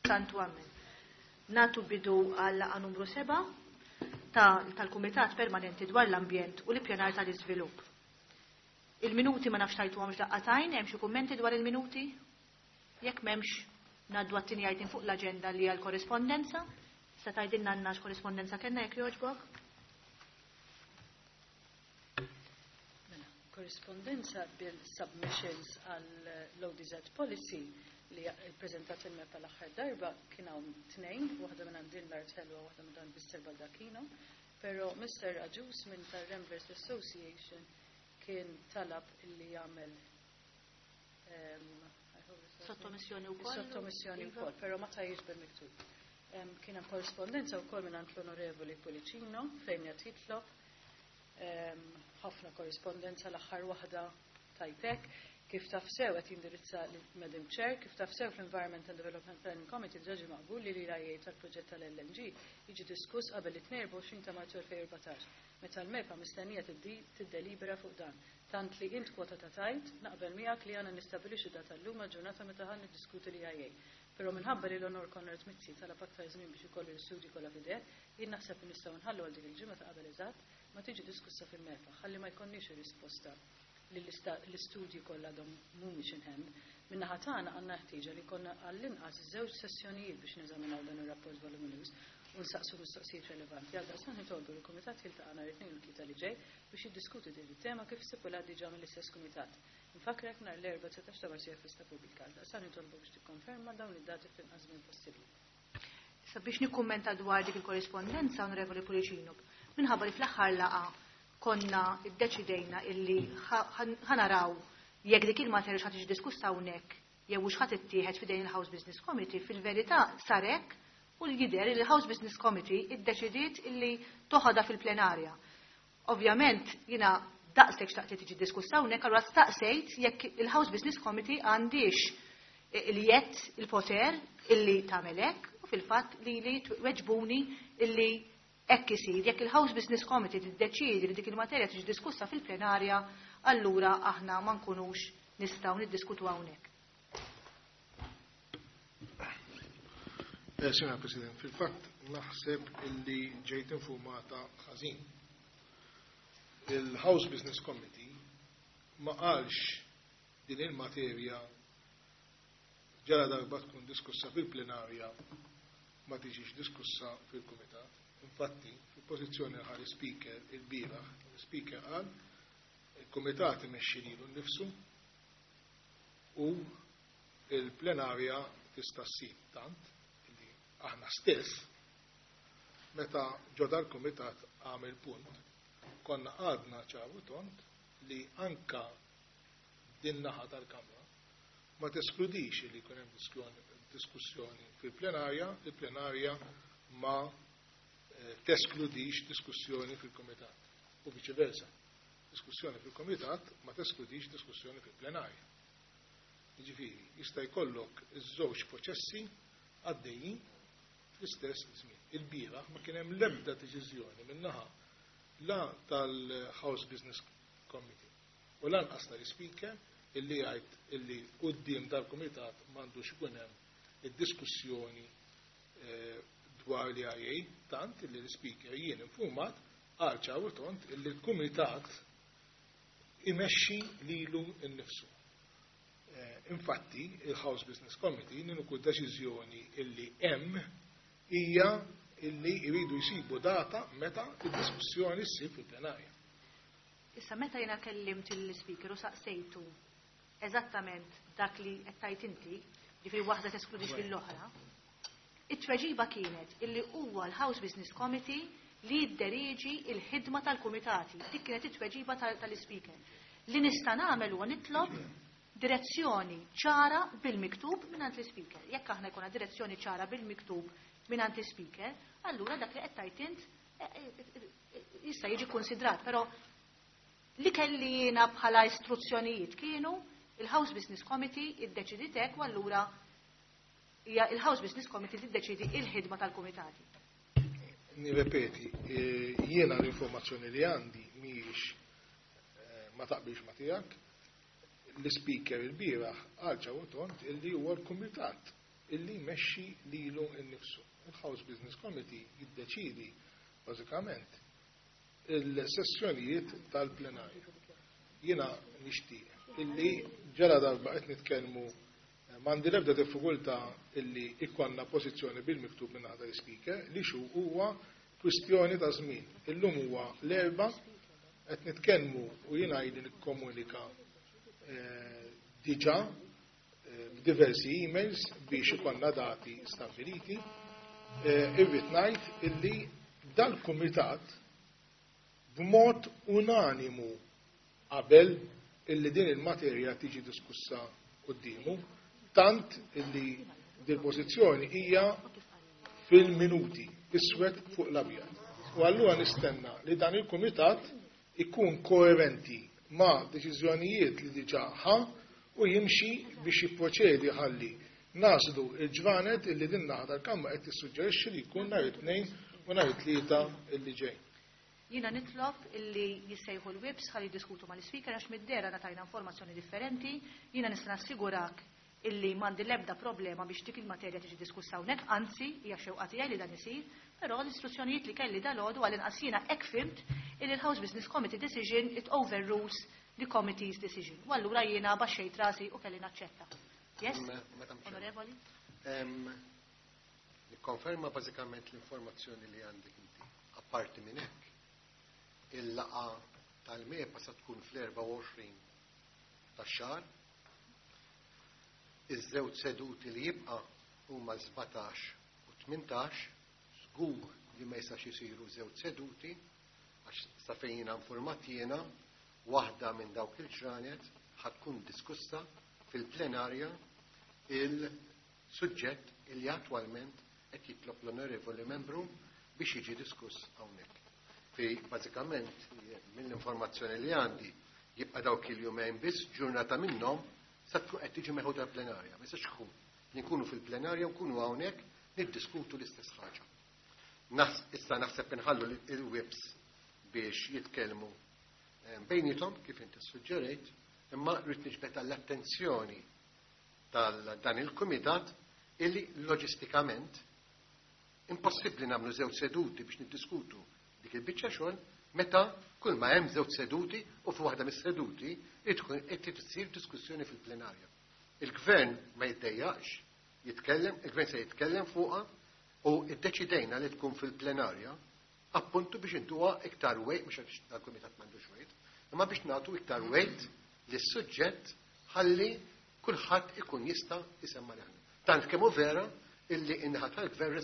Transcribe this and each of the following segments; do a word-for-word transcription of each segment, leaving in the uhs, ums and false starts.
Santu Amen. Nagħtu bidu għal laqgħa numru seba' tal-Kumitat Permanenti dwar l-Ambjent u l-Ippjanar tal-Iżvilupp. Il-minuti ma nafx tajtuhomx daqqa t'għajn, hemm xi kummenti dwar il-minuti? Jekk m'hemmx, ngħaddu għat-tieni item fuq l-aġenda li hija l-korrispondenza. Se tgħidilna għandna x'korrispondenza kellna, jekk jogħġbok? Mela, korrispondenza bil-submissions għall-O D Z policy li ppreżentat il-MEPA l-aħħar darba kien hawn tnejn, waħda minn għand l-Art Ħelwa, waħda minn għand Mister Baldacchino, però Mister Agius minn tar-Ramblers Association kien talab illi jagħmel sottomissjoni wkoll. Sottomissjoni wkoll, però ma tajjiex bil-miktub. Kien hemm korrispondenza wkoll minn għand l-Onorevoli Pullicino fejn qed jitlob ħafna korrispondenza, l-aħħar waħda tajtek. Kif taf sew, qed jindirizza Madam Chair, kif taf sew, fl-Environment and Development Planning Committee diġà ġie maqbul li l-E I A tal-proġett tal-L N G jiġi diskuss qabel it-tnejn u erbgħa u għoxrin ta' Marzu elfejn u erbatax, meta l-MEPA mistennija tiddelibera fuq dan. Tant li int kwota ta' tajt, naqbel miegħek li għandna nistabilixxu data llum ġurnata meta ħa niddiskutu l-E I A. Però minħabba li l-Onor Konrad Mizzi talab aktar żmien biex ikollu l-istudji kollha f'idejh, jien naħseb li nistgħu nħallu għal dik il-ġimgħa ta' qabel eżatt ma tiġi diskussa fil-MEPA, ħalli ma jkollniex ir-risposta li l-istudji kollha għadhom mhumiex in hand. Min-naħa tagħna għandna ħtieġa li jkollna għall-inqas żewġ sessjonijiet biex neżaminaw dan ir-rapport voluminous u nsaqsu mistoqsijiet relevanti. Għaldaqstant nitolbu l-Kumitat jiltaqa' nhar it-Tnejn u t-Tlieta li ġej biex jiddiskuti din it-tema kif stipulat diġà mill-istess kumitat. Nfakkrek nhar l-Erbgħa dsatax ta' Marzu festa pubblika. Għaldaqstant nitolbu biex tikkonferma dawn id-dati fl-inqas żmien possibbli. Sabiex nikkummenta dwar dik il-korrispondenza, Onorevoli Pullicino, minħabba li fl-aħħar laqgħa konna iddeċidejna illi ħa naraw jekk dik il-materja x'ħa tiġi diskussa hawnhekk jew hux ħa tittieħed f'idejn il-House Business Committee, fil-verità sar hekk u l-jidher li l-House Business Committee iddeċidiet illi toħodha fil-plenarja. Ovvjament, jiena daqshekk xtaqt li tiġi diskussa hawnhekk, allura staqsejt jekk il-House Business Committee għandix il-jedd, il-poter illi tagħmel hekk, u fil-fatt li li weġbuni illi hekk isir. Jekk il-House Business Committee tiddeċiedi li dik il-materja tiġi diskussa fil-plenarja, allura aħna ma nkunux nistgħu niddiskutu hawnhekk. Eh, Signora President, fil-fatt naħseb illi ġejt informata ħażin. Il-House Business Committee ma qalx din il-materja ġara darba tkun diskussa fil-plenarja ma tiġix diskussa fil-kumitat. Infatti, fil-pożizzjoni ħa l-speaker il-bieraħ, il-speaker qal il-kumitat imexxi lilu nnifsu u il-plenarja tista' ssib, tant li aħna stess meta ġo dal-kumitat għamel punt konna għadna ċar u tond li anka din naħa tal-Kamra ma teskludix li jkun hemm diskussjoni fil-plenarja, il-plenarja ma eh, teskludix diskussjoni fil-komitat u viċi versa. Diskussjoni fil-komitat ma teskludix diskussjoni fil-plenarja. Jiġifieri, jista' jkollok iż-żewġ proċessi għaddejjin fl-istess żmien. Il-bieraħ ma kien hemm l-ebda deċiżjoni min-naħa la tal-House Business Committee u lanqas tal-Speaker illi jgħid illi quddiem dal-kumitat m'għandux ikun hemm id-diskussjoni eh, dwar l-E I A, tant illi l-Speaker, jien informat, qal ċar u tond illi l-kumitat imexxi lilu nnifsu. Eh, infatti, il-House Business Committee l-uniku deċiżjoni illi hemm hija illi jridu jsibu data meta id-diskussjoni ssir fil-plenarja. Issa, meta jiena kellimt il-speaker u saqsejtu eżattament dak li qed tgħid inti, ġifieri waħda teskludix lill-oħra, it-tweġiba kienet illi huwa l-House Business Committee li jidderieġi il-ħidma tal-kumitati. Dik kienet it-tweġiba tal-speaker. Li nista' nagħmel huwa nitlob direzzjoni ċara bil-miktub mingħand l-speaker. Jekk aħna jkollna direzzjoni ċara bil-miktub mingħand l-speaker, allura dak li qed tgħid int eh, eh, eh, jista' jiġi konsidrat, però li kelli jiena bħala istruzzjonijiet kienu il-House Business Committee iddeċidiet hekk u allura hija il-House Business Committee tiddeċidi il-ħidma tal-kumitati. Nirrepeti, jiena l-informazzjoni li għandi mhijiex, ma taqbilx ma tiegħek. L-speaker il-bieraħ qal ċar u tond illi huwa l-kumitat illi jmexxi lilu nnifsu. Il-House Business Committee jiddeċidi bażikament il-sessjonijiet tal-plenarja. Jiena nixtieq illi ġara darba qed nitkellmu, m'għandi l-ebda diffikultà illi ikkonna pożizzjoni bil-miktub minn għada l-speaker li xu huwa kwistjoni ta' żmien. Illum huwa l-Erbgħa, qed nitkellmu u jiena ili nikkomunika diġà b'diversi emails biex ikollna dati stabbiliti. Irrid ngħid illi dal-kumitat b'mod unanimu qabel illi din il-materja tiġi diskussa quddiemu, tant illi dil-pożizzjoni hija fil-minuti, iswed fuq l-abjad. U allura nistenna li dan il-kumitat ikun koerenti ma' deċiżjonijiet li diġà ħa u jimxi biex jipproċedi ħalli naslu il-ġranet illi din naħa tal-Kamra qed tissuġġerixxi li jkun nhar it-Tnejn u nhar it-Tlieta illi ġej. Jiena nitlob illi jissejħu l-whips ħalli jiddiskutu mal-ispeaker għax mid-dera ngħatajna informazzjoni differenti. Jiena nista' nassigurak illi m'għandi l-ebda problema biex dik il-materja tiġi diskussa hawnhekk, anzi hija xewqa tiegħi li dan isir, però l-istruzzjonijiet li kelli dalgħodu, għal-inqas jiena hekk fhimt, illi l-House Business Committee decision, it overrules the committee's decision. U allura jiena baxxejt rasi u kelli naċċetta. Yes? Madam Chair. Onorevoli? Nikkonferma bażikament l-informazzjoni li għandek inti. Apparti minn hekk, il-laqgħa tal-MEPA sa tkun fl-erbgħa u għoxrin tax-xahar. Iż-żewġ seduti li jibqa' huma sbatax u tmintax, żgur li ma jistax isiru żewġ seduti għax sa fejn jiena informat jiena, waħda minn dawk il-ġranet ħa tkun diskussa fil-plenarja il-suġġett illi attwalment qed jitlob l-onorevoli membru biex jiġi diskuss hawnhekk. Fi bażikament mill-informazzjoni li għandi jibqa' dawk il-jumejn biss, ġurnata minnhom sa tkun qed tiġi meħuda l-plenarja. Ma jistax ikun li nkunu fil-plenarja u nkunu hawnhekk niddiskutu l-istess ħaġa. Issa naħseb inħallu il-whips biex jitkellmu eh, bejnietom kif inti suġġerejt, imma rrid niġbed għall-attenzjoni tal-dan il-kumitat illi loġistikament impossibbli nagħmlu żewġ seduti biex niddiskutu dik il-biċċa xogħol meta kull ma hemm żewġ seduti u fuq waħda mis-seduti tkun qed issir diskussjoni fil-plenarja. Il-gvern ma jiddejjaqx jitkellem, il-gvern se jitkellem fuqha u iddeċidejna li tkun fil-plenarja appuntu biex intuha iktar weight, mhux għax dal-kumitat m'għandux weight, imma biex nagħtu iktar weight lis-suġġett ħalli kulħadd ikun jista' isemma leħnu. Tant kemm hu vera illi in-naħa tal-gvern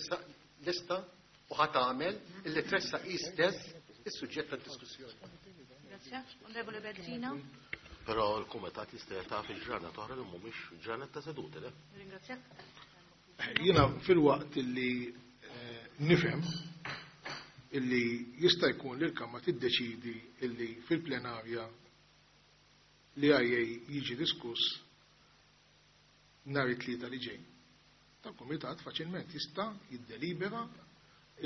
lista u ħa tagħmel illi tressaq stess is-suġġett tad-diskussjoni. Grazie. Onorevole Bezzina. Però l-kumitat jista' jiltaqa' fil-ġranet oħra li mhumiex ġranet ta' seduti, le? Ringrazzjak. Jiena filwaqt illi eh, nifhem illi jista' jkun li l-Kamra tiddeċidi illi fil-plenarja li għajja jiġi diskuss nhar it-Tlieta li ġej. Tal-kumitat faċilment jista' jiddelibera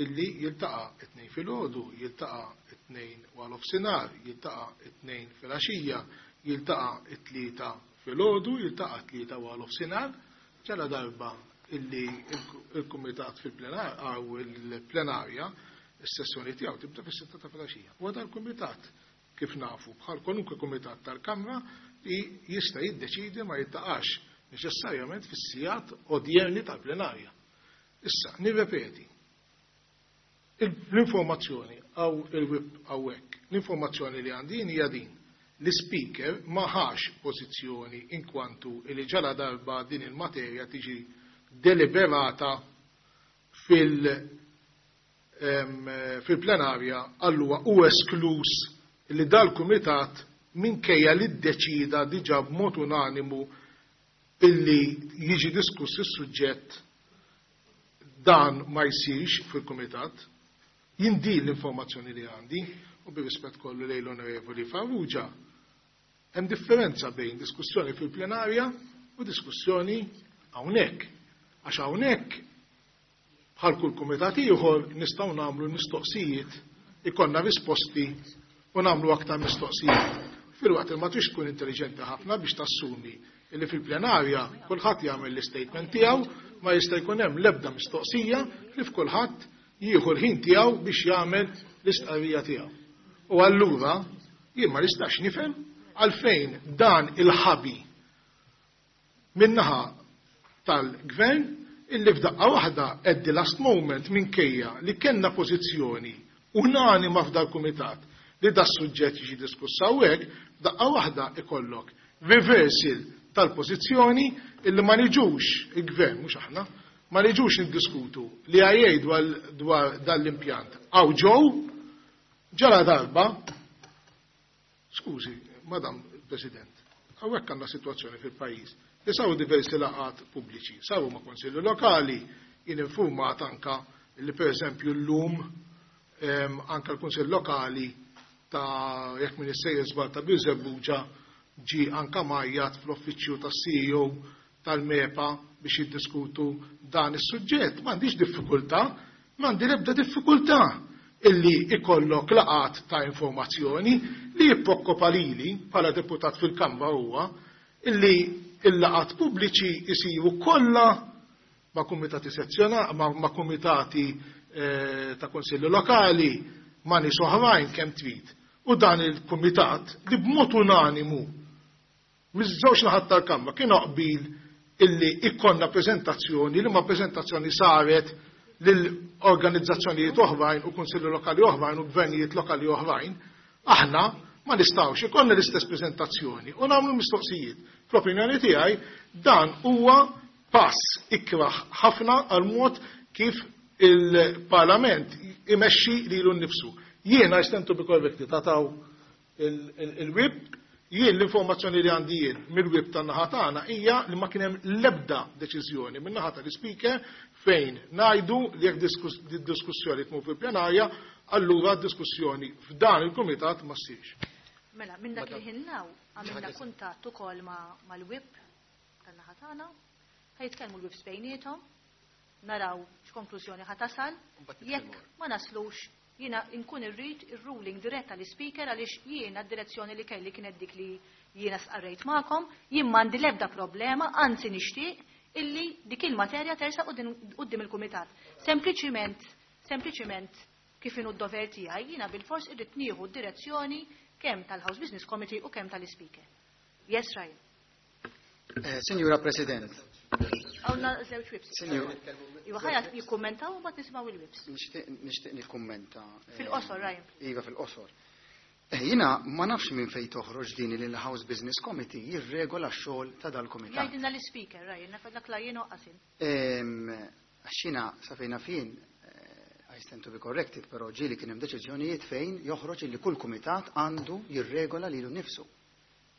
illi jiltaqa' it-Tnejn filgħodu, jiltaqa' it-Tnejn wara nofsinhar, jiltaqa' it-Tnejn filgħaxija, jiltaqa' it-Tlieta filgħodu, jiltaqa' it-Tlieta wara nofsinhar, ġala darba illi il-kumitat fil-plenar għaw il-plenarja is-sessjoni tiegħu tibda fis-sitta ta' filgħaxija. U dan il-kumitat, kif nafu, bħal kwalunkwe kumitat tal-Kamra, li jista' jiddeċidi ma jiltaqax neċessarjament fis-sigħat odjerni tal-plenarja. Issa, nirrepeti, l-informazzjoni għaw il-whip hawnhekk, l-informazzjoni li għandi hija din. L-speaker ma ħax pożizzjoni inkwantu li ġala darba din il-materja tiġi deliberata fil- fil-plenarja allura u esklus li dal-kumitat, minkejja li ddeċida diġà b'mod unanimu illi jiġi diskuss is-suġġett, dan ma jsirx fil-kumitat. Jien din l-informazzjoni li għandi u bir-rispett kollu lejn l-Onorevoli Farrugia, hemm differenza bejn diskussjoni fil-plenarja u diskussjoni hawnhekk. Għax hawnhekk, bħal kull kumitat ieħor, nistgħu nagħmlu mistoqsijiet, ikollna risposti u nagħmlu aktar mistoqsijiet. Filwaqt li ma trix tkun intelligenti ħafna biex tassumi illi fil-plenarja kulħadd jagħmel l-istatement tiegħu. ma jista' jkun hemm l-ebda mistoqsija li f'kulħadd jieħu l-ħin tiegħu biex jagħmel l-istqarrija tiegħu. U allura jien ma nistax nifhem għalfejn dan il-ħabi min-naħa tal-gvern illi f'daqqa waħda at the last moment minkejja li kellna pożizzjoni unanima f'dal-kumitat li da suġġett jiġi diskuss hawnhekk, f'daqqa waħda ikollok reversal tal-pożizzjoni illi ma niġux il-gvern, mhux aħna, ma niġux niddiskutu li għajej dwar, dwar dan l-impjant. Għaw ġew, ġara darba, skużi, Madam President, hawnhekk għandna sitwazzjoni fil-pajjiż li saru diversi laqgħat pubbliċi, saru ma' konsilju lokali, jien informat anka li per eżempju llum em, anka l-Kunsill Lokali ta' jekk min issejjer żball ta' Birżebbuġa ġi anka majjat fl-uffiċċju tas-C E O tal-MEPA biex jiddiskutu dan is-suġġett. M'għandix diffikultà, m'għandi l-ebda diffikultà illi ikollok laqgħat ta' informazzjoni li jipprokkopa lili bħala deputat fil-Kamra huwa illi il-laqgħat pubbliċi jsiru kollha ma' kumitati sezzjonali, ma', ma' kumitati, eh, ta' konsilli lokali, ma' nies oħrajn kemm trid. U dan il-kumitat li b'mod unanimu miż-żewġ naħat tal-Kamra kienu qbil illi ikkonna preżentazzjoni li ma' preżentazzjoni saret lil organizzazzjonijiet oħrajn u kunsilli lokali oħrajn u gvernijiet lokali oħrajn, aħna ma nistgħux ikollna l-istess preżentazzjoni u nagħmlu mistoqsijiet. Fl-opinjoni tiegħi dan huwa pass ikraħ ħafna għal mod kif il-Parlament imexxi lilu nnifsu. Jiena I stand to be corrected, tataw il-whip, jien l-informazzjoni li għandi jien mill-whip tan-naħa tagħna hija li ma kien hemm l-ebda deċiżjoni min-naħa tal-ispeaker fejn ngħidu li jekk diskus-, diskussjoni tmur fil-plenarja, allura d-diskussjoni f'dan il-kumitat ma ssirx. Mela, minn dak li ħinnaw għamilna kuntatt ukoll ma-, mal-whip tan-naħa tagħna, ħajtkellmu l-whips bejniethom, naraw x'konklużjoni ħa tasal, jekk ma naslux jiena nkun irrid ir-ruling diretta l-ispeaker għaliex jiena d-direzzjoni li kelli kienet dik li jiena sqarrejt magħkom, jien m'għandi l-ebda problema, anzi nixtieq illi dik il-materja tersa quddiem il-kumitat. Sempliċiment, sempliċiment kif inhu d-dover tiegħi jiena bilfors irrid nieħu d-direzzjoni kemm tal-House Business Committee u kemm tal-Ispeaker. Yes, Ryan. Eh, Signora President. Għawna żewġ whips. Signor. Iva, ħajja jikkummentaw u mbagħad nisimgħu il-whips. Nixtieq, nixtieq nikkummenta, eh, Fil-qosor, Ryan. Iva, fil-qosor. Eh, jiena ma nafx minn fejn toħroġ din li l-House Business Committee jirregola x-xogħol ta' dal-kumitat. Jgħidilna l-Speaker, Ryan, naf dak la jien oqqasin. Ehm, għax jiena sa fejna fin, eh, I stand to be corrected, però ġieli kien hemm deċiżjonijiet fejn joħroġ li kull kumitat għandu jirregola lilu nnifsu.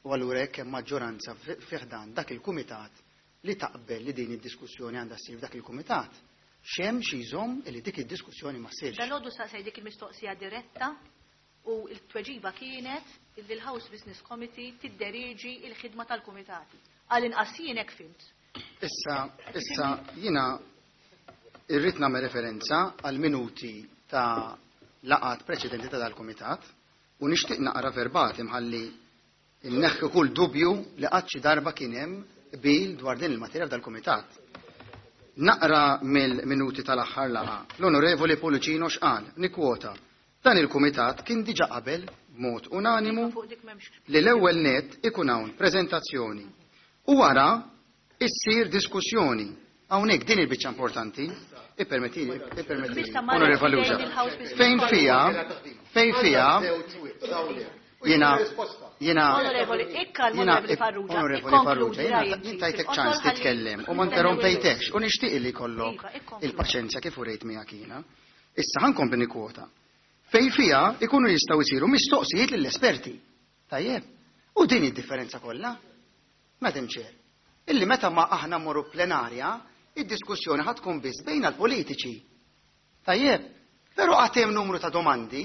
U allura jekk hemm maġġoranza fi-, fih dan dak il-kumitat li taqbel li din id-diskussjoni għandha ssir f'dak il-kumitat, x'hemm xi jżomm li dik id-diskussjoni ma ssirx. Dalgħodu saqsej dik il-mistoqsija diretta u l-tweġiba kienet li l-House Business Committee tidderiġi l-ħidma tal-kumitati. Għal inqas jien hekk fimt. Issa, issa jiena irrid nagħmel referenza għal minuti ta' laqgħat preċedenti ta' dal-kumitat u nixtieq naqra verbatim ħalli inneħħi kull dubju li qatt xi darba kien hemm qbil dwar din il-materja f'dal-kumitat. Naqra mill-minuti tal-aħħar laqgħa. L-Onorevoli Pullicino x'qal, nikkwota, dan il-kumitat kien diġà qabel b'mod unanimu Fuq dik m'hemmx li l-ewwel net ikun hawn preżentazzjoni u wara issir diskussjoni. Hawnhekk din il-biċċa importanti, ippermettili, ippermettili, Issa ma Onorevoli rajtx Luġa. lejn il-House Business Fejn fija, fejn fija, jiena, jiena, Onorevoli, ikkalmu jiena, Onorevoli Farrugia, Onorevoli ikkonkludi, Farrugia, jiena Ryan, jien tajtek fil-qosor ċans ħalli titkellem u ma nistennew interrompejtekx u nixtieq li jkollok Iva, ikkonkludi. il-paċenzja kif urejt miegħek jiena. Issa ħankompli nikkwota. Fejn fija ikunu jistgħu jsiru mistoqsijiet lill-esperti. Tajjeb. U din id-differenza kollha? Madam Chair, illi meta ma aħna mmorru plenarja, id-diskussjoni ħad tkun biss bejn l-politiċi. Tajjeb, però għad hemm numru ta' domandi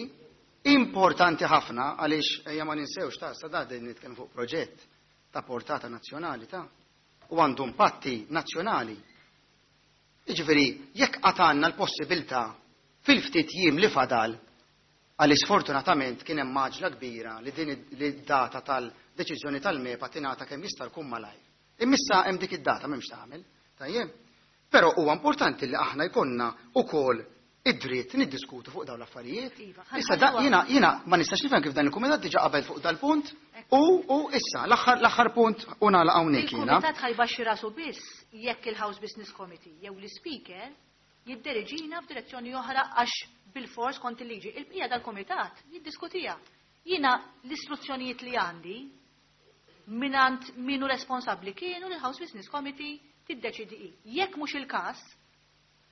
importanti ħafna għaliex ejja ma ninsewx ta' sa da din nitkellmu fuq proġett ta' portata nazzjonali ta' u għandu impatti nazzjonali. Jiġifieri, jekk qatt għandna l-possibilità fil-ftit jiem li fadal, għaliex sfortunatament kien hemm maġla kbira li din id-, li d-data tal-deċiżjoni tal-MEPA tingħata kemm jista' jkun malajr. Imma issa hemm dik id-data m'hemmx tagħmel. Tajjeb. Però huwa importanti li aħna jkollna ukoll id-dritt niddiskutu fuq dawn l-affarijiet. Iva, Issa da jiena jiena ma nistax nifhem kif dan il-kumitat diġà qabel fuq dal-punt u u issa l-aħħar l-aħħar punt u nagħlaq hawnhekk jiena. Il-kumitat ħa jbaxxi rasu biss jekk il-House Business Committee jew l-Speaker jidderiġina f'direzzjoni oħra għax bil-fors kont il-liġi. Il-bqija dal-kumitat jiddiskutija. Jiena l-istruzzjonijiet li għandi minant minu responsabbli kienu l-House Business Committee tiddeċidi hi. Jekk mhux il-każ,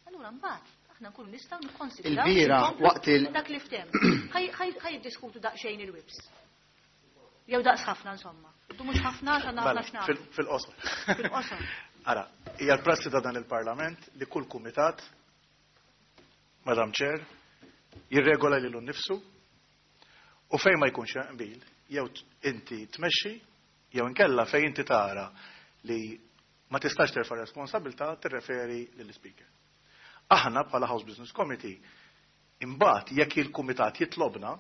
allura mbagħad aħna nkunu nistgħu nikkonsidraw Il-bira inkomplu waqt il- dak li ftem. Ħaj jiddiskutu daqsxejn il-whips. Jew daqs ħafna insomma. Du mhux ħafna għax għandna ħafna Mela, x'nagħmlu. fil- Fil-qosor. Fil-qosor. Ara, hija l-prassi ta' dan il-Parlament li kull kumitat, Madam Chair, jirregola lilu nnifsu u fejn ma jkunx hemm qbil, jew t- inti tmexxi, jew inkella fejn inti tara li ma tistax terfa' responsabilità tirreferi lill-Speaker. Aħna bħala House Business Committee imbagħad jekk il-kumitat jitlobna,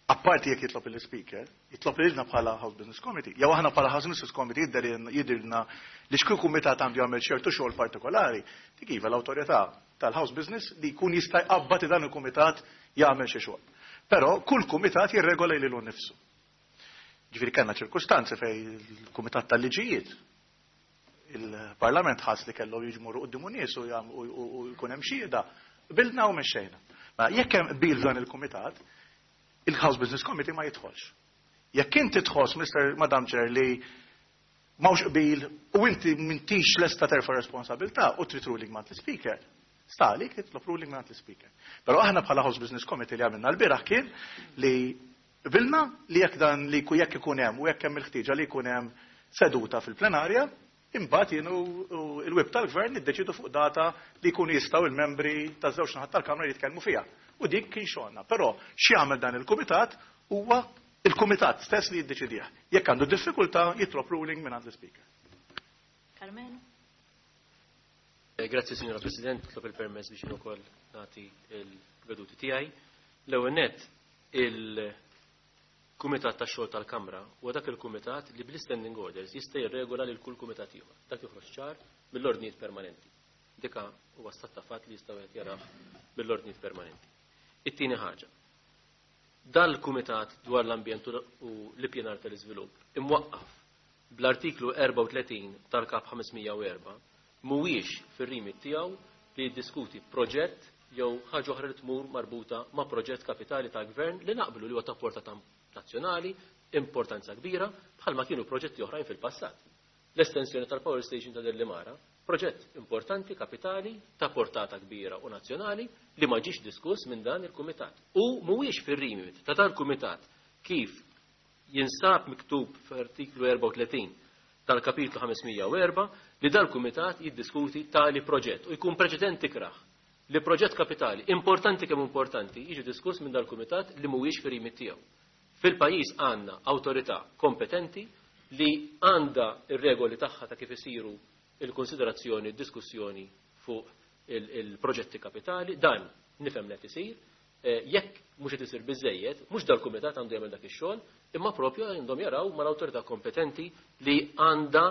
apparti jekk jitlob il-Speaker, jitlob lilna bħala House Business Committee, jew aħna bħala House Business Committee jidher jidhirna li xkull kumitat għandu jagħmel ċertu xogħol partikolari, dik iva l-awtorità tal-House Business li jkun jista' jqabbad dan il-kumitat jagħmel xi xogħol. Però kull kumitat jirregola lilu nnifsu. Ġifieri kellna ċirkustanzi fejn il-Kumitat tal-Liġijiet il-Parlament ħass li kellu jiġmuru quddiem nies u jam- u- u u jkun hemm xhieda, qbilna u mexxejna. Ma jekk hemm qbil dan il-kumitat, il-House Business Committee ma jidħolx. Jekk inti tħoss, Mister Madam Chair, li m'hawnx qbil u inti m'intix lesta terfa' responsabilità u trid ruling ma' l-Speaker, stalik titlob ruling ma' l-Speaker. Però aħna bħala House Business Committee li għamilna l-bieraħ kien li qbilna li jekk dan li ku- jekk ikun hemm u jekk hemm il-ħtieġa li jkun hemm seduta fil-plenarja, imbagħad jien u u il-whip tal-gvern niddeċidu fuq data li jkunu jistgħu il-membri taż-żewġ naħat tal-Kamra jitkellmu fiha. U dik kien xogħolna. Però x'jagħmel dan il-kumitat huwa il-kumitat stess li jiddeċidih. Jekk għandu diffikultà jitlob ruling minn għand l-Speaker. Karmenu? Eh, Grazzi, Signora President, nitlob il-permess biex jien ukoll nagħti il-veduti tiegħi. L-ewwel nett, il-Kumitat tax-xogħol tal-Kamra huwa dak il-kumitat li bl-standing orders jista' jirregola lil kull kumitat ieħor. Dak joħroġ ċar mill-ordnijiet permanenti. Dika huwa stat ta' fatt li jista' wieħed jarah mill-ordnijiet permanenti. It-tieni ħaġa. Dal-Kumitat dwar l-ambjent u l-ippjanar tal-iżvilupp imwaqqaf bl-artiklu erbgħa u tletin tal-Kap ħames mija u erbgħa mhuwiex fir-remit tiegħu li jiddiskuti proġett jew ħaġa oħra li tmur marbuta ma' proġett kapitali ta' gvern li naqblu li huwa ta' portata nazzjonali, importanza kbira, bħalma kienu proġetti oħrajn fil-passat. L-estensjoni tal-power station ta' Delimara, proġett importanti, kapitali, ta' portata kbira u nazzjonali li ma ġiex diskuss minn dan il-kumitat. U mhuwiex fir-remit ta' dal-kumitat kif jinsab miktub f'artiklu erbgħa u tletin tal-kapitlu ħames mija u erbgħa li dal-kumitat jiddiskuti tali proġett u jkun preċedenti kraħ li proġett kapitali importanti kemm importanti jiġi diskuss minn dal-kumitat li mhuwiex fir-remit tiegħu. Fil-pajjiż għandna awtorità kompetenti li għandha ir-regoli tagħha ta' kif isiru il-konsiderazzjoni, diskussjoni fuq il-proġetti kapitali, dan nifhem li qed isir, eh, jekk mhux qed isir biżejjed, mhux dal-kumitat għandu jagħmel dak ix-xogħol, imma propju għandhom jaraw mal-awtorità kompetenti li għandha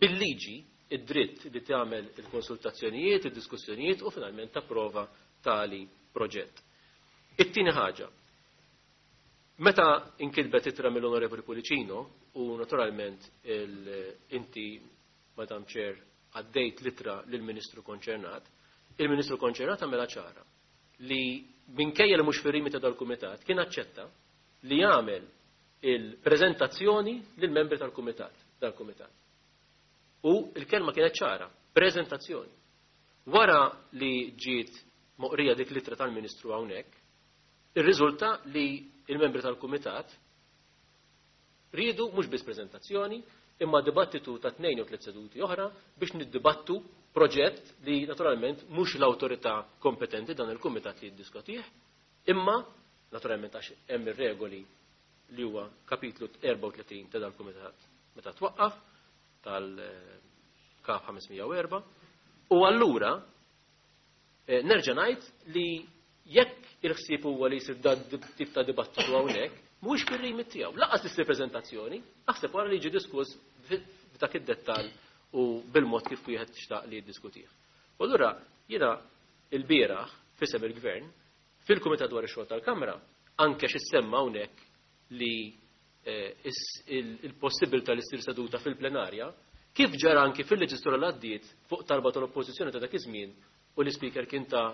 bil-liġi id-dritt li tagħmel il-konsultazzjonijiet, id-diskussjonijiet u finalment tapprova tali proġett. It-tieni ħaġa. Meta inkitbet ittra mill-Onorevoli Pullicino u naturalment inti, Madam Chair, għaddejt l-ittra lill-Ministru konċernat, il-Ministru konċernat għamela ċara li minkejja li mhux fir-remit ta' dal-kumitat kien aċċetta li jagħmel il-preżentazzjoni lill-membri tal-kumitat, dal-kumitat. U il-kelma kienet ċara, preżentazzjoni. Wara li ġiet moqrija dik l-ittra tal-Ministru hawnhekk, irriżulta li il-membri tal-kumitat riedu mhux biss preżentazzjoni, imma dibattitu ta' tnejn jew tliet seduti oħra biex niddibattu proġett li naturalment mhux l-awtorità kompetenti dan il-kumitat li jiddiskutih, imma naturalment għax hemm ir-regoli li huwa kapitlu erbgħa u tletin ta' dal-kumitat meta twaqqaf tal-Kap ħames mija u erbgħa, u allura eh, nerġa' ngħid li jekk il-ħsieb huwa li jsir dan tip ta' dibattitu hawnhekk, mhuwiex fir-remit tiegħu. Lanqas issir preżentazzjoni, aħseb wara li jiġi diskuss f'dak id-dettall u bil-mod kif wieħed xtaq li jiddiskutih. U allura jiena il-bieraħ f'isem il-Gvern fil-Kumitat dwar ix-xogħol tal-Kamra anke x'issemma hawnhekk li il-possibilità li ssir seduta fil-plenarja kif ġara anki fil-leġislatura li għaddiet fuq talba tal-oppożizzjoni ta' dak iż-żmien u l-Ispeaker kien ta'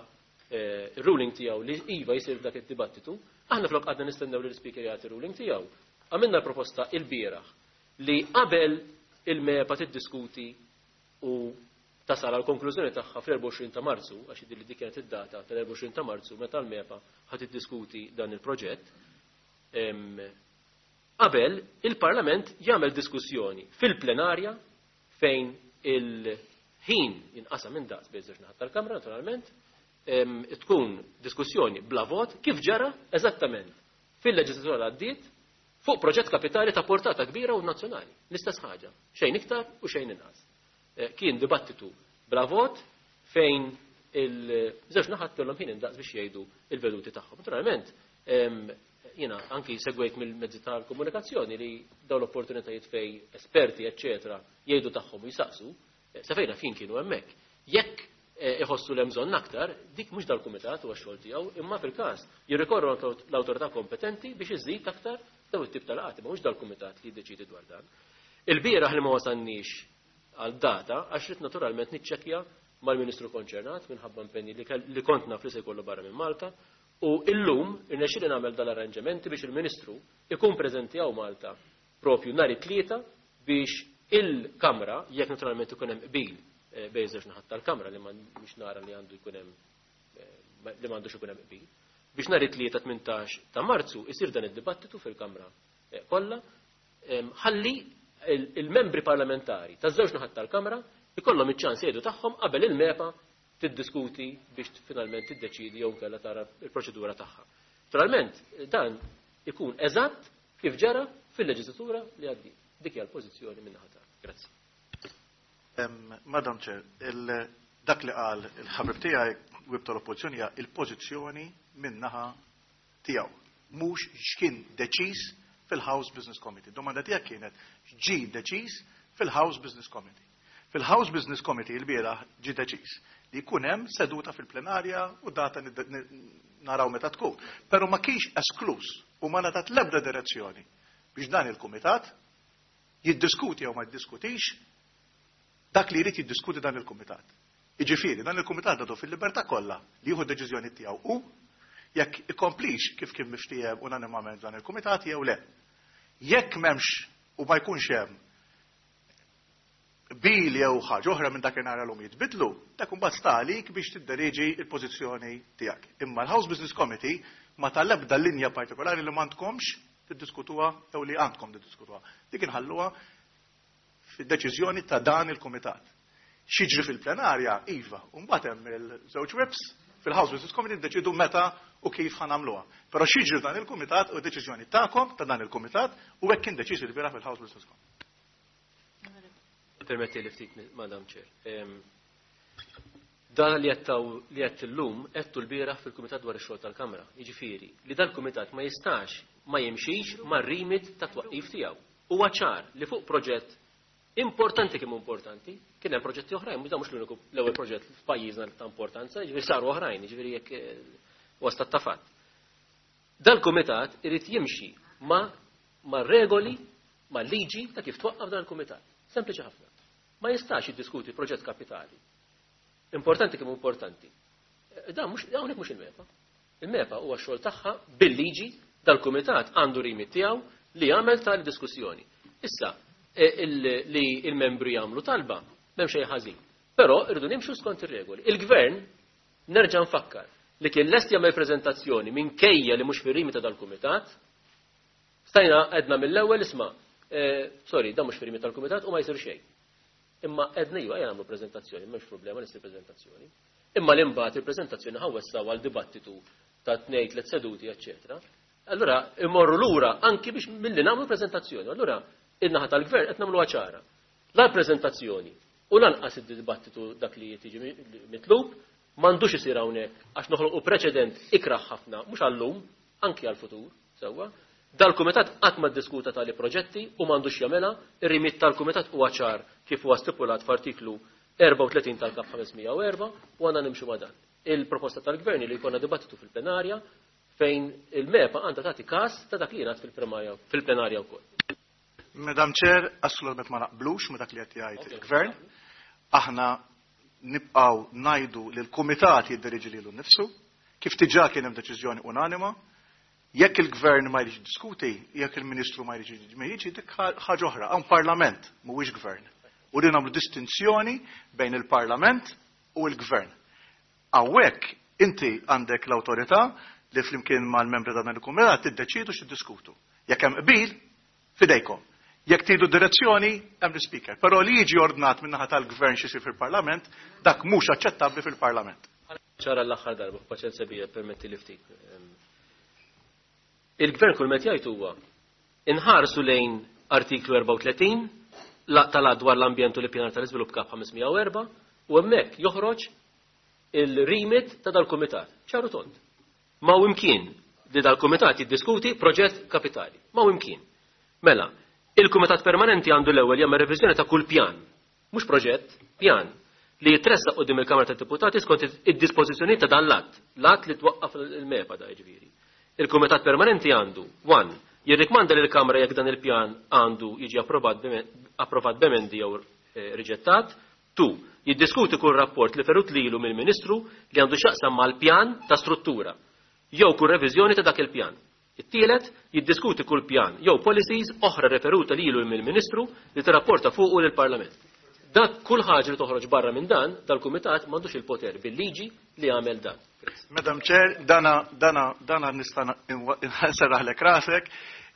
ruling tiegħu li iva jsir dak id-dibattitu, aħna flok għadna nistennew li l-Ispeaker jagħti ruling tiegħu. Għamilna l-proposta il-bieraħ li qabel il-MEPA tiddiskuti u tasal għal konklużjoni tagħha fl-erbgħa u għoxrin ta' Marzu, għax jidhirli dik kienet id-data tal-erbgħa u għoxrin ta' Marzu meta l-MEPA ħad tiddiskuti dan il-proġett. Qabel il-Parlament jagħmel diskussjoni fil-plenarja fejn il-ħin jinqasam minn daqs bejn żewġ naħat tal-Kamra naturalment, tkun diskussjoni bla vot kif ġara eżattament fil-leġislatura li għaddiet fuq proġett kapitali ta' portata kbira u nazzjonali. L-istess ħaġa, xejn iktar u xejn inqas. Kien dibattitu bla vot fejn il-żewġ naħat kellhom ħin indaqs biex jgħidu il-veduti tagħhom. Naturalment, jiena anki segwejt mill-mezzi tal-komunikazzjoni li dawn l-opportunitajiet fej esperti, eċċetera, jgħidu tagħhom u jisaqsu, sa fejna fin kienu hemmhekk. Jekk iħossu l bżonn aktar, dik mhux dal-kumitat huwa x-xogħol tiegħu, imma fil-każ jirrikorru l-awtorità kompetenti biex iżid aktar daw it-tip tal-qati, ma mhux dal-kumitat li jiddeċidi dwar dan. Il-bieraħ li ma wasalniex għal data għax rid naturalment niċċekkja mal-Ministru konċernat minħabba impenji li kont naf li se jkollu barra minn Malta, u illum irnexxieli nagħmel dal-arranġamenti biex il-Ministru ikun preżenti hawn Malta propju nhar it-tlieta biex il-Kamra, jekk naturalment ikun hemm qbil bejn żewġ naħat tal-Kamra li mhux nara li għandu jkun hemm li m'għandux ikun hemm qbil, biex nhar it-tlieta tmintax ta' Marzu isir dan id-dibattitu fil-Kamra kollha, ħalli il-membri parlamentari taż-żewġ naħat tal-Kamra ikollhom iċ-ċans jgħidu tagħhom qabel il-MEPA tiddiskuti biex finalment tiddeċidi jew kellha tara l-proċedura tagħha. Naturalment dan ikun eżatt kif ġara fil-leġislatura li għaddiet. Dik hija l-pożizzjoni minn naħa tagħna. Grazzi. Madam Chair, dak li qal il-ħabib tiegħi whip tal-oppożizzjoni hija il-pożizzjoni minn naħa tiegħu, mhux x'kien deċiż fil-House Business Committee. Domanda tiegħek kienet ġi deċiż fil-House Business Committee. Fil-House Business Committee il-bieraħ ġi deċiż li jkun hemm seduta fil-plenarja u data naraw meta tkun. Però ma kienx esklus u ma ngħatat l-ebda direzzjoni biex dan il-kumitat jiddiskuti jew ma jiddiskutix dak li jrid jiddiskuti dan il-kumitat. Jiġifieri dan il-kumitat għadu fil-libertà kollha li jieħu d-deċiżjoni tiegħu u jekk ikomplix kif kien miftiehem unanimament dan il-kumitat jew le. Jekk m'hemmx u ma jkunx hemm bil jew ħaġa oħra minn dakinhar għalhom jitbidlu, dak imbagħad sta għalik biex tidderieġi l-pożizzjoni tiegħek. Imma l-House Business Committee ma tal-ebda linja partikolari li m'għandkomx tiddiskutuha jew li għandkom tiddiskutuha. Dik inħalluha fid-deċiżjoni ta' dan il-kumitat. X'jiġri fil-plenarja, iva, u mbagħad hemm il-żewġ whips fil-House Business Committee ddeċidu meta u kif ħanamluha. Però x'jiġri dan il-kumitat u deċiżjoni tagħkom ta' dan il-kumitat u hekk kien deċiż il-bieraħ fil-House Business Committee. Permetti li ftit, Madam Chair. Dan li għettaw li għett illum għettu l-bieraħ fil-Kumitat dwar ix-xogħol tal-Kamra. Jiġifieri li dal-Kumitat ma jistax ma jimxix mar-rimit ta' twaqqif tiegħu. Huwa ċar li fuq proġett importanti kemm importanti, kien hemm proġetti oħrajn, mhux mhux l-uniku l-ewwel proġett f'pajjiżna ta' importanza, jiġifieri saru oħrajn, jiġifieri jekk huwa stat ta' fatt. Dal-kumitat irid jimxi ma' ma' regoli, ma' liġi ta' kif twaqqaf dan il-kumitat. Sempliċi ħafna. Ma jistax jiddiskuti proġett kapitali. Importanti kemm importanti. Dan mhux hawnhekk mhux il-MEPA. Il-MEPA huwa x-xogħol tagħha bil-liġi dal-kumitat għandu rimit tiegħu li jagħmel tali diskussjoni. Issa, li il-membri jagħmlu talba, m'hemm xejn ħażin. Però irridu nimxu skont ir-regoli. Il-gvern nerġa' nfakkar li kien lest jagħmel preżentazzjoni minkejja li mhux fir-rimita dal-kumitat, stajna għedna mill-ewwel isma', sorry, dan mhux fir-rimita tal-kumitat u ma jsir xejn. Imma għedna iva ejja nagħmlu preżentazzjoni, m'hemmx problema li ssir preżentazzjoni. Imma li mbagħad il-preżentazzjoni ħawwessaw għal dibattitu ta' tnejn tliet seduti, eċċetera. Allura imorru lura anki biex milli nagħmlu preżentazzjoni. Allura in-naħa tal-gvern qed nagħmluha ċara. La preżentazzjoni u lanqas id-dibattitu dak li tiġi mitlub m'għandux isir hawnhekk għax noħolqu preċedent ikraħ ħafna mhux għallum anki għall-futur sewwa Dal-kumitat qatt ma ddiskuta tali proġetti u m'għandux jagħmilha, ir-rimit tal-kumitat huwa ċar kif huwa stipulat f'artiklu erbgħa u tletin tal-Kap ħames mija u erbgħa u għandna nimxu ma' dan. Il-proposta tal-Gvern li jkollna dibattitu fil-plenarja fejn il-MEPA għandha tagħti każ ta' dak li jingħad fil-plenarja wkoll. Madam Chair, assolutament ma naqblux ma dak li qed jgħid il-Gvern. Aħna nibqgħu ngħidu li l-kumitat jiddiriġi lilu nnifsu, kif diġà kien hemm deċiżjoni unanima. Jekk il-Gvern ma jridx jiddiskuti, jekk il-Ministru ma jridx jiġi, dik ħaġa oħra. Hawn Parlament mhuwiex Gvern. U li nagħmlu distinzjoni bejn il-Parlament u l-Gvern. Hawnhekk inti għandek l-awtorità li flimkien mal-membri ta' dan il-kumitat tiddeċidu x'tiddiskutu. Jekk hemm qbil, fidejkom. Jekk tridu direzzjoni, hemm l-Speaker. Però li jiġi ordnat min-naħa tal-Gvern xi jsir fil-Parlament, dak mhux aċċettabbli fil-Parlament. Ċara l-aħħar darba, paċenza bija, permetti li ftit. Il-Gvern kull meta jgħid huwa inħarsu lejn artiklu erbgħa u tletin tal-att dwar l-ambjent u l-ippjanar tal-iżvilupp Kap ħames mija u erbgħa u hemmhekk joħroġ il-remit ta' dal-kumitat. Ċaru tond. Ma hu imkien li dal-kumitat jiddiskuti proġett kapitali. Ma hu imkien. Mela, il-kumitat permanenti għandu l-ewwel jagħmel reviżjoni ta' kull pjan, mhux proġett, pjan li jitressaq quddiem il-Kamra tad-Deputati skont id-dispożizzjoni ta' dan l-att, l-att li twaqqaf il-MEPA da jiġifieri. Il-Kumitat Permanenti għandu, one, jirrikmanda lil Kamra jekk dan il-pjan għandu jiġi approvat b'emen-, approvat b'emendi jew, eh, riġettat, two, jiddiskuti kull rapport li ferut lilu mill-Ministru li għandu x'jaqsam mal-pjan ta' struttura, jew kull reviżjoni ta' dak il-pjan. It-tielet, jiddiskuti kull pjan jew policies oħra referuta lilu mill-Ministru li tirrapporta fuqu lill-Parlament. Dak kull ħaġa li toħroġ barra minn dan, dal-Kumitat m'għandux il-poter bil-liġi li jagħmel dan. Madam Chair, dana, dana, dana nista' nserraħlek rasek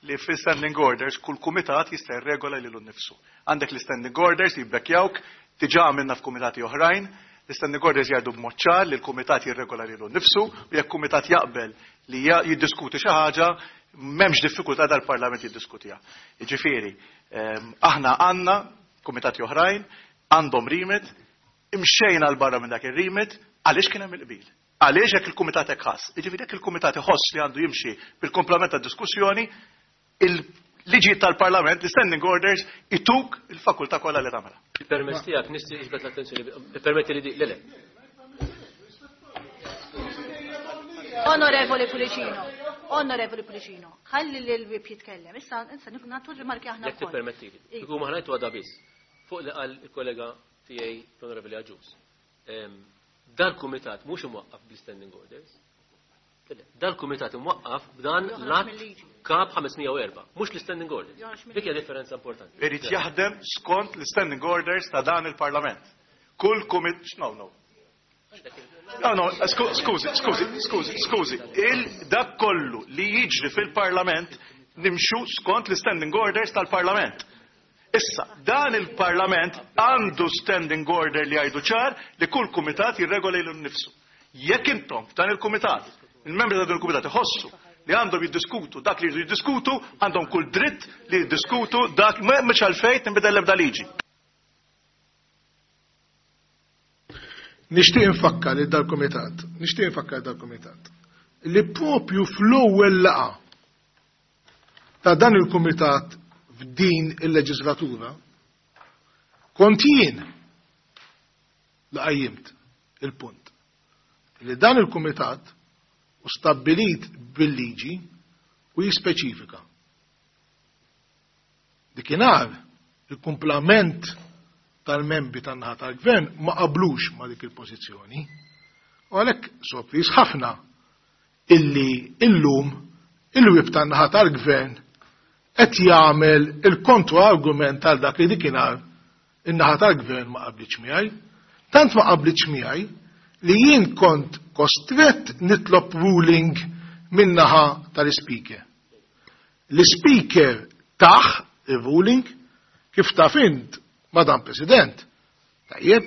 li fil-standing orders kull kumitat jista' jirregola lilu nnifsu. Għandek l-standing orders li jibbekkjawk, diġà għamilna f'kumitati oħrajn, l-standing orders jgħidu b'mod ċar li l-kumitat jirregola lilu nnifsu u jekk kumitat jaqbel li ja-, jiddiskuti xi ħaġa, m'hemmx diffikultà dal-Parlament jiddiskutiha. Jiġifieri, ehm, aħna għandna kumitati oħrajn, għandhom remit, imxejna l barra minn dak ir-remit, għaliex kien hemm il-qbil? Għaliex jekk il-kumitat hekk ħass? Jiġifieri jekk il-kumitat iħoss li għandu jimxi bil-komplement tad-diskussjoni, il-liġi tal-Parlament, l-standing orders, ituk il-fakultà kollha li tagħmilha. Il-permess tiegħek nixtieq jiġbed l-attenzjoni, permetti li di, le, le. Onorevoli Pullicino, Onorevoli Pullicino, ħalli lil Whip jitkellem. Issa, issa nagħtu rimarki aħna Jekk wkoll. tippermettili. Iva. Kieku ma ħanajtu għadha biss. Fuq li qal il-kollega tiegħi l-Onorevoli Agius. Ehm, dal-kumitat mhux imwaqqaf bl-standing orders. Dal-kumitat imwaqqaf b'dan Joħroġ l-att mill-liġi. Kap ħames mija u erbgħa, mhux l-standing orders. Joħroġ mill-liġi. Dik hija differenza importanti. Irid jaħdem skont l-standing orders ta' dan il-Parlament. Kull kumit, no, no. No, no, sku-, skużi, skużi, skużi, skużi. Il-dak kollu li jiġri fil-Parlament nimxu skont l-standing orders tal-Parlament. Issa, dan il-Parlament għandu standing order li jgħidu ċar li kull kumitat jirregola lilu nnifsu. Jekk intom f'dan il-kumitat, il-membri ta' dan il-kumitat iħossu li għandhom jiddiskutu dak li jridu jiddiskutu, għandhom kull dritt li jiddiskutu dak mhux għalfejn tinbidel l-ebda liġi. Nixtieq infakkar li dal-kumitat, nixtieq infakkar dal-kumitat li propju fl-ewwel laqgħa ta' dan il-kumitat f'din il-leġislatura kont jien li qajjimt il-punt li dan il-kumitat u stabbilit bil-liġi u jispeċifika. Dikinhar il-kumplament tal-membri tan-naħa tal-gvern ma qablux ma dik il-pożizzjoni. U għalhekk sorpriż ħafna illi illum il-whip tan-naħa tal-gvern qed jagħmel il-kontra-argument tal dak li dikinhar in-naħa tal-gvern ma qablitx miegħi. Tant ma qablitx miegħi li jien kont kostrett nitlob ruling min-naħa tal-ispeaker. L-ispeaker taħ il-ruling kif taf int, Madam President. Tajjeb,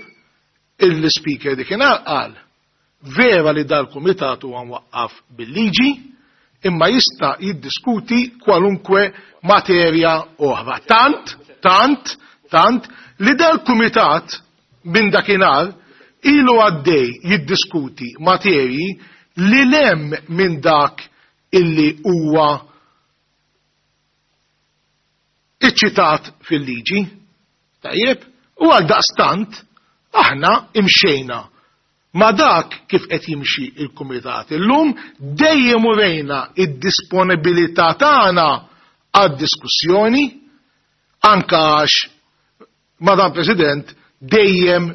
il-speaker dikinhar qal vera li dal-kumitat huwa mwaqqaf bil-liġi, imma jista' jiddiskuti kwalunkwe materja oħra. Tant, tant, tant li dal-kumitat minn dakinhar ilu għaddej jiddiskuti materji li lem minn dak illi huwa ċitat fil-liġi. Tajjeb, u għal daqstant aħna imxejna ma dak kif qed jimxi il-kumitat illum, dejjem urejna id-disponibilità tagħna għad-diskussjoni, anka għax, Madam President, dejjem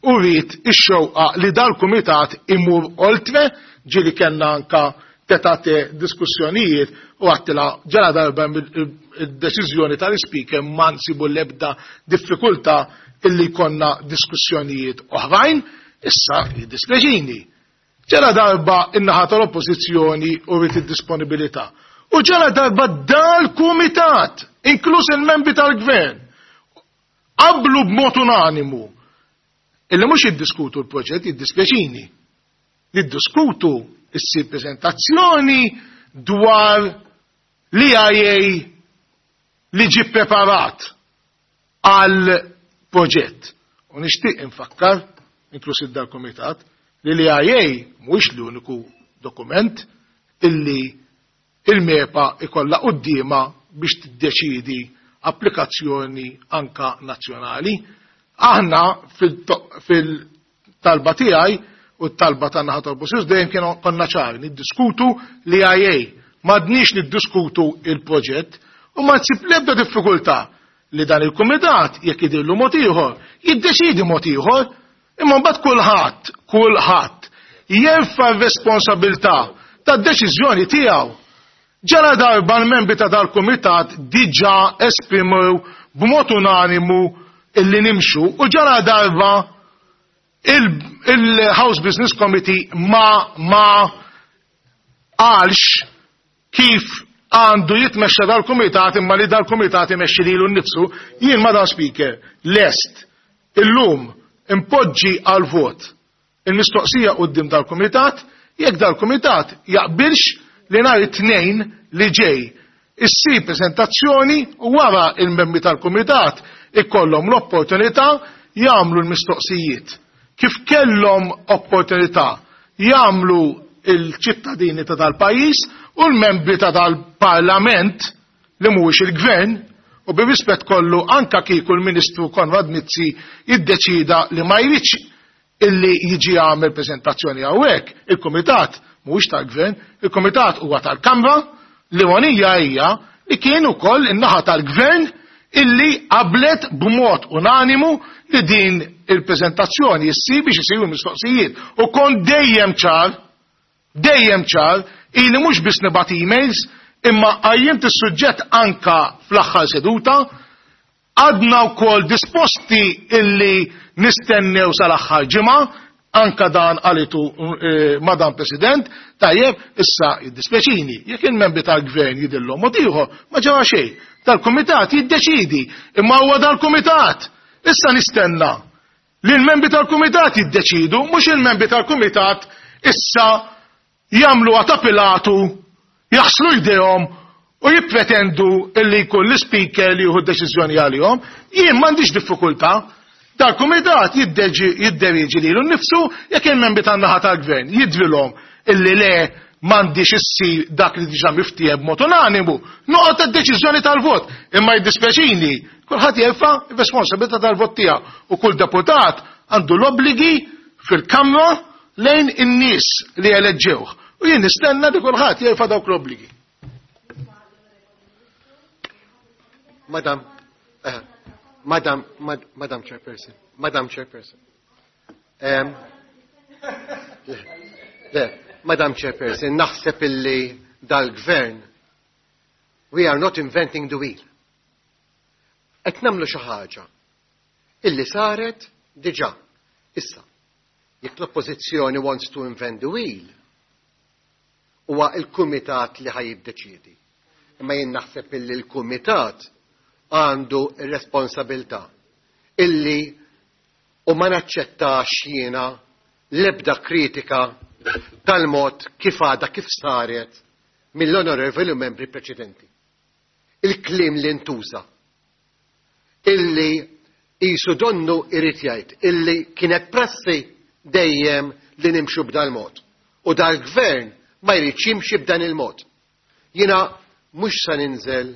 uriet ix-xewqa li dal-kumitat imur oltre, ġieli kellna anka tête-à-tête diskussjonijiet u għedtilha ġala darba id-deċiżjoni tal-speaker ma nsibu l-ebda diffikultà illi konna diskussjonijiet oħrajn, issa jiddispjaċini. Ġala darba in-naħa tal-oppożizzjoni uriet id-disponibilità. U ġala darba dal-kumitat, inkluż il-membri tal-gvern, qablu b'mod unanimu illi mhux jiddiskutu l-proġett, jiddispjaċini. Niddiskutu issir prezentazzjoni dwar l-E I A li ġi preparat għal proġett. U nixtieq infakkar, inkluż dal-komitat, li l-E I A mhuwiex l-uniku dokument illi il-MEPA ikolla quddiema biex tiddeċidi applikazzjoni anka nazzjonali. Aħna fil-talba tiegħi u t-talba ta' naħa tal-Oppożizzjoni dejjem kienu konna ċari niddiskutu l-E I A. M'għadniex niddiskutu il-proġett u ma tsib l-ebda diffikultà li dan il-kumitat jekk jidhirlu mod ieħor, jiddeċidi mod ieħor, imma mbagħad kulħadd, kulħadd jerfa' r-responsabilità tad-deċiżjoni tiegħu. Ġala darba l-membri ta' dal-kumitat diġà esprimew b'mod unanimu illi nimxu u ġala darba il-House Business Committee ma ma qalx kif għandu jitmexxa dal-kumitat, imma li dal-kumitat imexxi lilu nnifsu, jien, Madam Speaker, lest illum impoġġi għal vot il-mistoqsija quddiem dal-kumitat jekk dal-kumitat jaqbilx li nhar it-Tnejn li ġej issir prezentazzjoni u wara il-membri tal-kumitat ikollhom l-opportunità jagħmlu l-mistoqsijiet. Kif kellhom opportunità jagħmlu il-ċittadini ta' dal-pajjiż u l-membri ta' dal-parlament li mhuwiex il-gvern, u bir-rispett kollu anka kieku l-Ministru Konrad Mizzi jiddeċida li ma jridx illi jiġi għamel prezentazzjoni hawnhekk, il-kumitat mhuwiex tal-gvern, il-kumitat huwa tal-Kamra. L-ironija hija li kien ukoll in-naħa tal-gvern illi qablet b'mod unanimu li din il-prezentazzjoni issir biex isiru mistoqsijiet. U kon dejjem ċar, dejjem ċar, ili mhux biss nibgħat emails, imma qajjimt is-suġġett anka fl-aħħar seduta, għadna wkoll disposti illi nistennew sal-aħħar ġimgħa, anka dan qalitu eh, Madam President. Tajjeb, issa jiddispjaċini, jekk il-membri tal-gvern jidhirlhom mod ieħor, ma ġara xejn. Dal-kumitat jiddeċidi, imma huwa dal-kumitat. Issa nistenna li l-membri tal-kumitat jiddeċidu, mhux il-membri tal-kumitat issa jagħmlu ta' Pilatu, jaħslu jdejhom u jippretendu illi jkun l-speaker li jieħu deċiżjoni għalihom. Jien m'għandix diffikultà. Dal-kumitat jidderieġi lilu nnifsu. Jekk il-membri tan-naħa tal-gvern jidhrilhom illi le, m'għandix issir dak li diġà miftiehem b'mod unanimu, noqgħod tad-deċiżjoni tal-vot. Imma jiddispjaċini, kulħadd jerfa' r-responsabilità tal-vot tiegħu u kull deputat għandu l-obbligi fil-Kamra lejn in-nies li eleġġewh. U jien nistenna li kulħadd jerfa' dawk l-obbligi. Madam, uh, Madam, Mad, Madam Chairperson, Madam Chairperson. Um, le, le, Madam Chairperson, naħseb illi dal-gvern, we are not inventing the wheel. Qed nagħmlu xi ħaġa illi saret diġà. Issa, jekk l-oppożizzjoni wants to invent the wheel, huwa il-kumitat li ħa jiddeċiedi. Imma jien naħseb illi l-kumitat għandu ir-responsabilità illi u ma naċċettax jiena l-ebda kritika tal-mod kif għada kif saret mill-onorevoli membri preċedenti. Il-kliem li ntuża illi qisu donnu irid jgħid illi kienet prassi dejjem li nimxu b'dal mod. U dal-gvern ma jridx jimxi b'dan il-mod. Jiena mhux sa ninżel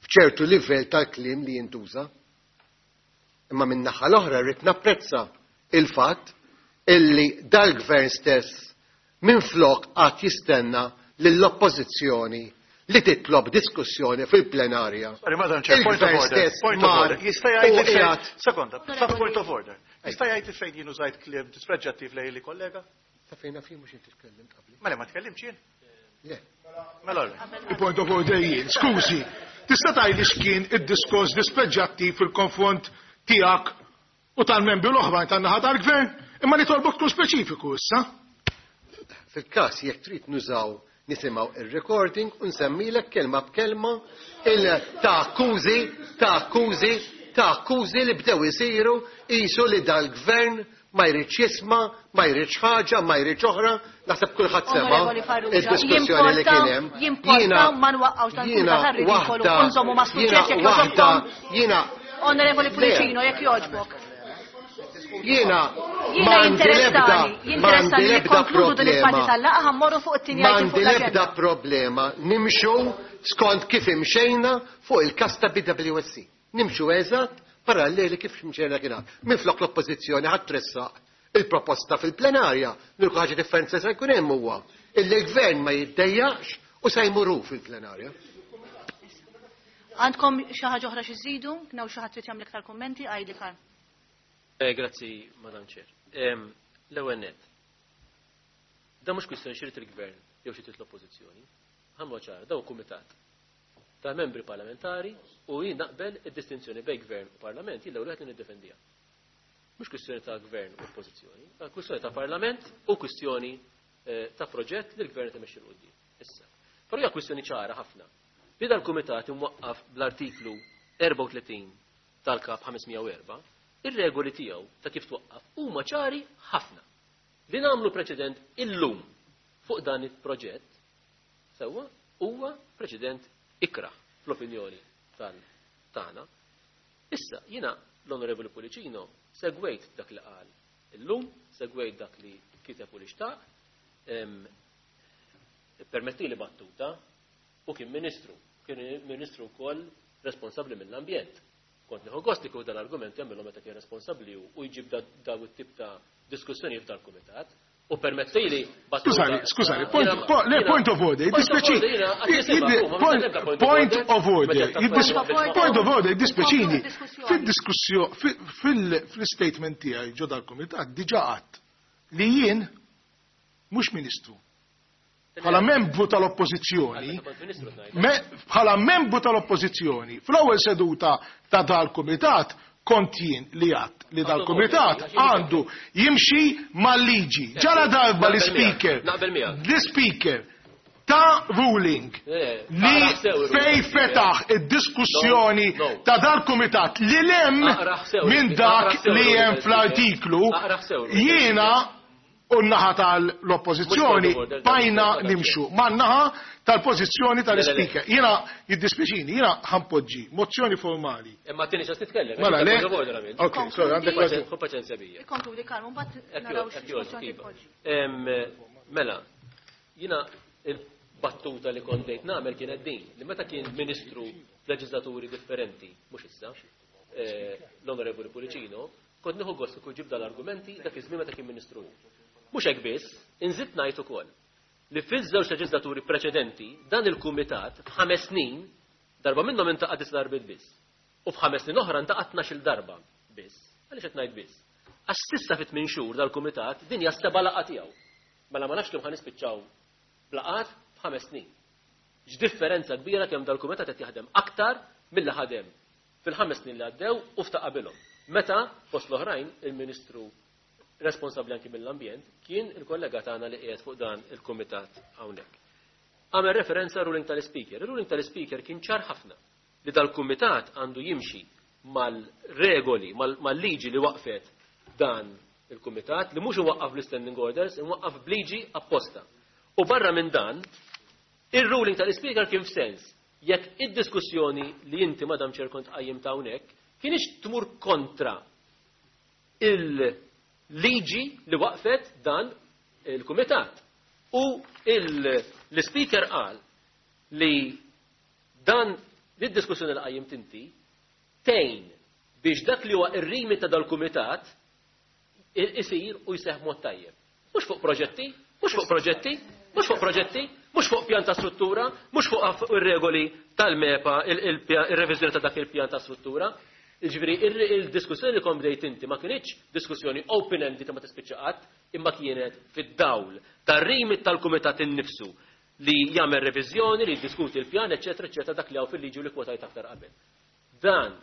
f'ċertu livell tal-kliem li jintuża. Imma min-naħa l-oħra rrid napprezza il-fatt illi dal-gvern stess minflok qatt jistenna lill-oppożizzjoni li titlob diskussjoni fil-plenarja. Sorry, Madam Chair, point of order. Point of order. Jista' jgħid fejn. Sekonda, point of order. Jista' jgħid fejn jien użajt kliem dispreġġattiv lejn li kollega? Ta' fejn naf jien mhux inti tkellimt qabli. Mela ma tkellimx jien? Le. Mela. Il-point of order jien. Skużi, tista' tgħidli x'kien id-diskors dispreġġattiv fil-konfront tiegħek u tal-membri l-oħrajn tan-naħa tal-gvern? Imma nitolbok tkun speċifiku issa. Fil-każ jekk trid nużaw nisimgħu ir-recording u nsemmilek kelma b'kelma il ta' akkużi, ta' akkużi, ta' akkużi li bdew isiru qisu li dal-gvern ma jridx jisma', ma jridx ħaġa, ma jridx oħra, naħseb kulħadd sema' id-diskussjoni li kien hemm. Jimporta ma nwaqqgħux dan kull ridikolu u nżommu ma' suġġett jekk jogħġobkom. Jiena Onorevoli Pullicino, jekk jogħġbok. Jiena Jiena jinteressani, jinteressani li konkludu din il-parti tal-laqgħa ħa mmorru fuq it-tieni item fuq M'għandi l-ebda l-aġenda. problema nimxu skont kif imxejna fuq il-każ ta' B W S C. Nimxu eżatt paralleli kif imxejna kien. Minflok l-oppożizzjoni ħadd tressaq il-proposta fil-plenarja, l-unika ħaġa differenza se jkun hemm huwa illi l-gvern ma jiddejjaqx u se jmuru fil-plenarja. Għandkom xi ħaġa oħra xi żidu? Kien xi ħadd trid jagħmel iktar kummenti? Għajdi Karl. Eh, grazzi, Madam Chair. Em, L-ewwel nett. Da mhux kwistjoni x'irid il-gvern jew xi trid l-oppożizzjoni. Ħamlu ċar, daw kumitat ta' membri parlamentari u jien naqbel id-distinzjoni bejn gvern u parlament, jien l-ewwel wieħed li niddefendiha. Mhux kwistjoni ta' gvern u oppożizzjoni, ta' kwistjoni ta' parlament u kwistjoni eh, ta' proġett li l-gvern qed imexxi 'l quddiem. Issa. Però hija kwistjoni ċara ħafna. Li dal-kumitat imwaqqaf bl-artiklu erbgħa u tletin tal-kap ħames mija u erbgħa, ir-regoli tiegħu ta' kif twaqqaf huma ċari ħafna. Li nagħmlu preċedent illum fuq dan il-proġett sewwa huwa preċedent ikrah fl-opinjoni tal-tagħna. Issa jiena l-Onorevoli Pullicino segwejt dak li qal illum, segwejt dak li kiteb u li xtaq, em, permetti li battuta, u kien ministru, kien ministru wkoll responsabbli mill-ambjent. Kont nieħu gost li kieku dal-argument jagħmilhom meta kien responsabbli u u jġib da- daw it-tip ta' diskussjoni f'dal kumitat. U permettili battuta. Skużani, skużani, point, Jiena- po, le, jiena- point of order, Point of jiddispjaċini. order, jiena qatt nisimha, Jiddi- huma, ma Point nibda point of point order. of order, Meta jiddis- taqbel point of order, jiddispjaċini. Diskussjoni. Fil-diskussjoni, fil-statement tiegħi ġo dal-kumitat diġà għadt li jien mhux ministru. Bħala membru tal-oppożizzjoni, Meta kont ministru tnajt. me- bħala membru tal-oppożizzjoni, fl-ewwel seduta ta' dal-kumitat kont jien li għadt li dal-kumitat għandu jimxi mal-liġi. Ġara darba li Naqbel miegħek, speaker, naqbel miegħek. li speaker ta' ruling Eh, li aqra sew fej il-ruling. fetaħ id-diskussjoni No, no. ta' dal-kumitat li lem Aqra sew minn il- dak aqra sew li il-ruling hemm tal-speaker. fl-artiklu Aqra sew il-ruling jiena u n-naħa tal-oppożizzjoni Mhux point of order, bajna dan- nimxu ma' naħa tal-pożizzjoni tal-speaker. Le, le, le. Jiena jiddispjaċini, jiena ħa npoġġi mozzjoni formali. Imma tieni ċans nitkellem. Mela, le. Point of order għamilt. Ok, sorry, għandek raġun. Ħu paċenzja bija. Ikkonkludi Karl, mbagħad Ekk naraw jogħġbok, x'mozzjoni iva. tpoġġi. Em, Mela, jiena il-battuta li kont bdejt nagħmel kienet din, li meta kien ministru f'leġislaturi differenti, mhux issa, eh, l-Onorevoli Pullicino, kont nieħu gost kieku ġib dal-argumenti dak iż-żmien meta kien ministru. Mhux hekk biss, inżid ngħid ukoll li fiż-żewġ leġislaturi preċedenti dan il-kumitat f'ħames snin darba minnhom iltaqa' disa' darbiet biss. U f'ħames snin oħra iltaqa' tnax-il darba biss. Għaliex qed ngħid biss? Għax s'issa fit tmien xhur dal-kumitat din hija seba' laqgħa tiegħu. Mela ma nafx kemm ħa nispiċċaw b'laqgħat f'ħames snin. X'differenza kbira kemm dal-kumitat qed jaħdem aktar milli ħadem fil-ħames snin li għaddew u f'ta' qabilhom. Meta fost l-oħrajn il-Ministru responsabbli anki mill-ambjent kien il-kollega tagħna li qiegħed fuq dan il-kumitat hawnhekk. Għamel referenza ruling tal-speaker. Il-ruling tal-speaker kien ċar ħafna li dal-kumitat għandu jimxi mal-regoli, mal-liġi li waqfet dan il-kumitat, li mhux iwaqqaf l-standing orders, imwaqqaf bliġi apposta. U barra minn dan, il-ruling tal-speaker kien f'sens jekk id-diskussjoni li inti, Madam Chair, kont qajjim ta' hawnhekk kienx tmur kontra il-liġi li waqfet dan il-kumitat. U l-speaker qal li dan Lid-diskussjoni li qajjimt inti tgħin biex dak li huwa ir-rimi ta' dal-kumitat isir u jseħħ mod tajjeb. Mhux fuq proġetti, mhux fuq proġetti, mhux fuq proġetti, mhux fuq pjan ta' struttura, mhux fuq ir-regoli tal-MEPA, ir-reviżjoni ta' dak il-pjan ta' struttura. Jiġifieri il-diskussjoni li kont bdejt inti ma kinitx diskussjoni open-ended ma tispiċċa qatt, imma kienet fid-dawl tar-rimit tal-kumitat innifsu li jagħmel reviżjoni, li jiddiskuti l-pjan, eċetera, eċetera, dak li hawn fil-liġi u li kwotajt aktar qabel. Dan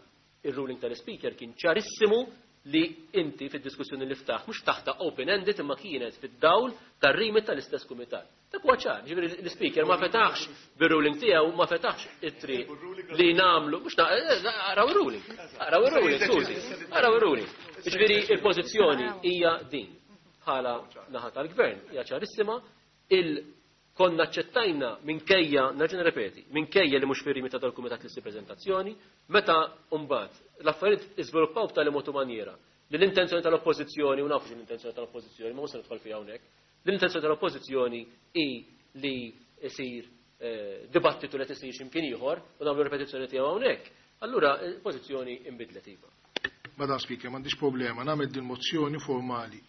ir-ruling tal-speaker kien ċarissimu li inti fid-diskussjoni li ftaħ, mhux taħta open-ended imma kienet fid-dawl tar-rimit tal-istess kumitat. Dak huwa ċar, ġifieri l-speaker ma fetaħx bir-ruling tiegħu, ma fetaħx it-triq li nagħmlu, mhux araw ir-ruling, araw ir-ruling, skużi, araw ir-ruling. Ġifieri il-pożizzjoni hija din bħala naħa tal-gvern, hija ċarissima, il konna aċċettajna minkejja, nerġa' nirrepeti, minkejja li mhux fir-rimit ta' dal-kumitat li ssir preżentazzjoni, meta mbagħad l-affarijiet iżviluppaw b'tali mod u maniera li l-intenzjoni tal-oppożizzjoni, u nafu l-intenzjoni tal-oppożizzjoni, ma mhux se nidħol fiha hawnhekk, l-intenzjoni tal-oppożizzjoni hi li jsir dibattitu li tisir x'imkien ieħor u nagħmlu ripetizzjoni tiegħu hawnhekk. Allura l-pożizzjoni inbidlet iva. Madam Speaker, m'għandix problema, nagħmel din mozzjoni formali.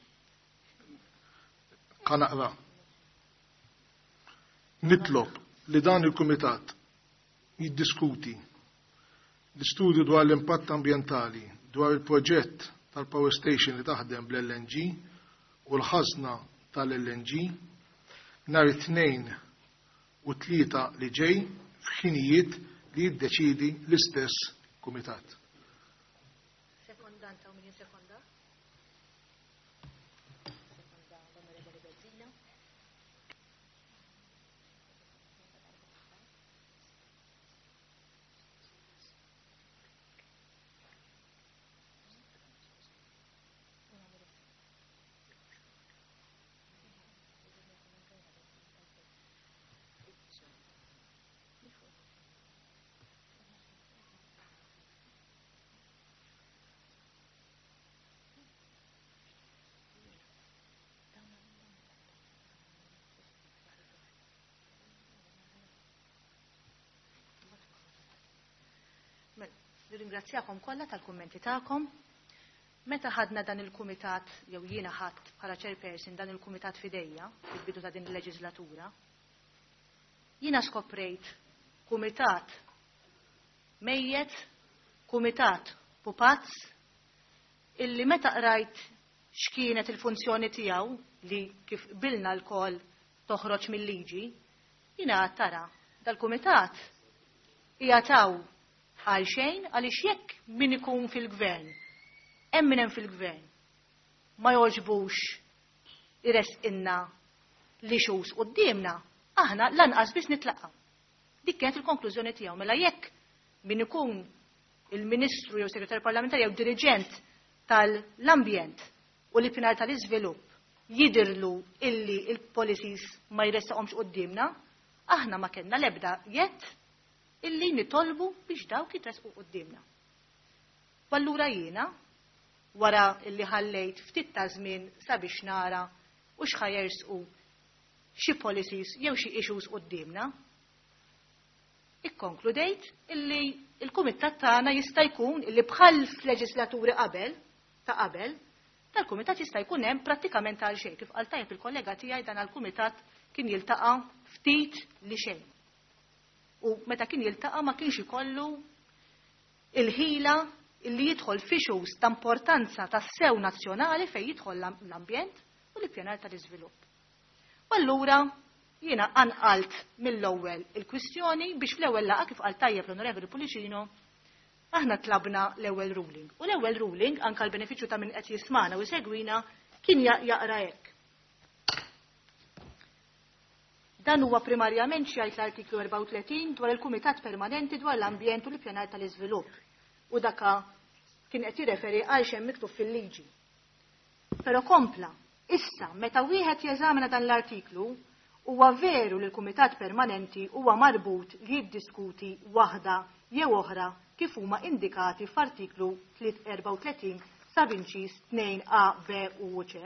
Kanaqra. Nitlob li dan il-Kumitat jiddiskuti l-istudju dwar l-impatt ambjentali dwar il-proġett tal-power station li taħdem bl-L N G u l-ħażna tal-L N G nhar it-tnejn u tlieta li ġej f'ħinijiet li jiddeċidi l-istess kumitat. Sekondanta u min sekonda? Sekonda l-Onorevoli Bezzina. Nirringrazzjakom kollha tal-kummenti tagħkom. Meta ħadna dan il-kumitat, jew jiena ħadd bħala chairperson dan il-kumitat fidejja fil-bidu ta' din il-leġislatura, jiena skoprejt kumitat mejjet, kumitat pupazz, illi meta qrajt x'kienet il-funzjoni tiegħu li kif qbilna lkoll toħroġ mill-liġi, jiena għad tara dal-kumitat hija taw għal xejn, għaliex jekk min ikun fil-gvern, hemm min hemm fil-gvern, ma jogħġbux iresqinna li xus quddiemna, aħna lanqas biss nitlaqgħu. Dik kienet il-konklużjoni tiegħu. Mela jekk min ikun il-Ministru jew Segretarju Parlamentari jew diriġent tal-ambjent u l-ippjanar tal-iżvilupp jidirlu illi il-policies ma jressaqhomx quddiemna, aħna ma kellna l-ebda jett illi nitolbu biex dawk jitresqu quddiemna. Allura jiena, wara illi ħallejt ftit ta' żmien sabiex nara u x'ħajersqu xi policies jew xi issues quddiemna, ikkonkludejt illi il-kumitat tagħna jista' jkun illi bħal f'leġislaturi qabel ta' qabel, tal-kumitat jista' jkun hemm prattikament għal xejn. Kif qal tajjeb il-kollega tiegħi dan għall-kumitat kien jiltaqa' ftit li xejn. U meta kien jiltaqa' ma kienx ikollu il-ħila illi jidħol f'issues ta' importanza tas-sew nazzjonali fejn jidħol l-ambjent u l-ippjanar tal-iżvilupp. U allura jiena anqalt mill-ewwel il-kwistjoni biex fl-ewwel laqgħa kif qal tajjeb l-Onorevoli Pullicino aħna tlabna l-ewwel ruling. U l-ewwel ruling anke l-benefiċċju ta' min qed jismana u jsegwina kien jaqra hekk. Dan huwa primarjament xi jgħid l-artiklu erbgħa u tletin dwar il-Kumitat Permanenti dwar l-Ambjent u l-Ippjanar tal-Iżvilupp. U daka kien qed jirreferi għal xejn miktub fil-liġi. Però kompla, issa meta wieħed jeżamina dan l-artiklu, huwa veru li l-Kumitat Permanenti huwa marbut li jiddiskuti waħda jew oħra kif huma indikati f'artiklu erbgħa u tletin sabinċis tnejn A, B u C.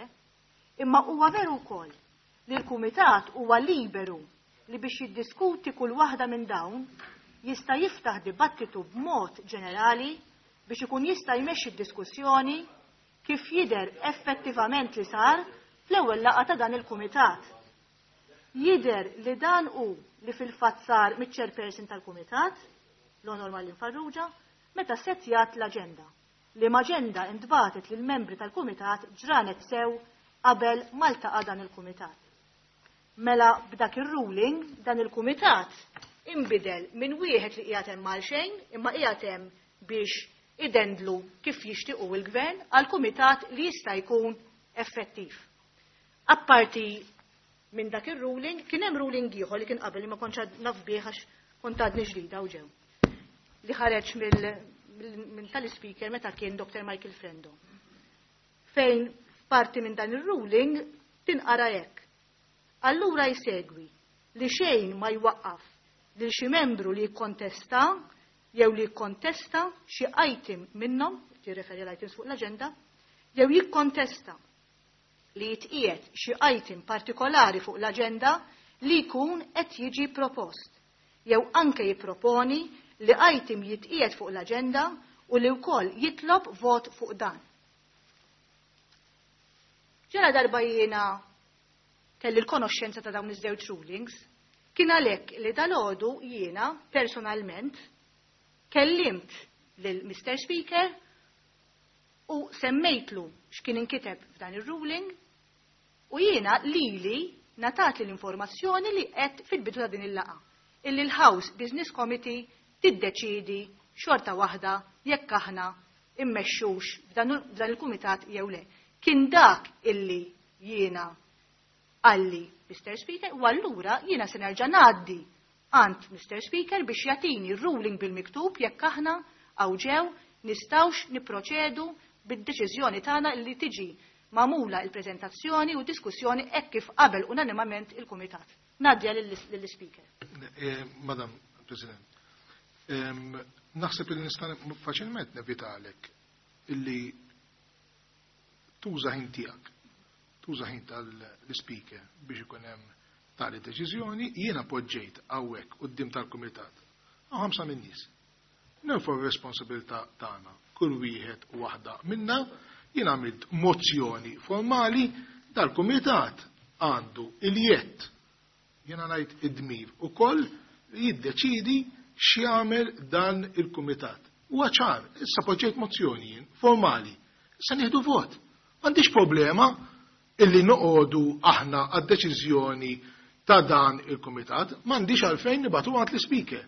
Imma huwa veru wkoll li l-Kumitat huwa liberu li biex jiddiskuti kull waħda minn dawn jista' jiftaħ dibattitu b'mod ġenerali biex ikun jista' jmexxi d-diskussjoni kif jidher effettivament li sar fl-ewwel laqgħa ta' dan il-kumitat. Jidher li dan hu li fil-fatt sar miċ-chairperson tal-kumitat, l-Onor Marlene Farrugia, meta settjat l-aġenda. Li l-aġenda intbagħtet lill-membri tal-kumitat ġranet sew qabel ma ltaqa' dan il-kumitat. Mela b'dak ir-ruling dan il-kumitat imbidel minn wieħed li qiegħed hemm għal xejn, imma qiegħed hemm biex idendlu kif jixtiequ il-gvern għal kumitat li jista' jkun effettiv. Apparti minn dak ir-ruling, kien hemm ruling ieħor li kien qabel li ma kontx naf bih għax kont għadni ġdida u ġew. Li ħareġ minn tal-speaker meta kien Doctor Michael Frendo. Fejn parti minn dan ir-ruling tinqara hekk. Allura jsegwi li xejn ma jwaqqaf lil xi membru li jikkontesta jew li jikkontesta xi item minnhom, tirreferi l-items fuq l-aġenda, jew jikkontesta li jitqiegħed xi item partikolari fuq l-aġenda li jkun qed jiġi propost, jew anke jipproponi li item jitqiegħed fuq l-aġenda u li wkoll jitlob vot fuq dan. Ġara darba jiena kelli l-konoxxenza ta' dawn iż-żewġ rulings, kien għalhekk li dalgħodu jiena personalment kellimt lil Mister Speaker u semmejtlu x'kien inkiteb f'dan ir-ruling u jiena lili natat l-informazzjoni li qed fil-bidu ta' din il-laqgħa illi l-House Business Committee tiddeċiedi xorta waħda jekk aħna immexxux f'dan il-kumitat jew le. Kien dak illi jiena għalli Mister Speaker u allura jiena se nerġa' ngħaddi għand Mister Speaker biex jagħtini ruling bil-miktub jekk aħna hawn ġew nistgħux nipproċedu bid-deċiżjoni tagħna li tiġi magħmula il-preżentazzjoni u diskussjoni hekk kif qabel unanimament il-kumitat. Ngħaddiha lill-Speaker. Madam President, naħseb li nista' faċilment nevitalek illi tuża ħin tiegħek, tuża ħin tal-Speaker biex ikun hemm tali deċiżjoni, jiena poġġejt hawnhekk quddiem tal-kumitat hawn ħamsa min-nies. Nerfgħu r-responsabilità tagħna, kull wieħed u waħda minna, jien għamilt mozzjoni formali dal-kumitat għandu il-jett, jiena ngħid id-dmir ukoll li jiddeċidi x'jagħmel dan il-kumitat. Huwa ċar, issa poġġejt mozzjoni jien formali, issa nieħdu vot. M'għandix problema illi noqogħdu aħna għad-deċiżjoni ta' dan il-kumitat, m'għandix għalfejn nibatu għand l-ispeaker.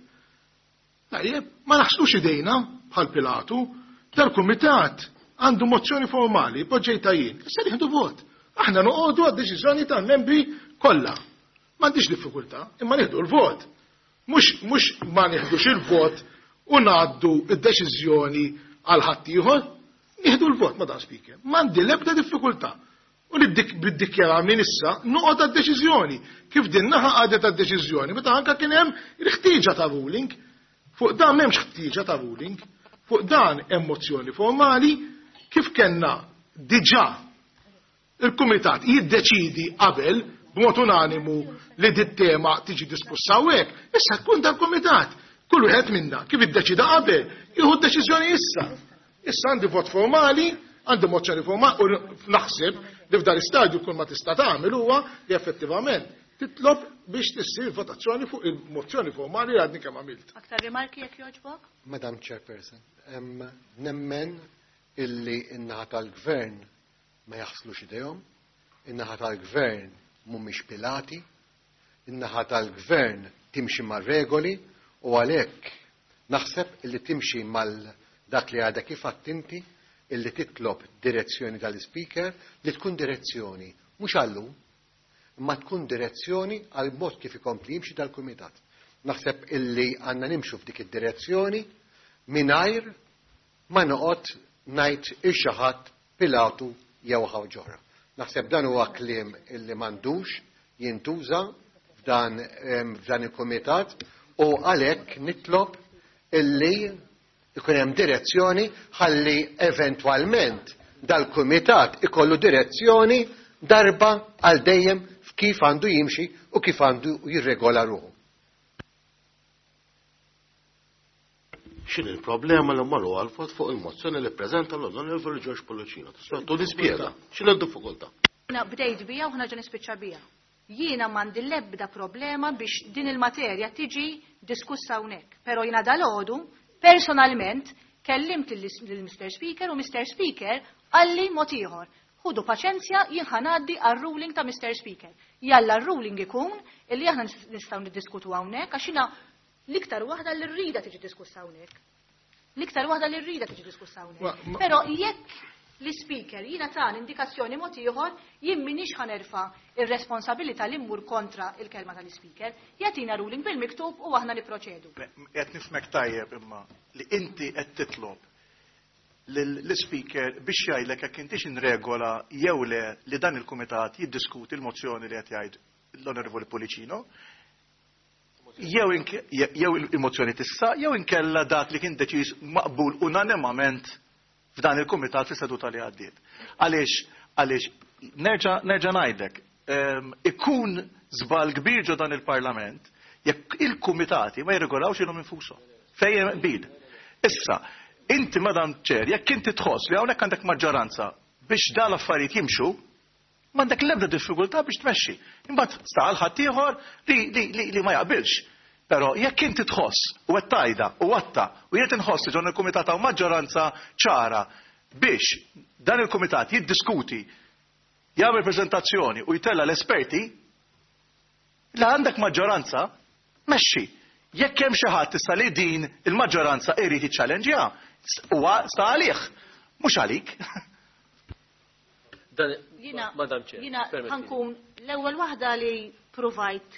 Tajjeb, ma naħslux idejna bħal Pilatu, dal-kumitat għandu mozzjoni formali, poġġejta jien, issa nieħdu vot. Aħna noqogħdu għad-deċiżjoni tal-membri kollha. M'għandix diffikultà, imma nieħdu l-vot. Mhux mhux ma nieħdux il-vot u ngħaddu d-deċiżjoni għal ħaddieħor, nieħdu l-vot, Madam Speaker. M'għandi l-ebda diffikultà. U li biddikjara minn issa noqgħod għad-deċiżjoni. Kif din naħa qagħdet għad-deċiżjoni, meta anke kien hemm il-ħtieġa ta' ruling. Fuq dan m'hemmx ħtieġa ta' ruling, fuq dan hemm mozzjoni formali kif kellna diġà il-kumitat jiddeċidi qabel b'mod unanimu li dit tema tiġi diskussa hawnhekk, issa tkun dal-kumitat. Kull wieħed minna kif iddeċida qabel, jieħu d-deċiżjoni issa. Issa għandi vot formali, għandi mozzjoni formali u naħseb li f'dan l-istadju kull ma tista' tagħmel huwa li effettivament titlob biex tissir votazzjoni fuq il-mozzjoni formali li għadni kemm għamilt. Aktar rimarki jekk jogħġbok? Madam Chairperson, nemmen illi in-naħa tal-gvern ma jaħslux idejhom, in-naħa tal-gvern mhumiex Pilati, in-naħa tal-gvern timxi mar-regoli u għalhekk naħseb illi timxi mal dak li għadha kif għadt inti illi titlob direzzjoni tal-speaker li tkun direzzjoni mhux għallum, imma tkun direzzjoni għal mod kif ikompli jimxi dal-kumitat. Naħseb illi għandna nimxu f'dik id-direzzjoni mingħajr ma noqgħod ngħid il xi ħadd Pilatu jew ħaġa. Naħseb dan huwa kliem illi m'għandux jintuża f'dan f'dan il-kumitat u għalhekk nitlob illi ikun hemm direzzjoni ħalli eventwalment dal-kumitat ikollu direzzjoni darba għal dejjem f'kif għandu jimxi u kif għandu jirregola ruħu. X'inhi l-problema li mmorru għal-vot fuq il-mozzjoni li ppreżenta l-Onorevoli George Pullicino? Tista' tuni spjega. X'inhi d-diffikultà? Jiena bdejt bija u ħa nispiċċa bija. Jiena m'għandi l-ebda problema biex din il-materja tiġi diskussa hawnhekk. Però jiena dalgħodu personalment kellimt lil Mister Speaker u Mister Speaker qalli mod ieħor. Ħudu paċenzja, jien ħa ngħaddi għar-ruling ta' Mister Speaker. Jalla r-ruling ikun illi aħna nistgħu niddiskutu hawnhekk għax jiena l-iktar waħda li rrida tiġi diskussa hawnhekk. L-iktar waħda li rrida tiġi diskussa hawnhekk. Però jekk l-speaker jiena ta' indikazzjoni mod ieħor, jien m'iniex ħa nerfa' ir-responsabilità li mmur kontra il-kelma tal-speaker, jagħtina ruling bil-miktub u aħna nipproċedu. Qed nifhmek tajjeb imma li inti qed titlob l-speaker biex jgħidlek jekk intix inregola jew le li dan il-kumitat jiddiskuti l-mozzjoni li qed jgħid l-Onorevoli Pullicino, jew il-mozzjoni tissa, jew inkella dak li kien deċiż maqbul unanimament f'dan il-kumitat fis-seduta li għaddiet. Għaliex, għaliex nerġa' nerġa' ngħidlek, ikun żball kbir ġo dan il-Parlament jekk il-kumitati ma jirregolawx ilhom infushom. Fejn qbil. Issa, inti Madam Chair, jekk inti tħoss li hawnhekk għandek maġġoranza biex dan l-affarijiet jimxu, m'għandek l-ebda diffikultà biex tmexxi. Imbagħad sta għal ħadd ieħor li, li, li, li ma jaqbilx. Però jekk inti tħoss u qed tgħidha u għatta u jien inħoss li ġon il-kumitat hawn maġġoranza ċara biex dan il-kumitat jiddiskuti, jagħmel preżentazzjoni u jtella l-esperti, la għandek maġġoranza, mexxi. Jekk hemm xi ħadd issa li din il-maġġoranza irid jiċċallenġjaha, huwa sta għalih, mhux għalik. Madam Chair, jiena ħankun l-ewwel waħda li provajt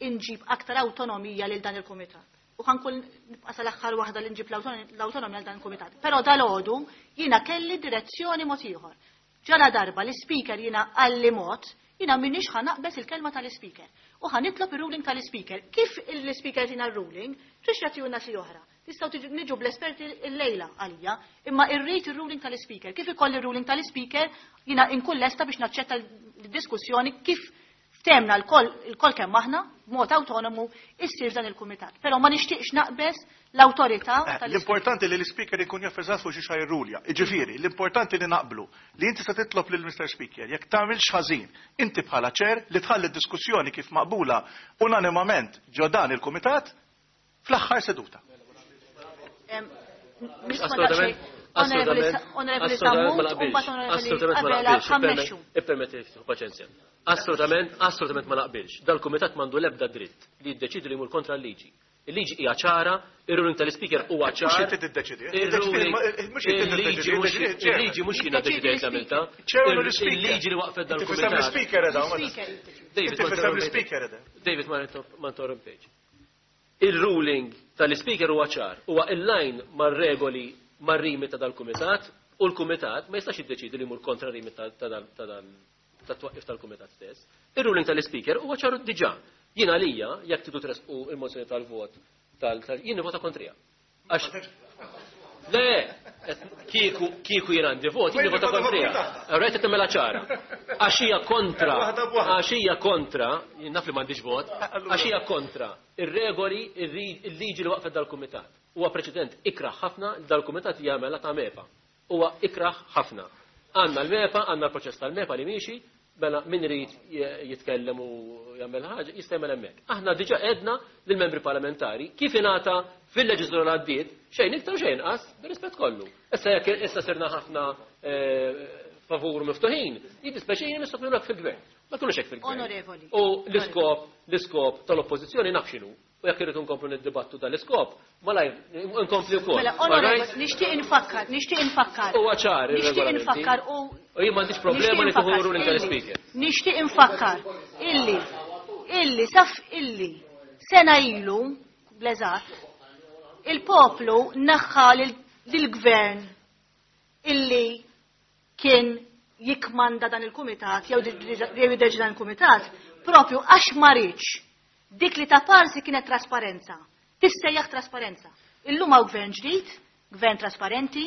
inġib aktar awtonomija lil dan il-kumitat. U ħankun nibqa' sal-aħħar waħda li nġib l-awtonomija lil dan il-kumitat. Però dalgħodu jiena kelli direzzjoni mod ieħor. Ġala darba l-ispeaker jiena qalli mod, jiena m'iniex ħa naqbeż il-kelma tal-ispeaker. U ħa nitlob ir-ruling tal-ispeaker. Kif l-ispeaker tina r-ruling, trix jagħtihulna xi oħra. Tistgħu niġu bl-esperti l-lejla għalija, imma irrid ir-ruling tal-ispeaker. Kif ikolli r-ruling tal-ispeaker, jiena inkun lesta biex naċċetta l-diskussjoni kif ftemna l-koll kemm aħna b'mod awtonomu issir dan il-kumitat. Però ma nixtieqx naqbeż l-awtorità tal-ispeaker. L-importanti li l-ispeaker ikun jaf eżatt fuq xi xajrulja. Jiġifieri, l-importanti li naqblu li inti se titlob lil Mister Speaker jekk tagħmilx ħażin, inti bħala ċer li tħalli d-diskussjoni kif maqbula unanimament ġo dan il-kumitat fl-aħħar seduta. Assolutament, assolutament ma naqbilx. Ippermetti paċenzja. Assolutament, assolutament ma naqbilx. Dal-kumitat m'għandu l-ebda dritt li jiddeċidu li jmur kontra l-liġi. Il-liġi hija ċara, ir-ruling tal-ispeaker huwa ċar. Mhux inti tiddeċidi. Il-liġi mhux jiena ddeċidejt għamilta. Il-liġi li waqfet dal-kumitat. David, ma interrompejx. Il-ruling tal-ispeaker huwa ċar, huwa in-line mar-regoli mar-rimi ta' dal-kumitat u l-kumitat ma jistax jiddeċidi li jmur kontra rimi ta' tat-twaqqif tal-kumitat stess. Ir-ruling tal-ispeaker huwa ċaru diġà. Jien għalija, jekk tridu tresqu il-mozzjoni tal-vot, jien nivota kontrija. Għax le, kieku kieku jien għandi vot, jien nivota kontrija. Rajt qed tagħmilha ċara. Għax hija kontra, għax hija kontra, jien naf li m'għandix vot, għax hija kontra ir-regoli, il-liġi li waqfet dal-kumitat. Huwa preċedent ikraħ ħafna li dal-kumitat jagħmel ta' MEPA. Huwa ikraħ ħafna. Għandna l-MEPA, għandna l-proċess tal-MEPA li miexi, mela min irid jitkellem u jagħmel ħaġa jista' jagħmel hemmhekk. Aħna diġà għedna lill-membri parlamentari kif ingħata fil-leġislatura li għaddiet xejn iktar xejn inqas bir-rispett kollu. Issa jekk issa sirna ħafna favur miftuħin, jiddispjaċini nistgħu hekk fil-gvern. Ma tkunux hekk fil-gvern. Onorevoli. U l-iskop l-iskop tal-oppożizzjoni naf x'inhu. U jekk irridu nkomplu niddibattu dal-iskop, malajr nkompli wkoll. Mela, onorevoli, nixtieq infakkar, nixtieq infakkar. Huwa ċar Nixtieq infakkar u U jien m'għandix problema li tieħu ruling tal-ispeaker. Nixtieq infakkar illi illi saf illi sena ilu bl-eżatt il-poplu naħħa lill-gvern illi kien jikmanda dan il-kumitat jew jiddeċi dan il-kumitat propju għax ma riedx dik li ta' parsi kienet trasparenza. Tissejjaħ trasparenza. Illum hawn gvern ġdid, gvern trasparenti,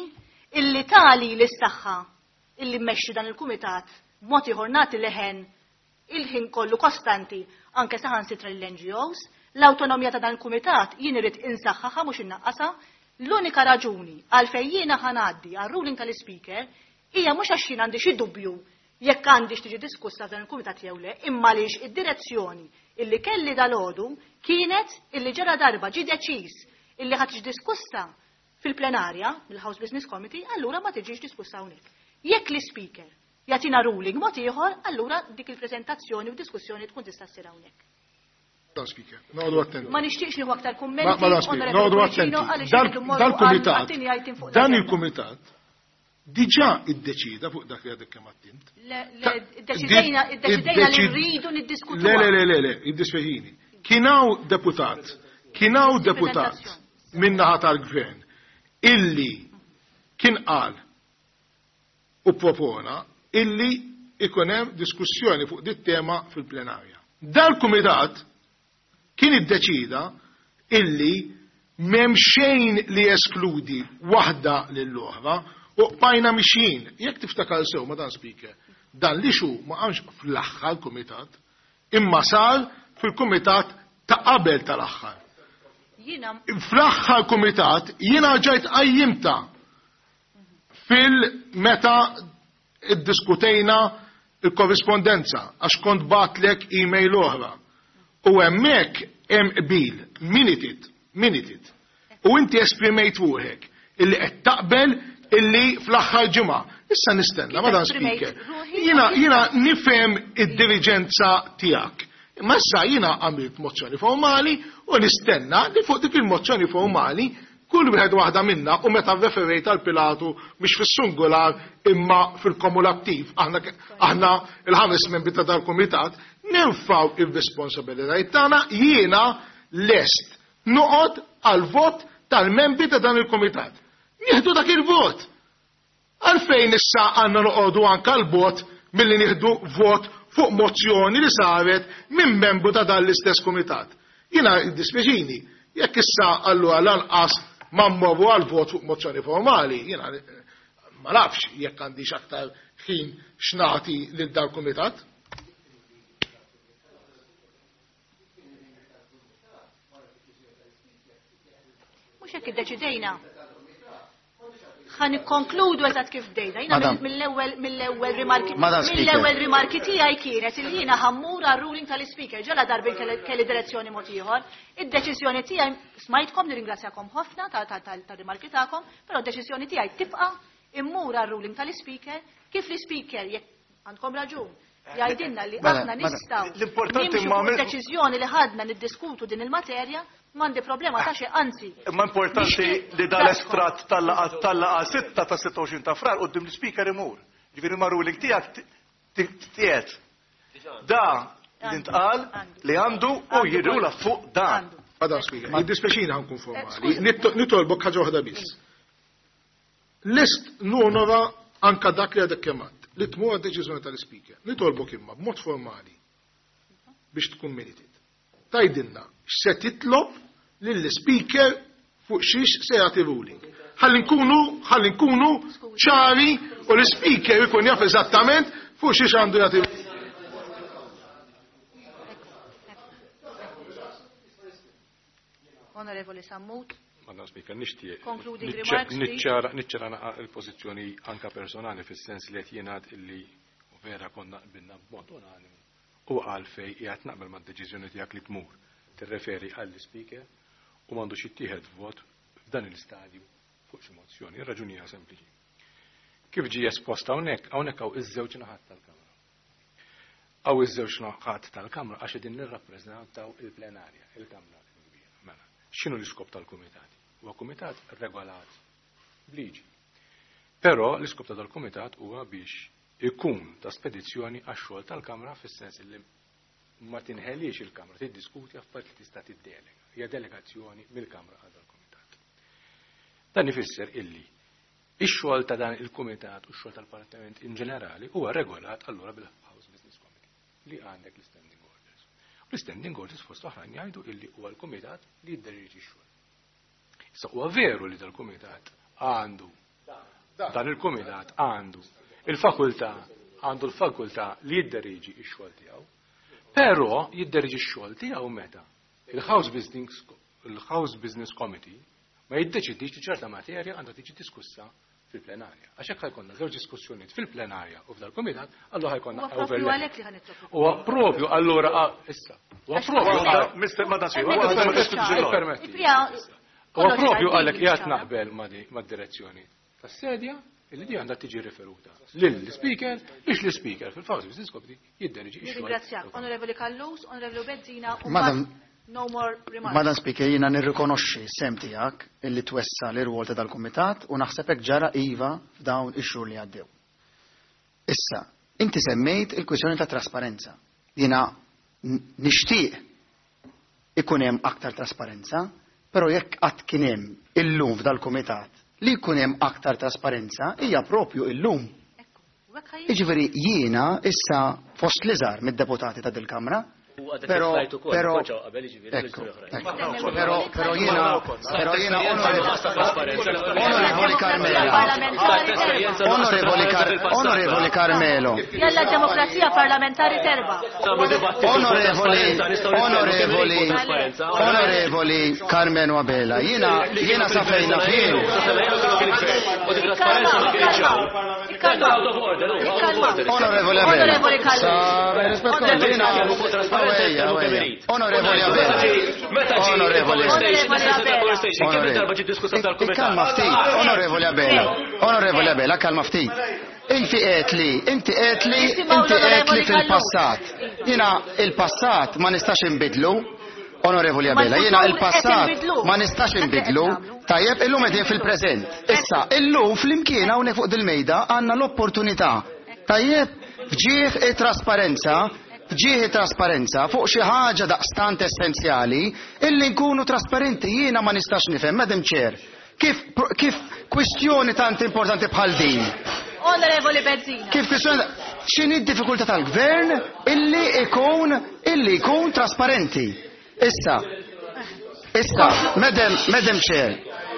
illi tali l-saħħa illi mmexxi dan il-kumitat b'mod ieħor nagħti leħen il-ħin kollu kostanti anke saħansitra lill-N G Os, l-awtonomija ta' dan il-kumitat jien irid insaħħaħa mhux innaqqasha, L-unika raġuni għalfejn jiena ħa ngħaddi għar-ruling tal-Ispeaker hija mhux għax jien għandi xi dubju jekk għandix tiġi diskussa f'dan il-kumitat jew le, imma għaliex id-direzzjoni illi kelli dalgħodu kienet illi ġara darba ġie deċiż illi ħa tiġi diskussa fil-plenarja mill-House Business Committee, allura ma tiġix diskussa hawnhekk. Jekk l-Ispeaker jagħtina ruling mod ieħor, allura dik il-preżentazzjoni u diskussjoni tkun tista' ssir hawnhekk. Madam Speaker, noqogħdu attenti. Ma nixtieqx nieħu aktar kummenti. Madam Speaker, noqogħdu attenti. Dal-kumitat, dan il-kumitat diġà iddeċida fuq dak li għadek kemm għedt. Iddeċidejna li rridu niddiskutu. Le, le, le, le, iddispjaċini. Kien hawn deputat, kien hawn deputat min-naħa tal-gvern illi kien qal u propona illi ikun hemm diskussjoni fuq dit tema fil-plenarja. Dal-kumitat kien iddeċida illi m'hemm xejn li jeskludi waħda lill-oħra u bqajna mixjin. Jekk tiftakar sew, Madam Speaker, dan li xu ma qamx fl-aħħar kumitat, imma sar fil-kumitat ta' qabel tal-aħħar. Fl-aħħar kumitat jiena ġajt qajjimta fil-meta iddiskutejna il-korrispondenza għax kont batlek e-mail oħra. U hemmhekk hemm qbil, minuted, minuted. U inti esprimejt ruħek illi qed taqbel illi fl-aħħar ġimgħa. Issa nistenna, Madam Speaker. Jiena jiena nifhem id-diriġenza tiegħek. Imma issa jiena għamilt mozzjoni formali u nistenna li fuq dik il-mozzjoni formali kull wieħed waħda minna u meta referejt għal Pilatu mhix fis-singular imma fil-kumulattiv, aħna aħna il-ħames membri ta' dal-kumitat nirfgħu ir-responsabilitajiet tagħna, jiena lest noqgħod għal vot tal-membri ta' dan il-kumitat. Nieħdu dak il-vot. Għalfejn issa għandna noqogħdu anke l-vot milli nieħdu vot fuq mozzjoni li saret minn membru ta' dan l-istess kumitat. Jiena jiddispjaċini, jekk issa allura lanqas ma mmorru għal vot fuq mozzjoni formali, jiena ma nafx jekk għandix aktar ħin x'nagħti lil dal kumitat. Mhux hekk iddeċidejna. Ħa nikkonkludu eżatt kif bdejna. Jiena mill-ewwel mill-ewwel rimarki mill-ewwel rimarki tiegħi kienet li jiena ħammur għar-ruling tal-Ispeaker ġala darbin kelli direzzjoni mod ieħor. Id-deċiżjoni tiegħi smajtkom, nirringrazzjakom ħafna tar-rimarki tagħkom, però d-deċiżjoni tiegħi tibqa' immur għar-ruling tal-Ispeaker kif l-Ispeaker jekk għandkom raġun jgħidilna li aħna nistgħu nimxu fuq deċiżjoni li ħadna niddiskutu din il-materja, m'għandi problema ta' xejn, anzi. Imma importanti li dal-estratt tal-laqgħa sitta ta' sitta u għoxrin ta' Frar quddiem l-Ispeaker imur. Ġifieri ma' ruling tiegħek tiegħed. Da li ntqal li għandu u jirrula fuq dan. Madam Speaker, jiddispjaċini ħa nkun formali. Nitolbok ħaġa waħda biss. Lest nonora anka dak li għadek kemm għedt, li tmur għad-deċiżjoni tal-Ispeaker. Nitolbok imma b'mod formali biex tkun minuted. Tgħidilna x'se titlob lill-Speaker fuq xiex se jagħti ruling. Ħalli nkunu, ħalli nkunu ċari u l-Speaker ikun jaf eżattament fuq xiex għandu jagħti. Onorevoli Sammut. Madam Speaker, nixtieq Concluding remarks, please. niċċara niċċara naqa' il-pożizzjoni anka personali fis-sens li qed jingħad illi vera konna qbilna b'mod unanimu u għalfej qiegħed naqbel mad-deċiżjoni tiegħek li tmur tirreferi għall-Speaker u m'għandux jittieħed vot f'dan il-istadju fuq xi mozzjoni. Ir-raġuni hija sempliċi. Kif ġie espost hawnhekk, hawnhekk hawn iż-żewġ naħat tal-Kamra. Hawn iż-żewġ naħat tal-Kamra għax qegħdin nirrappreżentaw il-plenarja, il-Kamra l-kbira. Mela, x'inhu l-iskop tal-kumitati? Huwa kumitat regolat b'liġi. Però l-iskop ta' dal-kumitat huwa biex ikun ta' spedizzjoni għax-xogħol tal-Kamra fis-sens li ma tinħeliex il-Kamra, tiddiskuti affarijiet li tista' tiddelega. Hija delegazzjoni mill-Kamra għal dal-kumitat. Dan ifisser illi ix-xogħol ta' dan il-kumitat u x-xogħol tal-Parlament in ġenerali huwa regolat allura bil-House Business Committee li għandek l-Standing Orders. U l-Standing Orders fost oħrajn jgħidu illi huwa l-kumitat li jidderieġi x-xogħol. Issa huwa veru li dal-kumitat għandu dan il-kumitat għandu il-fakultà għandu l-fakultà li jidderieġi x-xogħol tiegħu. Però jidderieġi x-xogħol tiegħu meta il-House Business, il-House Business Committee ma jiddeċidix li ċerta materja għandha tiġi diskussa fil-plenarja. Għax hekk ħajkonna żewġ diskussjonijiet fil-plenarja u f'dal-kumitat, allura ħajkonna Huwa propju għalhekk li ħa nitlob. Huwa propju allura ah, issa. Huwa propju Mister Madam Speaker, Hemmhekk waħda ma ikun diskutix ċar. il-logħba. Il-prija Huwa kollox propju ċar, għalhekk din qiegħed ċara. naqbel ma' di- mad-direzzjoni tas-sedja illi di għandha tiġi riferuta lill-speaker biex l-speaker fil-House Business Committee jidderġi x-xogħol. Nirringrazzjak. Onorevoli Callus, Onorevoli Bezzina, u Madam- mbagħad no more remarks. Madam Speaker, jiena nirrikonoxxi sem tiegħek illi twessa l-irwol ta' dal-kumitat u naħseb hekk ġara iva f'dawn ix-xhur li għaddew. Issa, inti semmejt il-kwistjoni ta' trasparenza. Jiena n- nixtieq ikun hemm aktar trasparenza, però jekk qatt kien hemm illum f'dal-kumitat li jkun hemm aktar trasparenza hija propju illum. Ekku, u hekk ħaj- Jiġifieri jiena issa fost l-iżgħar mid-deputati ta' dil-Kamra, U għadek però slajt ukoll, però konċaw qabel, jiġifieri, ekku, żewġ oħrajn. ekku. Però però jiena però jiena onorevoli Onorevoli Carmelo. Parlamentari terba. Onorevoli Car- Onorevoli Carmelo. Jalla d-demokrazija parlamentari terba. Onorevoli, onorevoli, onorevoli Carmelo Abela, jiena jiena sa fejna fien. Onorevoli Abela. Onorevoli Callus. Sa rispetto Onorevoli jiena Callus. Onorevoli Abela. Onorevoli Onorevoli. Kalma ftit, onorevoli Abela. Onorevoli Abela, kalma ftit. Inti qed li, inti qed li, Nisimgħu inti qed li l-Onorevoli fil-passat. Jiena il-passat ma nistax inbidlu. Onorevoli Ma Abela, jiena l-futur il-passat qed inbidlu. ma nistax Dak li qed inbidlu. nagħmlu. Tajjeb, illum qegħdin fil-preżent. Issa, illum flimkien hawnhekk fuq dil-mejda għandna l-opportunità. Tajjeb, fġieħ it-trasparenza, fġieħ it-trasparenza fuq xi ħaġa daqstant essenzjali illi nkunu trasparenti jiena ma nistax nifhem, Madam Chair. Kif kif kwistjoni tant importanti bħal din? Onorevoli Bezzina. Kif kwistjoni x'inhi d-diffikultà tal-gvern illi ikun illi jkun trasparenti? Issa, issa, Madam, Madam Chair,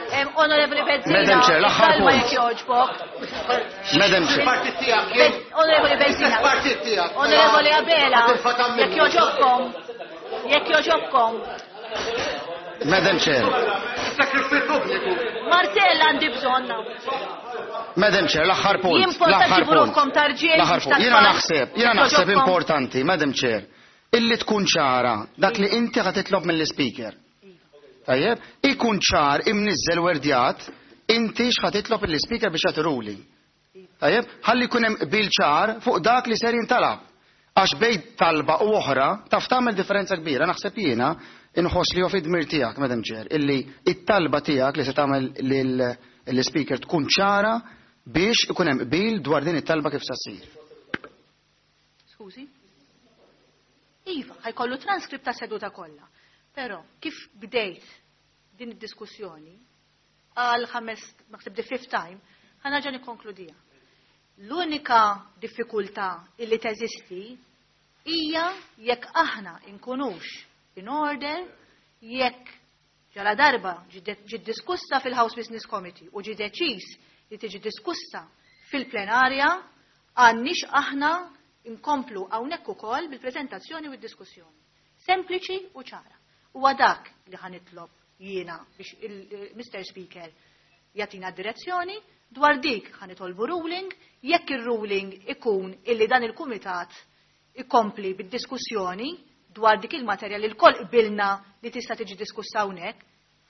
Em, Onorevoli Bezzina. Madam Chair, l-aħħar kalma punt. jekk jogħġbok. Madam Chair. Partit tiegħek Bez- Onorevoli Bezzina. Partit tiegħek. Onorevoli Abela. Tiffa' Jekk jogħġobkom. Jekk jogħġobkom. Madam Chair, Sakrifju pubbliku. Martell għandi bżonn. Madam Chair, l-aħħar punt. Jimporta l-aħħar ġibu punt. ruħkom tarġiel, L-aħħar mhux punt. Jiena tat-tfal. naħseb, jiena Jekk naħseb jogħġobkom. importanti, Madam Chair, illi tkun ċara dak li inti ħa titlob mill-speaker. Tajjeb, ikun ċar imniżżel werdjat inti x'ħa titlob mill-speaker biex jagħti ruling. Tajjeb, ħalli jkun hemm qbil ċar fuq dak li ser jintalab. Għax bejn talba u oħra taf tagħmel differenza kbira, naħseb jiena inħoss li hu fid-dmir tiegħek, Madam Chair, illi it-talba tiegħek li se tagħmel lill-speaker tkun ċara biex ikun hemm qbil dwar din it-talba kif se ssir. Skużi? Iva, ħajkollu transkript ta' seduta kollha. Però kif bdejt din id-diskussjoni għal ħames, naħseb the fifth time, ħa nerġa' nikkonkludija. L-unika diffikultà illi teżisti hija jekk aħna inkunux in order jekk ġala darba ġiet diskussa fil-House Business Committee u ġi deċiż li tiġi diskussa fil-plenarja għandniex aħna inkomplu hawnhekk ukoll bil-preżentazzjoni u d-diskussjoni. Sempliċi u ċara. Huwa dak li ħa nitlob jiena biex il-Mister Speaker jagħtina direzzjoni dwar dik ħa nitolbu ruling, jekk ir-ruling ikun illi dan il-kumitat ikompli bid-diskussjoni dwar dik il-materja li l-koll qbilna li tista' tiġi diskussa hawnhekk,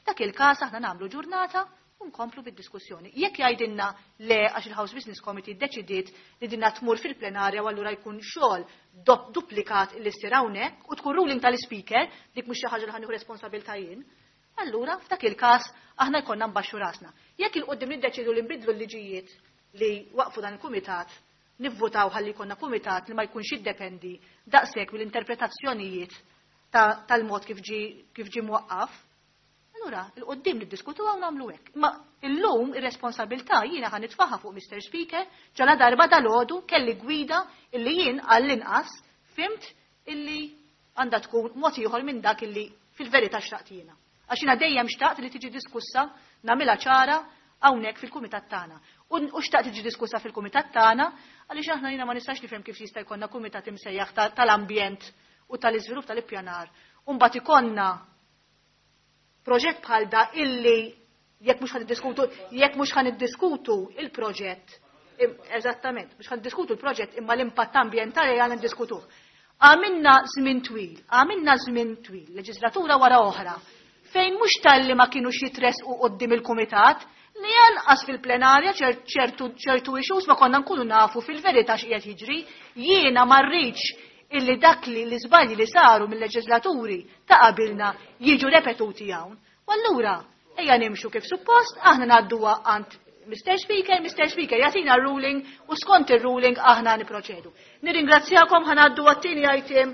f'dak il-każ aħna nagħmlu ġurnata u nkomplu bid-diskussjoni. Jekk jgħidilna le għax il-House Business Committee ddeċidiet li dinna tmur fil-plenarja u allura jkun xogħol dop- duplikat li ssir hawnhekk u tkun ruling tal-speaker, dik mhux xi ħaġa li ħa nieħu responsabilità jien, allura f'dak il-każ aħna jkollna nbaxxu rasna. Jekk il-qudiem niddeċidu li nbidlu l-liġijiet li waqfu dan il-kumitat, nivvutaw ħalli jkollna kumitat li ma jkunx jiddependi daqshekk mill-interpretazzjonijiet ta- tal-mod kif ġi kif ġi mwaqqaf, allura il-qoddim niddiskutu għaw nagħmlu hekk. Ma illum ir-responsabilità jiena ħa nitfaħa fuq Mister Speaker ġala darba dal-għodu kelli gwida illi jien għall-inqas fimt illi għandha tkun mod ieħor minn dak illi fil-verità xtaqt jiena. Għax jiena dejjem xtaqt li tiġi diskussa nagħmilha ċara hawnhekk fil-kumitat tagħna. U u xtaqt tiġi diskussa fil-kumitat tagħna għaliex aħna jiena ma nistax nifhem kif jista' jkollna kumitat imsejjaħ ta- tal-ambjent u tal-iżvilupp tal-ippjanar. U mbagħad ikollna proġett bħal da illi Jekk mhux ħa niddiskutu, jekk mhux ħa niddiskutu il-proġett, eżattament, mhux ħa niddiskutu l-proġett imma l-impatt ambjentali għandna niddiskutuh. Għamilna żmien twil, għamilna żmien twil, leġislatura wara oħra, fejn mhux talli ma kienux jitresqu quddiem il-kumitat, li janqas fil-plenarja ċertu ċertu issues ma konna nkunu nafu fil-verità x'qiegħed jiġri. Jiena ma rridx illi dak li l-iżbalji li saru mill-leġislaturi ta' qabilna jiġu repetuti hawn. U allura ejja nimxu kif suppost, aħna ngħadduha għand Mister Speaker, Mister Speaker jagħtina ruling u skont ir-ruling aħna niproċedu. Nirringrazzjakom, ħa ngħaddu għat-tieni item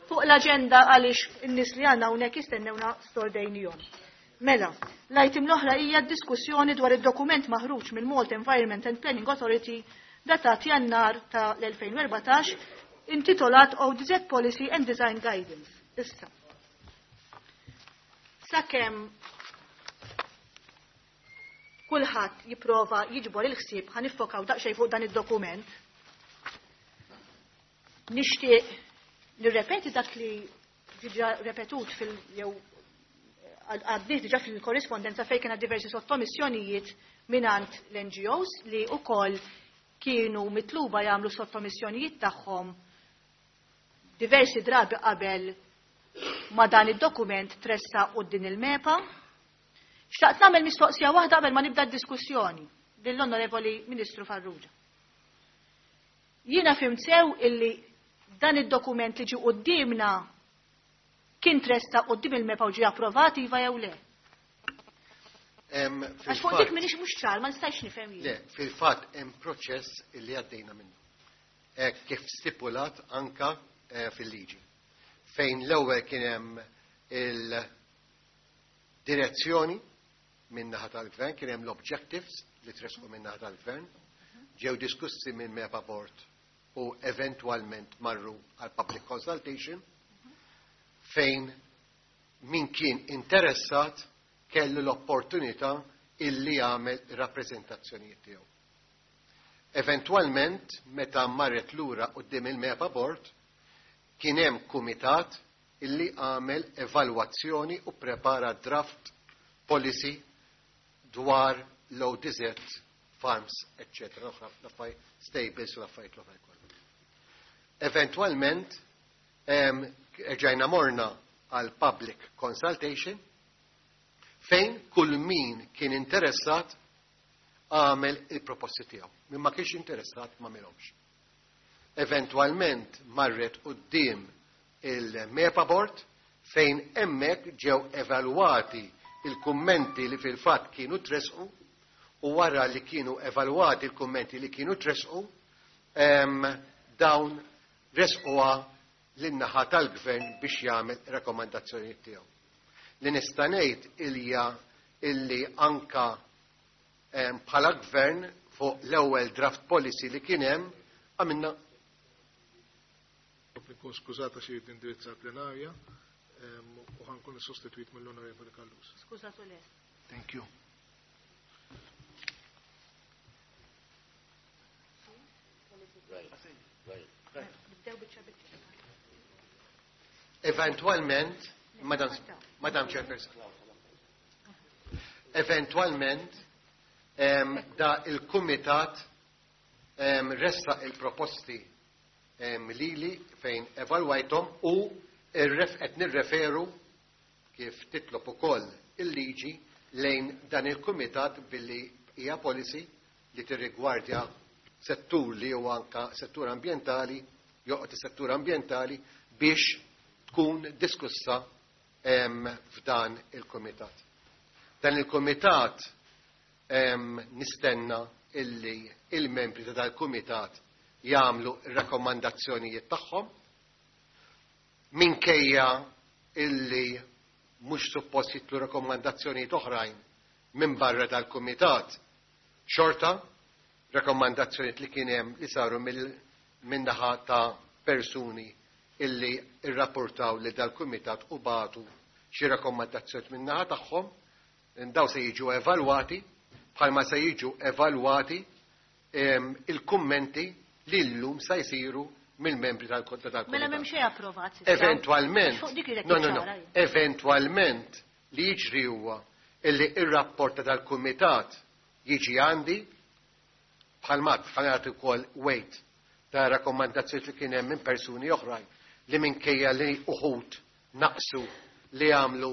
fuq l-aġenda għaliex in-nies li għandna hawnhekk jistennewna stordejnihom. Mela, l-item l-oħra hija diskussjoni dwar id-dokument maħruġ mill-Malta Environment and Planning Authority datat Jannar ta' l-elfejn u erbatax intitolat O D Z Policy and Design Guidance. Issa. Sakemm kulħadd jipprova jiġbor il-ħsieb ħa niffokaw daqsxejn fuq dan id-dokument. Nixtieq nirrepeti dak li diġà repetut fil jew għaddiet diġà fil-korrispondenza fejn kien diversi sottomissjonijiet mingħand l-N G Os li wkoll kienu mitluba jagħmlu sottomissjonijiet tagħhom diversi drabi qabel ma dan id-dokument tressa quddiem il-MEPA. Xtaqt nagħmel mistoqsija waħda qabel ma nibda d-diskussjoni lill-Onorevoli Ministru Farrugia. Jiena fhimt sew illi dan id-dokument li ġie quddiemna kien tressa quddiem il-MEPA u ġie approvat iva jew le? Għax fuq dik m'iniex mhux ċar, ma nistax nifhem jien. Le, fil-fatt hemm proċess illi għaddejna minnu. Hekk kif stipulat anka fil-liġi. Fejn l-ewwel kien hemm il-direzzjoni min-naħa tal-gvern, kien hemm l-objectives li tresqu min-naħa tal-gvern, ġew diskussi minn MEPA Board u eventwalment marru għal public consultation fejn min kien interessat kellu l-opportunità illi jagħmel rappreżentazzjonijiet tiegħu. Eventwalment, meta marret lura quddiem il-MEPA Board, kien hemm kumitat illi għamel evalwazzjoni u prepara draft policy dwar l-O D Z, farms, eccetera, l-affarijiet stables u l-affarijiet l-oħra kollha. Eventwalment, rġajna morna għal public consultation fejn kull min kien interessat għamel il-proposti tiegħu. Min ma kienx interessat ma għamilhomx. Eventwalment marret quddiem il-MEPA Board fejn hemmhekk ġew evalwati il-kummenti li fil-fatt kienu tresqu u wara li kienu evalwati il-kummenti li kienu tresqu, dawn resquha lin-naħa tal-gvern biex jagħmel rakkomandazzjonijiet tiegħu. Li nista' ngħid ilja illi anka bħala gvern fuq l-ewwel draft policy li kien hemm għamilna. Nkun skużata xi indirizza l-plenarja u ħankun sostitwit mill-Onorevoli Callus. Skużatu lest. Thank you. Eventualment, Madam, Madam Chairperson, eventualment em, da il-Kumitat em, ressa il-proposti em, lili fejn evalwajthom u irref-, qed nirreferu kif titlob ukoll il-liġi lejn dan il-Kumitat billi hija policy li tirrigwardja settur li huwa anka settur ambjentali, joqgħod is-settur ambjentali biex tkun diskussa, em, f'dan il-Kumitat. Dan il-Kumitat, em, nistenna illi il-membri ta' dal-Kumitat jagħmlu r-rakkomandazzjonijiet tagħhom minkejja illi mhux suppost jitlu rakkomandazzjonijiet oħrajn minn barra dal-Kumitat. Xorta, rakkomandazzjonijiet li kien hemm li saru min-naħa ta' persuni illi rrapportaw li dal-Kumitat u bagħtu xi rakkomandazzjonijiet min-naħa tagħhom, daw se jiġu evalwati bħalma se jiġu evalwati, em, il-kummenti li llum se jsiru mill-membri tal-Kumitat. Mela m'hemm xejn approvat s'issa. Eventwalment, Fuq dik li no, no, no. ċara, jien. Eventwalment li jiġri huwa illi ir-rapport ta' dal-kumitat jiġi għandi bħalma ħa nagħti wkoll weight ta' rakkomandazzjoni li kien hemm minn persuni oħrajn li minkejja li uħud naqsu li għamlu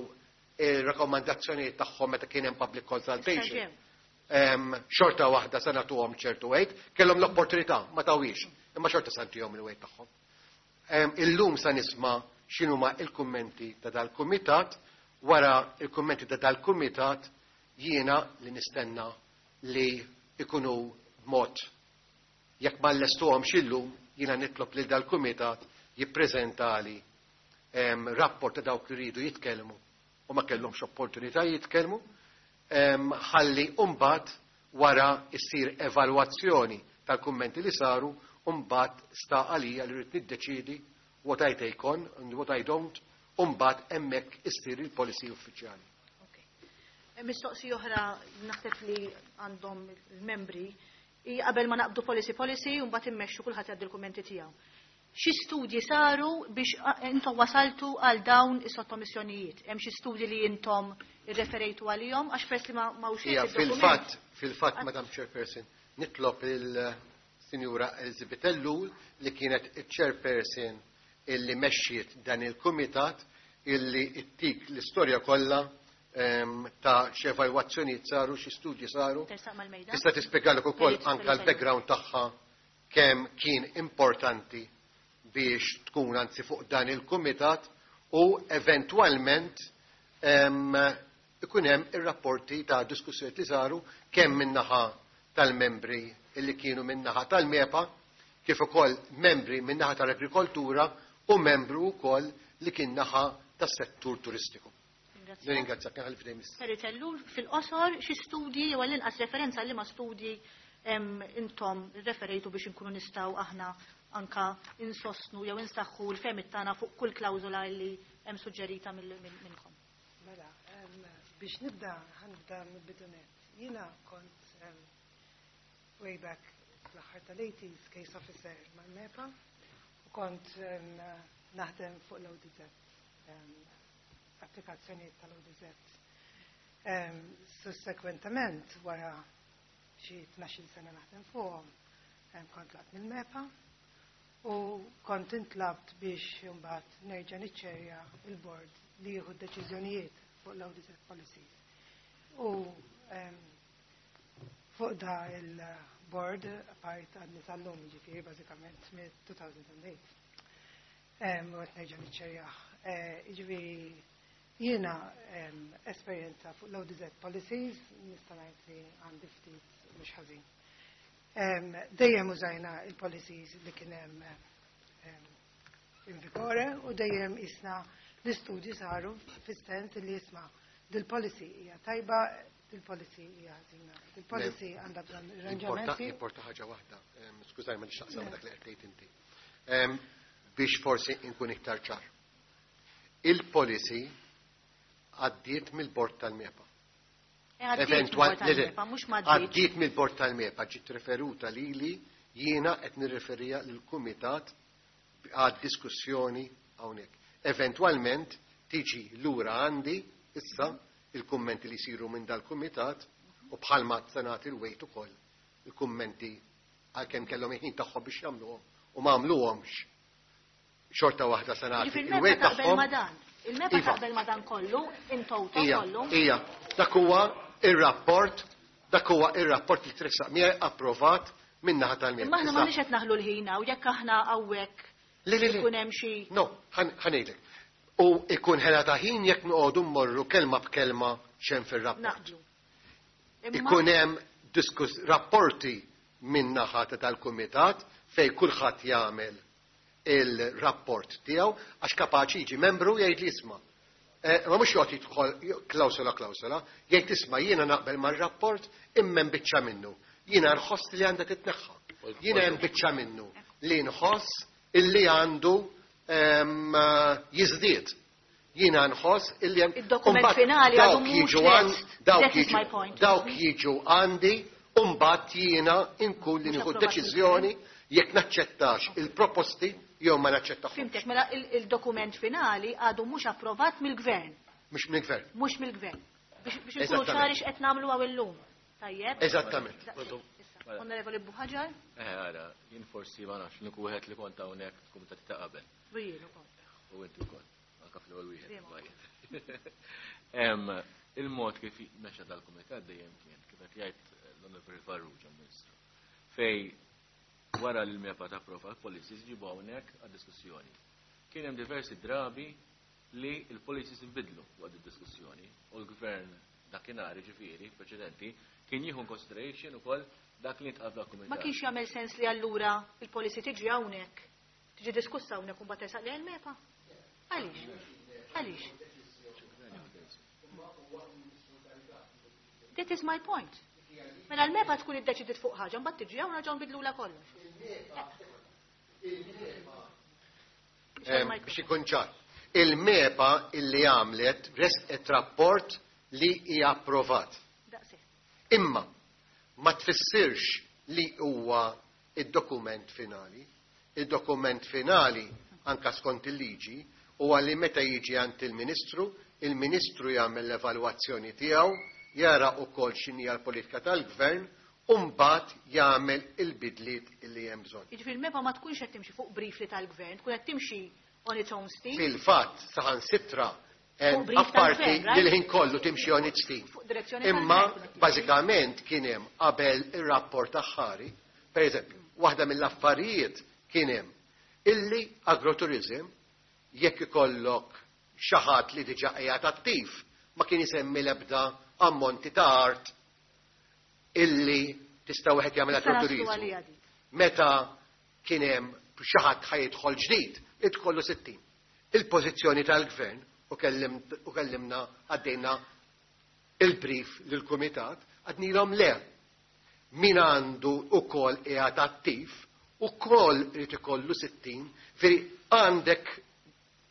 il-rakkomandazzjonijiet tagħhom meta kien hemm public consultation. Em, xorta waħda se nagħtuhom ċertu weight, kellhom l-opportunità, ma tawhiex, imma xorta se ntihom il-weight tagħhom. Em, Illum sa nisma' x'inhuma il-kummenti ta' dal-kumitat, wara il-kummenti ta' dal-kumitat jiena li nistenna li ikunu b'mod jekk ma llestuhomx illum jiena nitlob lil dal-kumitat jippreżentali em, rapport ta' dawk li rridu jitkellmu u ma kellhomx opportunità jitkellmu, em, ħalli mbagħad wara issir evalwazzjoni tal-kummenti li saru u mbagħad sta għalija li rrid niddeċiedi what I take on and what I don't, u mbagħad hemmhekk issir il-policy uffiċjali. Mistoqsi oħra naħseb li għandhom il-membri hi qabel ma naqbdu policy policy u mbagħad immexxu kulħadd jgħaddi l-kummenti tiegħu. Xi studji saru biex intom wasaltu għal dawn is-sottomissjonijiet? Hemm xi studji li intom irreferejtu għalihom għax peress li ma ma hux Ija, fil-fatt, fil-fatt, Madam Chairperson, nitlob il-Sinjura Elizabeth Ellul li kienet il-Chairperson illi mexxiet dan il-Kumitat illi ittik l-istorja kollha em, ta' x'evalwazzjonijiet saru, xi studji saru. Tersaq mal-mejda. Tista' tispjegalek ukoll Perit, anke Perit l-background tagħha kemm kien importanti biex tkun anzi fuq dan il-kumitat u eventwalment em, ikun hemm ir-rapporti ta' diskussjonijiet li saru kemm min-naħa tal-membri illi kienu min-naħa tal-MEPA, kif ukoll membri min-naħa tal-agrikoltura u membru wkoll li kien naħa tas-settur turistiku. Nirringrazzjak, nħalli f'idejn Miss. Perit Ellul, fil-qosor xi studji jew għall-inqas referenza li ma studji em, intom referejtu biex inkunu nistgħu aħna anka insostnu jew insaħħu l-fehmiet tagħna fuq kull klawżola li hemm suġġerita mill- mill- minnkom. Mela, em, biex nibda, ħa nibda mill-bidu nett. Jiena kont em, way back fl-aħħar tal-eighties case officer mal-MEPA u kont em, naħdem fuq l-O D Z, em, applikazzjonijiet tal-O D Z. Em, Sussekwentament, wara xi tnax-il sena naħdem fuqhom, em, kont tlaqt mill-MEPA u kont intlabt biex imbagħad nerġa' niċċerja il-board li jieħu deċiżjonijiet fuq l-O D Z policies. U em, fuq da il-board apart għadni sal-lum, ġifieri bażikament mid-two thousand eight. Em, U qed nerġa' niċċerjah. Eh, Ġifieri jiena em, esperjenza fuq l-O D Z policies nista' ngħid li għandi ftit mhux ħażin. Em, Dejjem użajna il-policies li kien hemm em, in vigore u dejjem isna l-istudji saru fis-sens li jisma' dil-policy hija tajba, dil-policy hija ħażina. Dil-policy għandha bżonn arranġamenti. Importa ħaġa waħda, em, skużaj ma nixtaqsam dak li qed tgħid inti. Em, Biex forsi inkun iktar ċar. Il-policy għaddiet mill-bord tal-MEPA. Eh, għaddiet Eventwal- mill-bord le, le, tal-MEPA, mhux m'għaddietx. Għaddiet mill-bord tal-MEPA, ġiet referuta lili, jiena qed nirreferija lill-kumitat għad diskussjoni hawnhekk. Eventwalment tiġi lura għandi issa il-kummenti li jsiru minn dal-kumitat u bħalma se nagħti il-weight ukoll il-kummenti għalkemm kellhom il-ħin tagħhom biex jagħmluhom u ma għamluhomx. Xorta waħda se nagħti Ġifieri il-weight il-MEPA taqbel tagħhom. ma dan. Il-MEPA Iva. taqbel ma dan kollu, in toto Ija, kollu. ija, dak huwa ir-rapport, dak huwa ir-rapport li tressaq miegħi approvat min-naħa tal-MEPA. Imma aħna Issa- m'aħniex qed naħlu l-ħin u jekk aħna hawnhekk Le, le, le. ikun hemm xi No, ħa ngħidlek. U ikun ħela ta' ħin jekk noqogħdu mmorru kelma b'kelma x'hemm fir-rapport. Naqblu. Imma Ikun hemm diskus rapporti min-naħa ta' tal-kumitat fej kulħadd jagħmel il-rapport tiegħu għax kapaċi jiġi membru jgħid li isma'. Eh, Ma mhux joqgħod jidħol klawsola klawsola, jgħid isma' jiena naqbel mar-rapport imma hemm biċċa minnu. Jiena nħoss li għandha titneħħa. Jiena hemm biċċa minnu li nħoss illi għandu em, jiżdied. Jiena nħoss illi hemm Id-dokument Umbagħad finali għadu dawk mhux jiġu għan- lest. dawk That is jiġu- my point. Dawk jiġu għandi u mbagħad jiena inkun li Mhux nieħu approvat. deċiżjoni jekk naċċettax il-proposti jew ma naċċettax. Fhimtek, mela il- il-dokument finali għadu mhux approvat mill-gvern, Mhux mill-gvern. Mhux mill-gvern. Biex biex inkunu ċari x'qed nagħmlu hawn illum. Tajjeb? Eżattament. Onorevoli Buhaġar? Eh, ara, jien forsi ma nafx, l-uniku wieħed li kont hawnhekk fil-kumitati ta' qabel. U jien ukoll. U inti wkoll, anke fl-ewwel wieħed. Il-mod kif mexa dal-kumitat dejjem kien, kif qed jgħid l-Onorevoli Farrugia, Ministru, fej wara li l-MEPA tapprova l-policies ġibu hawnhekk għad-diskussjoni. Kien hemm diversi drabi li l-policies inbidlu waqt id-diskussjoni u l-gvern dakinhar, ġifieri preċedenti, kien jieħu consideration ukoll dak li ntqal f'dal-kumitat. Ma kienx jagħmel sens li allura il-policy tiġi hawnhekk, tiġi diskussa hawnhekk u mbagħad tersaq lejn il-MEPA? Għaliex? Għaliex? That is my point. Mela l-MEPA tkun iddeċidiet fuq ħaġa, mbagħad tiġi hawn nerġgħu nbidlula kollox. Biex ikun ċar. Il-MEPA illi għamlet resqet rapport li hija approvat. Imma ma tfissirx li huwa id-dokument finali. Il-dokument finali, anka skont il-liġi, huwa li meta jiġi għand il-Ministru, il-Ministru jagħmel l-evalwazzjoni tiegħu, jara wkoll x'inhi l-politika tal-Gvern, u mbagħad jagħmel il-bidliet illi hemm bżonn. Jiġifieri l-MEPA ma tkunx qed timxi fuq brief li tal-Gvern, tkun qed timxi on its own steam. Fil-fatt, saħansitra apparti li l-ħin kollu timxi on its steam. Imma bażikament kien hemm qabel ir-rapport aħħari, pereżempju, waħda mill-affarijiet kien hemm illi agroturizm jekk ikollok xi ħadd li diġà qiegħed attiv ma kien isemmi l-ebda ammonti ta' art illi tista' wieħed jagħmel agroturizmu. Meta kien hemm xi ħadd ħajidħol ġdid, idkollu sittin. Il-pożizzjoni tal-gvern u kellimna għaddejna il-brief lill-kumitat, għadnilhom le. Min għandu ukoll qiegħed attiv, ukoll irid ikollu sittin, veri għandek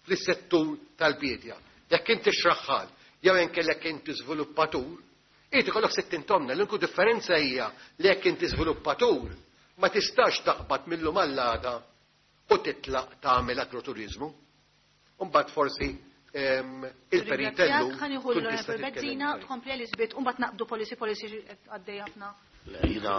fis-settur tal-bidja. Jekk inti xraħħal, jew inkellek inti żviluppatur, irid ikollok sittin tomna. L-uniku differenza hija li jekk inti żviluppatur ma tistax taqbad mill-lum għall-għada u titlaq tagħmel agroturizmu. Imbagħad forsi il-peritellu. Ħanieħu l-Onorevoli Bezzina, tkompli Elizabeth, u mbagħad naqbdu policy policy għaddej ħafna. Le, jiena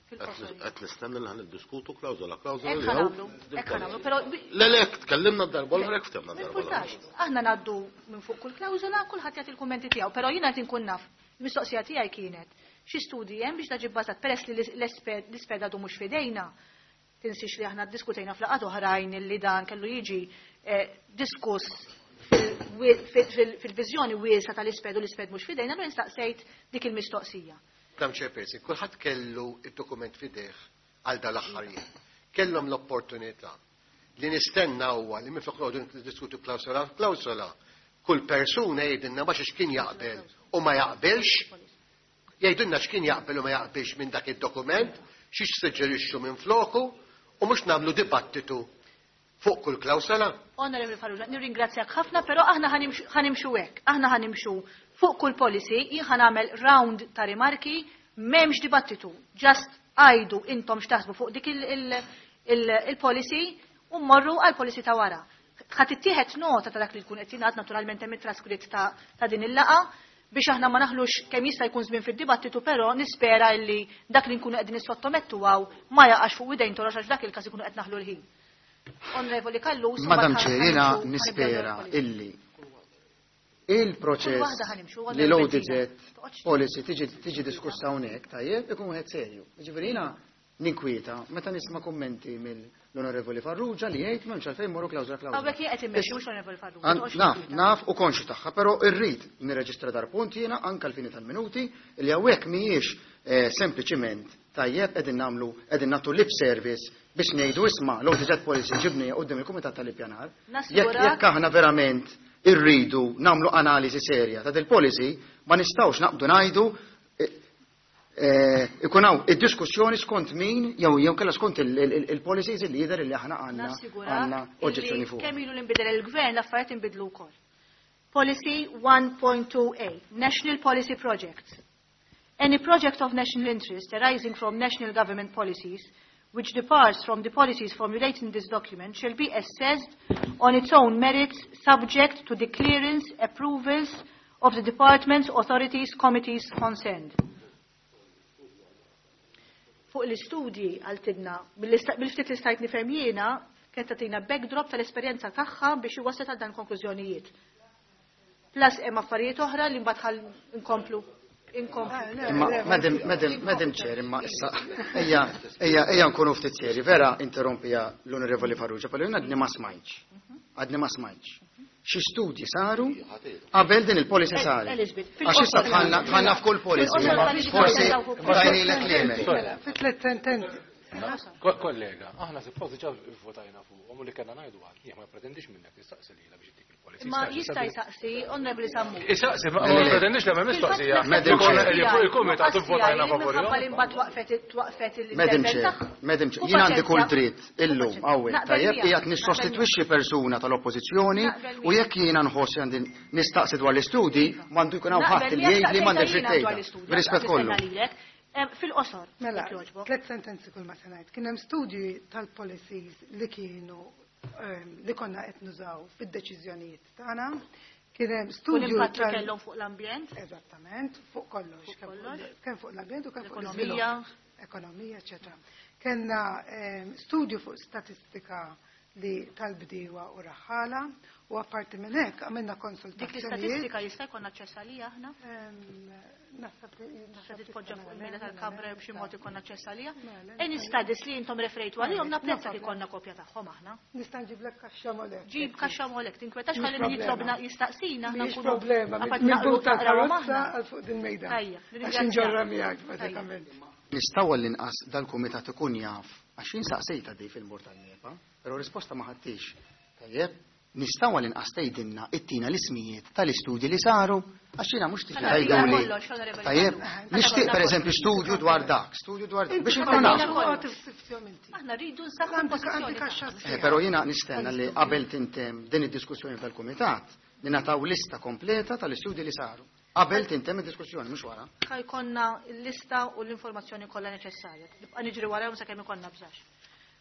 qed nistenna li ħaniddiskutu klawżola klawżola li hawn. Hekk ħanagħmlu, però Le le, tkellimna d-darba l-oħra hekk ftemna d-darba. Importax, aħna ngħaddu minn fuq kull klawżola, kulħadd jagħti l-kummenti tiegħu, però jiena qed inkun naf. Il-mistoqsija tiegħi kienet xi studji hemm biex daġi bbażat peress li l-isped għadu mhux f'idejna. Tinsix li aħna ddiskutejna f'laqgħat oħrajn li dan kellu jiġi diskuss fil-viżjoni wiesa tal-isped u l-isped mhux f'idejna, allura nistaqsejt dik il-mistoqsija. Madam Chairperson, kulħadd kellu id-dokument f'idejh għal dal-aħħar jiem. Kellhom l-opportunità li nistenna huwa li minflok noqogħdu niddiskutu klawsola klawsola, kull persuna jgħidilna ma x'kien jaqbel u ma jaqbilx, jgħidilna x'kien jaqbel u ma jaqbilx minn dak id-dokument, xiex suġġerixxu minn floku u mhux nagħmlu dibattitu fuq kull klawsola. Onorevoli Farrugia, nirringrazzjak ħafna, però aħna ħanimxu hekk, aħna ħanimxu fuq kull policy, jien ħanagħmel round ta' rimarki, m'hemmx dibattitu, just għajdu intom x'taħsbu fuq dik il-policy u mmorru għal policy ta' wara. Ħadd ittieħed nota ta' dak li jkun qed jingħad naturalment hemm it-traskritt ta' din il-laqgħa biex aħna ma naħlux kemm jista' jkun żmien fid-dibattitu, però nispera li dak li nkunu qegħdin nissottomettu hawn ma jaqax fuq idejn torox għax dak il-każ ikunu qed naħlu l-ħin. Onorevoli Callus, Madam Chair, jiena nispera illi il-proċess li l-O D Z policy tiġi diskussa hawnhekk tajjeb ikun wieħed serju. Jiġifieri jiena ninkwieta meta nisma' kummenti mill-Onorevoli Farrugia li jgħid m'hemmx għalfejn morru klawżola klawżola. Hawnhekk jien qed immexxi mhux Onorevoli Farrugia. Naf, naf u konxu tagħha, però rrid nirreġistra dar punt jiena anke l-fini tal-minuti li hawnhekk mhijiex sempliċiment tajjeb qegħdin nagħmlu qegħdin nagħtu lip service biex ngħidu isma' l-O D Z policy ġibni quddiem il-Kumitat tal-Ippjanar. Jekk aħna verament irridu nagħmlu analiżi serja ta' dil-policy, ma nistgħux naqbdu ngħidu ikun hawn id-diskussjoni skont min jew jew kellha skont il-policies li jidher li aħna għandna għandna oġġezzjoni fuq. Kemm ilu li nbidel il-gvern l-affarijiet inbidlu wkoll. Policy one point two A, National Policy Project. Any project of national interest arising from national government policies which departs from the policies formulated in this document shall be assessed on its own merits, subject to the clearance, approvals of the departments, authorities, committees concerned. Fuq l-istudji għaltidna, bil-ftit li stajt nifhem jiena, kienet tagħtina backdrop tal-esperjenza tagħha biex iwassal għal dan konklużjonijiet. Plus hemm affarijiet oħra li mbagħad ħal inkomplu. Inkomplu. Imma, Madam, Madam, Madam Chair, imma issa, ejja, ejja, ejja nkunu ftit seri, vera interrompija l-Onorevoli Farrugia, però jien għadni ma smajtx. Għadni ma smajtx. Xi studji saru qabel din il-policy saret. Elizabeth, Għax issa dħalna dħalna f'kull policy, imma forsi tajnilek l-email. Mela, fi tliet sentenzi. Ko- Kollega, aħna suppost diġà votajna fuqhom u li kellna ngħidu għal. Jien ma pretendix minnek tistaqsi lilha biex ittik il-policy. Ma jista' jsaqsi, Onorevoli Sammut. Isaqsi, ma ma pretendix li hemm mistoqsija. Madam Chair. Li fuq il-kumitat votajna favori. Minħabba li mbagħad waqfet twaqfet Madam l-intervent Chair, tagħha. Madam Chair, U jien għandi kull paċenzja. dritt illum hawnhekk Naqbel tajjeb miegħek, qiegħed nissostitwixxi persuna tal-Oppożizzjoni Naqbel u jekk jiena nħoss għandi nistaqsi dwar l-istudji m'għandu jkun hawn ħadd Naqbel li miegħek, jgħid li m'għandekx saqsejta dritt jiena dwar tgħidha. l-istudji, Bir-rispett nistaqsi kollu. lilek. Em, Fil-qosor, Mela, jekk jogħġbok. tliet sentenzi kull ma se ngħid. Kien hemm studji tal-policies li kienu ehm, li konna qed nużaw fid-deċiżjonijiet tagħna. Kien hemm U studju l-impatt li tal- kellhom fuq l-ambjent, Eżattament, fuq kollox. Fuq kemm kollox. Kemm fuq l-ambjent u kemm fuq l-ekonomija. l-iżvilupp. Ekonomija, eċetera. Kellna ehm, studju fuq statistika li tal-bdiewa u raħħala u apparti minn hekk għamilna Dik konsultazzjonijiet. l-istatistika jista' jkollna aċċess għalija aħna? Ehm, Naħseb li Tista' naħseb titpoġġa tista' fuq il-mejda nagħmel, tal-kamra jew b'xi mod ikollna aċċess għalija. Mela, Any studies li intom referejtu għalihom No napprezza li problem. konna kopja tagħhom aħna. Nista' nġiblek kaxxa molek. Ġib kaxxa molek, tinkwetax Mhix ħalli min problema. jitlobna jistaqsina aħna Mhix nkunu problema, apart minn naqru but naqrawhom tal-karozza aħna. għal fuq din mejda. Tajja, Għax nirringrazzjak. inġorra miegħek bażikament. Nistgħu għall-inqas dal-kumitat ikun jaf għax jien saqsejta di fil-bord tal-MEPA, però risposta ma ħadtix. Tajjeb, nistgħu għall-inqas tgħidilna ittina l-ismijiet tal-istudji li saru għax jiena mhux Ħa nagħtina tgħiduli. kollox, Onorevoli Tajjeb, Farrugia. nixtieq Ħa pereżempju studju dwar dak, studju dwar dak biex inkunu nafu. Aħna rridu nsaħħu Għandi l-pożizzjoni għandi kaxxa tagħna. Eh, sħiħa. Però jiena nistenna li qabel tintem din id-diskussjoni tal-kumitat li nataw lista kompleta tal-istudji li saru. Qabel tintem id-diskussjoni, mhux wara. Ħa jkollna l-lista u l-informazzjoni kollha neċessarja. Nibqa' niġri warahom sakemm ikollna bżax.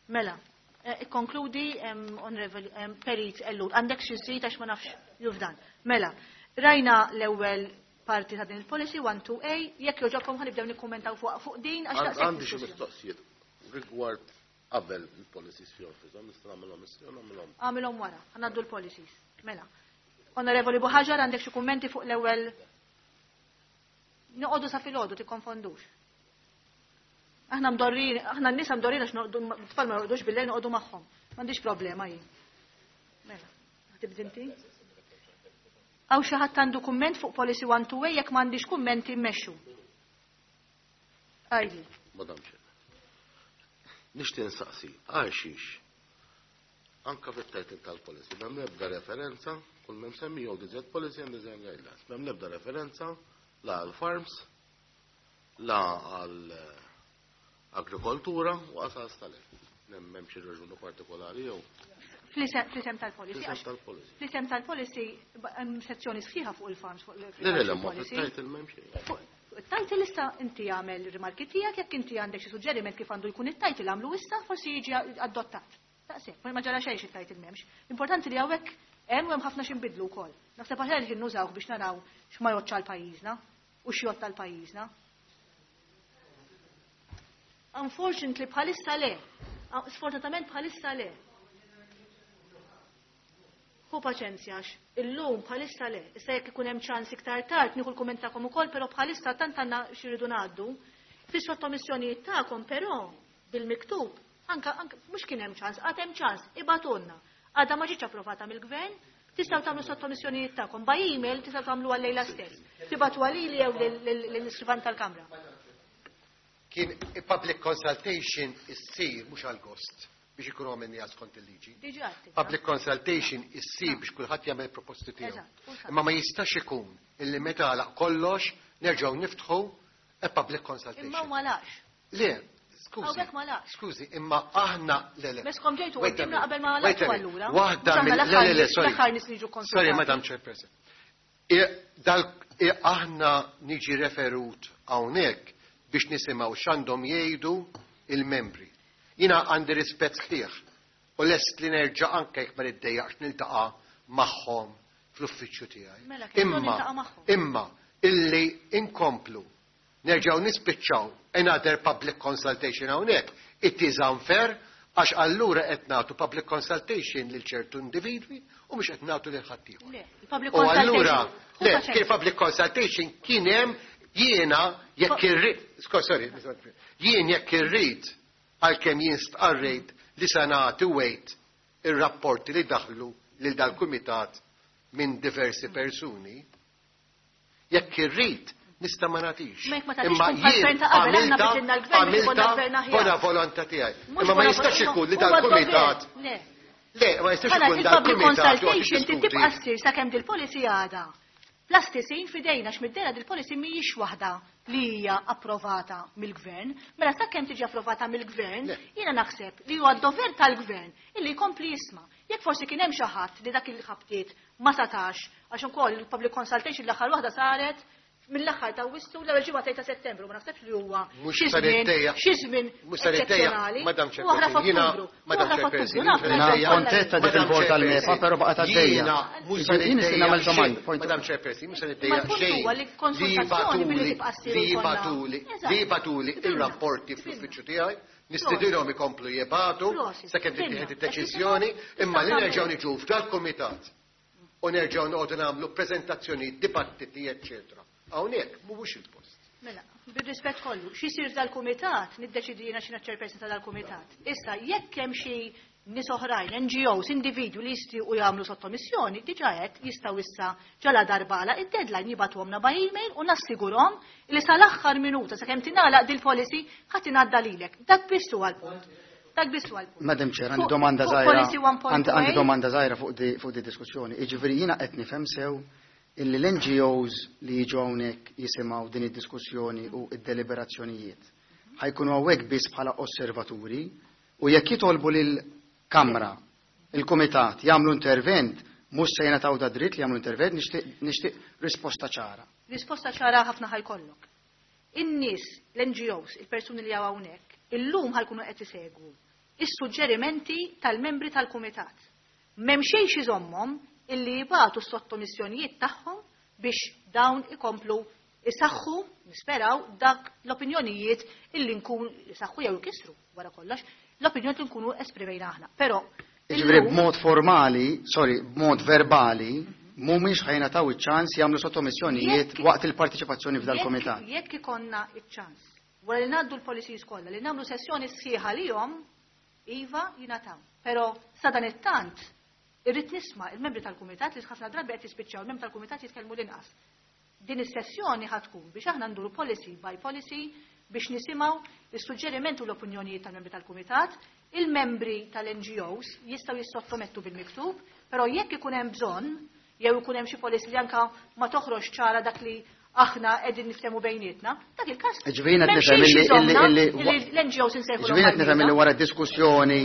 Mela, eh, ikkonkludi em, Onorevoli em, Perit Ellul, għandek xi żid għax ma nafx jufdan. Mela, rajna l-ewwel parti ta' din il-policy one two A, jekk jogħġobkom ħa nibdew nikkummentaw fuq fuq din għax daqshekk Għandi xi diskussjoni. mistoqsijiet rigward qabel il-policies fihom fihom, nista' nagħmilhom issa jew nagħmilhom. Għamilhom wara, ħa ngħaddu l-policies. Mela. Onorevoli Buhaġar, għandek xi kummenti fuq l-ewwel Noqogħdu sa filgħodu tikkonfondux. Aħna mdorrin, aħna n-nisa mdorrin għax noqogħdu tfal ma jorqdux bil-lejl noqogħdu magħhom. M'għandix problema jien. Mela, tibda inti? Hawn xi ħadd għandu kumment fuq policy one two A jekk m'għandix kummenti mmexxu. Għajdi. Madam Chair. Nixtieq nsaqsi, għal xiex anka fit-title tal-policy, m'hemm l-ebda referenza, kull m'hemm semmi O D Z policy and design guidelines, m'hemm l-ebda referenza la għal farms, la għal eh, agrikoltura u għasal stalef. M'hemm xi raġuni partikolari jew Fl-isem fl-isem tal-policy. fl-isem għax tal-policy. Fl-isem tal-policy ba- hemm sezzjoni sħiħa fuq il-farms fuq Le, le, le, ma il-policy. fit-title m'hemm xejn. Fuq il-title issa inti għamel rimarki tiegħek jekk inti għandek xi suġġeriment kif għandu jkun it-title għamlu issa forsi jiġi adottat. Daqshekk, ma ġara xejn it-title m'hemmx. Importanti li hawnhekk hemm u hemm ħafna x'inbidlu wkoll. Naħseb aħjar li nużawh biex naraw x'ma jgħoddx għal pajjiżna u x'jgħodd għal pajjiżna. Unfortunately bħalissa le. Sfortunatament bħalissa le. Ħu paċenzja għax illum bħalissa le. Issa jekk ikun hemm ċans iktar tard nieħu l-kumment tagħkom ukoll, però bħalissa tant għandna xi rridu ngħaddu. Fis-sottomissjonijiet tagħkom però bil-miktub anka anka mhux kien hemm ċans, għad hemm ċans, ibagħtulna. Għadha ma ġietx approvata mill-gvern, tistgħu tagħmlu sottomissjonijiet tagħkom by email tistgħu tagħmlu għal-lejla stess. Tibagħtu għalili jew lill-iskrivan tal-Kamra. Kien public consultation issir mhux għal gost biex ikunu għamilni skont il-liġi. Diġà għedtilna. Public consultation issir biex kulħadd jagħmel proposti tiegħu. Eżatt, u sa- Imma ma jistax ikun illi meta għalaq kollox nerġgħu niftħu a public Imma consultation. ma laqx. Le, skużi. Hawnhekk ma laqx. Skużi, imma aħna le le. Meskom ġejtu Wait a qudiemna minute, qabel ma wait a laqtu minute. allura. Waħda Mhux aħna mill le l-aħħar le le, nies- sorry. l-aħħar nies niġu Sorry, konsultati. Madam Chairperson. I- Dal i- aħna niġi referut hawnhekk biex nisimgħu x'għandhom jgħidu il-membri. Jiena għandi rispett sħiħ u lest li nerġa' anke jekk ma niddejjaqx niltaqa' magħhom fl-uffiċċju tiegħi. Mela, kif Imma, niltaqa' magħhom? imma illi inkomplu nerġgħu nispiċċaw another public consultation hawnhekk, it is unfair għax allura qed nagħtu public consultation lil ċertu individwi u mhux qed nagħtu lil ħaddieħor. Le, il-public U allura, consultation. le, Hu kien public consultation kien hemm jiena jekk irrid, sorry, jien jekk irrid għalkemm jien stqarrejt li se nagħti wait ir-rapporti li daħlu lil dal-kumitat minn diversi persuni, jekk irrid nista' ma nagħtix. Ma jekk ma tagħtix tkun bħal-gvern ta' qabel, aħna bidilna l-gvern biex ikollna gvern aħjar. Bona volontà tiegħi. Mhux Imma ma bona jistax volontà, ikun li huwa dal-kumitat. dover. Le. Le, ma jistax Mela, ikun il-public dal-kumitat joqgħod consultation trid tibqa' jiddiskuti. ssir sakemm dil-policy għadha. Plastisin fidejna x'middera dil-policy mhijiex waħda li hija approvata mill-gvern. Mela sakemm tiġi approvata mill-gvern, Le. jiena naħseb li huwa d-dover tal-gvern illi jkompli jisma'. Jekk forsi kien hemm xi ħadd li dak il-ħabtiet ma satax għax ukoll il-public consultation l-aħħar waħda saret mill-aħħar ta' Awwissu l-ewwel ġimgħa ta' Settembru, ma naħsebx li huwa Mhux xi se żmien nittejjaq. xi żmien Mhux se nittejjaq, eċċezzjonali. Madam U oħra Chairperson, jiena- f'Ottubru. U Madam oħra Chairperson, f'Ottubru, naf, jiena naf, Jiena kollha kontetta dik Madam il-bord tal-MEPA, Chairperson, però baqgħet għaddejja. Jiena mhux se Jien nixtieq nagħmel nittejjaq domanda. xejn. point. Madam Chairperson, mhux se Ma nittejjaq l-punt xejn. huwa li konsultazzjoni billi tibqa' ssir li u jkollna- jibagħtuli, Eżatt. li jibagħtuli Qbilna. ir-rapporti fl-uffiċċju tiegħi, nistidilhom ikomplu jibagħtu Prosit. sakemm Qbilna. tittieħed id-deċiżjoni, imma li nerġgħu niġu f'dal-kumitat u nerġgħu noqogħdu nagħmlu preżentazzjoni, dibattiti, eċċetera. Hawnhekk mhuwiex il-post. Mela, bir-rispett kollu, x'isir dal-kumitat, niddeċidi jiena x'inha chairperson ta' dal-kumitat. Issa, jekk hemm xi nies oħrajn, N G Os, individwi li jistgħu jagħmlu sottomissjoni, diġà qed jistgħu issa ġala darbala id-deadline jibgħatuhomna by email u nassigurhom li sal-aħħar minuta sakemm tingħalaq dil-policy ħadd ingħadda lilek. Dak biss huwa l-punt. Dak biss huwa l-punt. Madam Chair, għandi Fuq- domanda fuq żgħira. policy one point two Għandi għandi domanda żgħira fuq di fuq di diskussjoni. Jiġifieri jiena qed nifhem sew illi l-N G Os li jiġu hawnhekk jisimgħu din id-diskussjoni u id-deliberazzjonijiet ħa jkunu hawnhekk biss bħala osservaturi u jekk jitolbu lill-Kamra, il-Kumitat jagħmlu intervent, mhux se jingħataw da dritt li jagħmlu intervent, nixtieq nixtieq risposta ċara. Risposta ċara ħafna ħa jkollok. In-nies, l-N G Os, il-persuni li hawn hawnhekk, illum ħa jkunu qed isegwu is-suġġerimenti tal-membri tal-kumitat. M'hemm xejn iżommhom illi jibagħtu s-sottomissjonijiet tagħhom biex dawn ikomplu isaħħu, nisperaw, dak l-opinjonijiet illi nkun isaħħu jew ikissru wara kollox, l-opinjoni li nkunu esprimejna aħna. Però Jiġifieri illum- b'mod formali, sorry, b'mod verbali, mhumiex ħa jingħataw iċ-ċans jagħmlu sottomissjonijiet Jekk- waqt il-partiċipazzjoni f'dal-kumitat. Jekk jekk ikonna iċ-ċans, wara li ngħaddu l-policies kollha, li nagħmlu sessjoni sħiħa lihom, iva jingħataw. Però sa dan it-tant irrid nisma' il-membri tal-kumitat li ħafna drabi qed jispiċċaw il-membri tal-kumitat jitkellmu l-inqas. Din is-sessjoni ħa tkun biex aħna nduru policy by policy biex nisimgħu is-suġġerimenti u l-opinjonijiet tal-membri tal-kumitat, il-membri tal-N G Os jistgħu jissottomettu bil-miktub, però jekk ikun hemm bżonn jew ikun hemm xi policy li anka ma toħroġ ċara dak li aħna qegħdin niftehmu bejnietna, dak il-każ. Ġifieri qed m'hemm nifhem xejn illi- iżommna illi- illi- illi l-N G Os insejħulhom Ġifieri qed nifhem illi għal-mejda. wara diskussjoni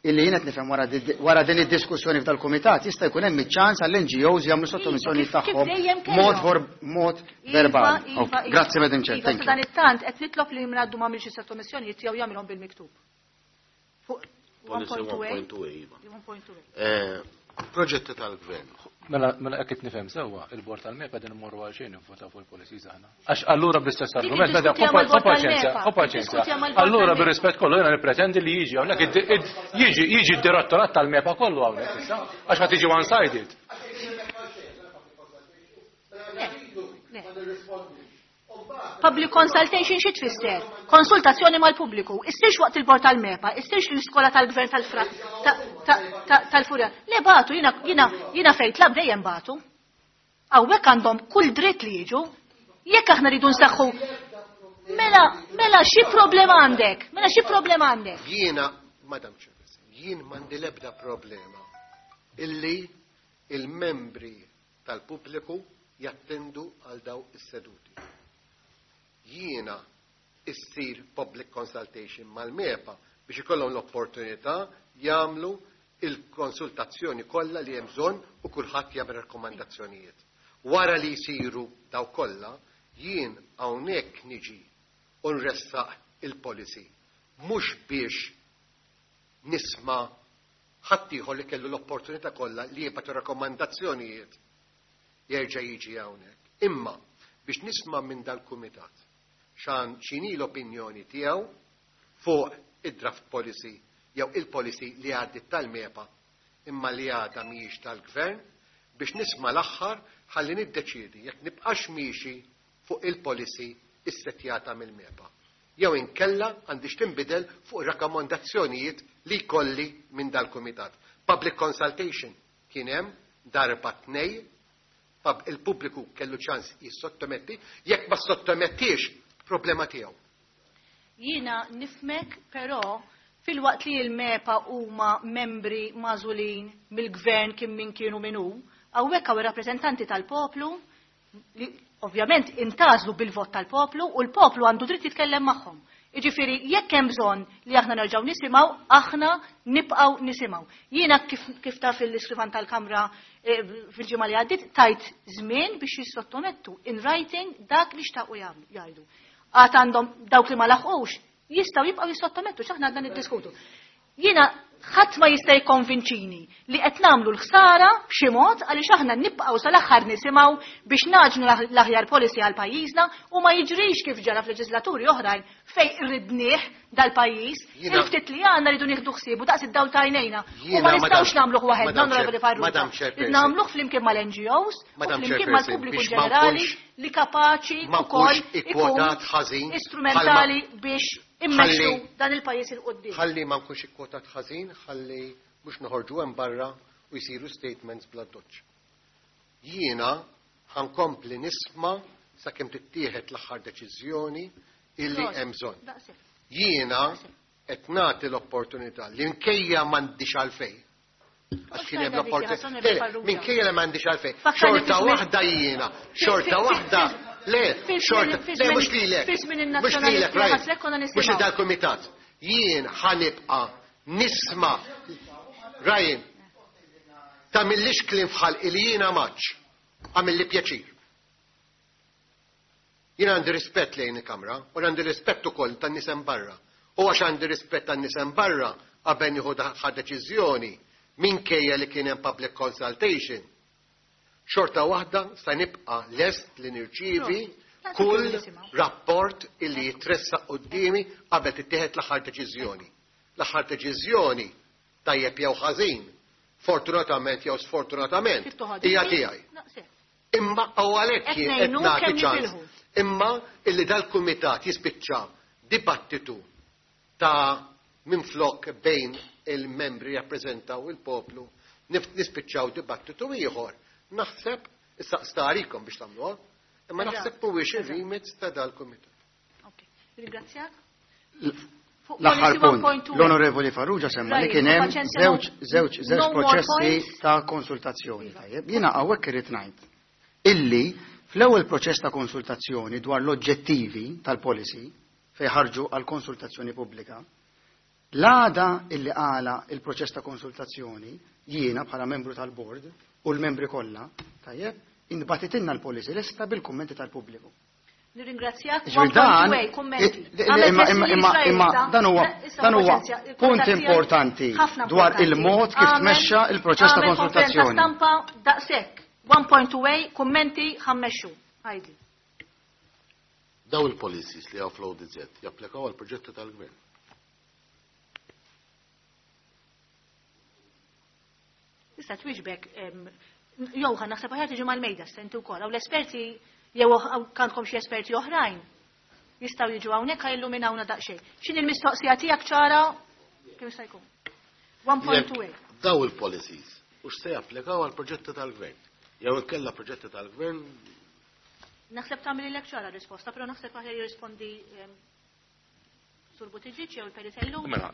illi jien qed nifhem wara di- wara din id-diskussjoni f'dal-kumitat jista' jkun hemm iċ-ċans għall-N G Os jagħmlu sottomissjoni Iva, kif- kif tagħhom dejjem kellhom. mod vor- mod Iva, verbali. Iva, Ok, iva. Grazzi, Madam Chair, Iva, thank sa you. dan it-tant qed nitlob li minn għaddu m'għamilx sottomissjonijiet jew jagħmilhom bil-miktub. Fuq Policy one point two A. one point two A, iva. one point two A. Eh, Proġetti tal-gvern. Mela, mela qed nifhem sewwa, il-bord tal-MEPA din immorru għal xejn nivvotaw fuq il-policies aħna. Għax allura bl-istess Dik argument, meta iddiskutiha mal-bord paċenzja, tal-MEPA. paċenzja. Iddiskutiha mal-bord Allura tal-MEPA. bir-rispett kollu jiena nippretendi li jiġi hawnhekk id- id- jiġi jiġi d-direttorat tal-MEPA kollu hawnhekk issa, għax ħa tiġi one-sided. Le, le. Public consultation xi tfisser? Konsultazzjoni mal-pubbliku. Issirx waqt il-bord tal-MEPA, issirx l-iskola tal-gvern tal-fra ta- ta- ta- tal-Furjana. Le bagħtu, jiena jiena jiena fejn tlab dejjem bagħtu. Hawnhekk għandhom kull dritt li jiġu. Jekk aħna rridu nsaħħu. Mela, mela xi problema għandek? Mela xi problema għandek? Jiena, Madam Chairperson, jien m'għandi l-ebda problema illi il-membri tal-pubbliku jattendu għal daw is-seduti. Jiena issir public consultation mal-MEPA biex ikollhom l-opportunità jagħmlu il-konsultazzjoni kollha li hemm bżonn u kulħadd jagħmel rakkomandazzjonijiet. Wara li jsiru daw kollha, jien hawnhekk niġi u nressaq il-policy mhux biex nisma' ħaddieħor li kellu l-opportunità kollha li jibgħatu rakkomandazzjonijiet jerġa' jiġi hawnhekk. Imma biex nisma' minn dal-kumitat xan x'inhi l-opinjoni tiegħu fuq id-draft policy jew il-policy li għaddit tal-MEPA imma li għadha mhijiex tal-gvern, biex nisma' l-aħħar ħalli niddeċiedi jekk nibqax miexi fuq il-policy issettjata mill-MEPA. Jew inkella għandix tinbidel fuq rakkomandazzjonijiet li jkolli minn dal-kumitat. Public consultation kien hemm darba tnej, il-pubbliku kellu ċans jissottometti, jekk ma sottomettix problema tiegħu. Jiena nifmek, però fil-waqt li l-MEPA huma membri magħżulin mill-gvern kien min kienu min hu, hawnhekk hawn ir-rappreżentanti tal-poplu li ovvjament intażlu bil-vot tal-poplu u l-poplu għandu dritt jitkellem magħhom. Jiġifieri jekk hemm bżonn li aħna nerġgħu nisimgħu, aħna nibqgħu nisimgħu. Jiena kif, kif taf il-iskrivan tal-Kamra eh, fil-ġimgħa li għaddiet tajt żmien biex jissottomettu in writing dak li xtaqu jgħidu. Għad għandhom dawk li ma laħqux jistgħu jibqgħu jissottomettu x'aħna għadna niddiskutu. Jiena ħadd ma jista' jikkonvinċini li qed nagħmlu l-ħsara b'xi mod għaliex aħna nibqgħu sal-aħħar nisimgħu biex naġnu l-aħjar policy għal pajjiżna u ma jiġrix kif ġara f'leġislaturi oħrajn fejn irridnieh dal-pajjiż, il-ftit li għandna rridu nieħdu ħsiebu daqs id-dawl tajnejna. U ma nistgħux nagħmluh waħedna, Onorevoli Farrugia. Nagħmluh flimkien mal-N G Os u flimkien mal-pubbliku ġenerali li kapaċi wkoll ikun istrumentali biex immexxu dan il-pajjiż 'il quddiem. Ħalli ma nkunx ikkwotat ħażin, ħalli mhux noħorġu hemm barra u jsiru statements bla doċ. Jiena ħa nkompli nisma' sakemm tittieħed l-aħħar deċiżjoni illi hemm bżonn. Jiena qed nagħti l-opportunità li minkejja m'għandix għalfejn. Għax kien hemm l-opportunità. Minkejja li m'għandix għalfejn. Xorta waħda jiena, xorta waħda. Le, xorta, le, mhux lilek. Mhux lilek, right. Mhux dal-kumitat. Jien ħa nibqa' nisma'. Ryan, tagħmillix kliem f'ħalqi li jiena maċ. Għamilli pjaċir. Jien għandi rispett lejn il-Kamra u għandi rispett ukoll tan-nies hemm barra. U għax għandi rispett tan-nies hemm barra qabel nieħu deċiżjoni minkejja li kien hemm public consultation. Xorta waħda sa nibqa' lest li nirċievi kull rapport illi jitressaq quddiemi qabel tittieħed l-aħħar deċiżjoni. L-aħħar deċiżjoni, tajjeb jew ħażin, fortunatament jew sfortunatament, hija tiegħi. Imma u għalhekk qed nagħti ċans. Imma illi dal-kumitat jispiċċa dibattitu ta' minflok bejn il-membri jappreżentaw il-poplu, nispiċċaw dibattitu ieħor. Naħseb, issa starikom biex tagħmluha, imma naħseb mhuwiex ir-remit ta' dal-kumitat. Ringrazzjak. L-aħħar punt, l-Onorevoli Farrugia semma li kien hemm żewġ żewġ żewġ proċessi ta' konsultazzjoni. Tajjeb, jiena hawnhekk irid ngħid illi fl-ewwel proċess ta' konsultazzjoni dwar l-oġġettivi tal-policy fejn ħarġu għal konsultazzjoni pubblika, l-għada illi għala il-proċess ta' konsultazzjoni, jiena bħala membru tal-board u l-membri kollha, tajjeb, intbagħtitilna l-policy lesta bil-kummenti tal-pubbliku. Nirringrazzjak. Dan, imma imma dan huwa dan huwa punt importanti dwar il-mod kif tmexxa il-proċess ta' konsultazzjoni. Stampa daqshekk. one point two, kummenti, ħa mmexxu. Għajdi. Daw il-policies li hawn fl-O D Z japplikaw għal proġetti tal-gvern. Issa twieġbek, jew ħa naħseb aħjar tiġi mal-mejda stenti wkoll. Hawn l-esperti jew għandkom xi esperti oħrajn jistgħu jiġu hawnhekk ħa jilluminawna daqsxejn. X'inhi l-mistoqsija tiegħek ċara kemm jista' jkun? one point two. Daw il-policies u x'se japplikaw għal proġetti tal-gvern? Jew inkella proġetti tal-gvern. Naħseb tagħmel ċara risposta, però naħseb aħjar jirrispondi Sur Buttigieg jew il-Peritellu. Mela,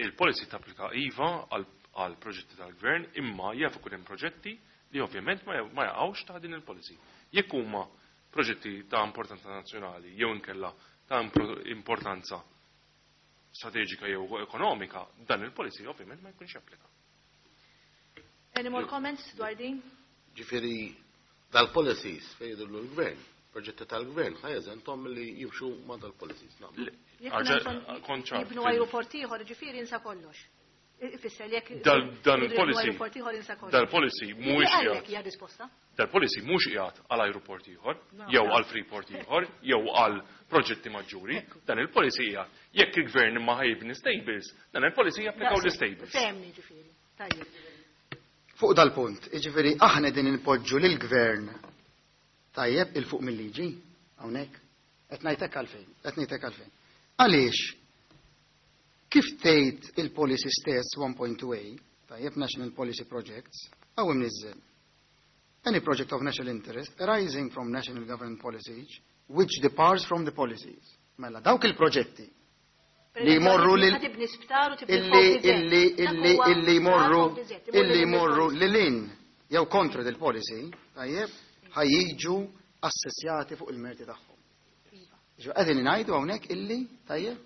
il-policy tapplika iva għal proġetti tal-gvern, imma jaf ikun hemm proġetti li ovvjament ma jaqgħux ta' din il-policy. Jekk huma proġetti ta' importanza nazzjonali jew inkella ta' importanza strateġika jew ekonomika, dan il-policy ovvjament ma jkunx applika. Any more comments dwar din? Ġifieri dal-policies fejn jidhru l-gvern, proġetti tal-gvern, ħa jeżentom li jimxu ma' dal-policies. Jibnu aeroport ieħor, ġifieri insa kollox. Ifisser li jekk Dan il-policy dal-policy mhuwiex qiegħed. Dal-policy mhux qiegħed għal ajruport ieħor, jew għal freeport ieħor, jew għal proġetti maġġuri. Dan il-policy qiegħed jekk il-gvern ma ħa jibni stables, dan il-policy japplikaw l-stables. Fehmni ġifieri. Tajjeb. Fuq dal-punt, jiġifieri aħna din inpoġġu lill-gvern tajjeb 'il fuq mill-liġi hawnhekk. Qed ngħidlek għalfejn, qed ngħidlek għalfejn. Għaliex kif tgħid il-policy stess one point two A, tajjeb, National Policy Projects, hawn imniżżel: "Any project of national interest arising from national government policies which departs from the policies." Mela, dawk il-proġetti li jmorru lil illi illi illi illi jmorru illi jmorru lil hinn jew kontra del policy, tajjeb, ħa jiġu assessjati fuq il-merti tagħhom. Ġo qegħdin ngħidu hawnhekk illi, tajjeb,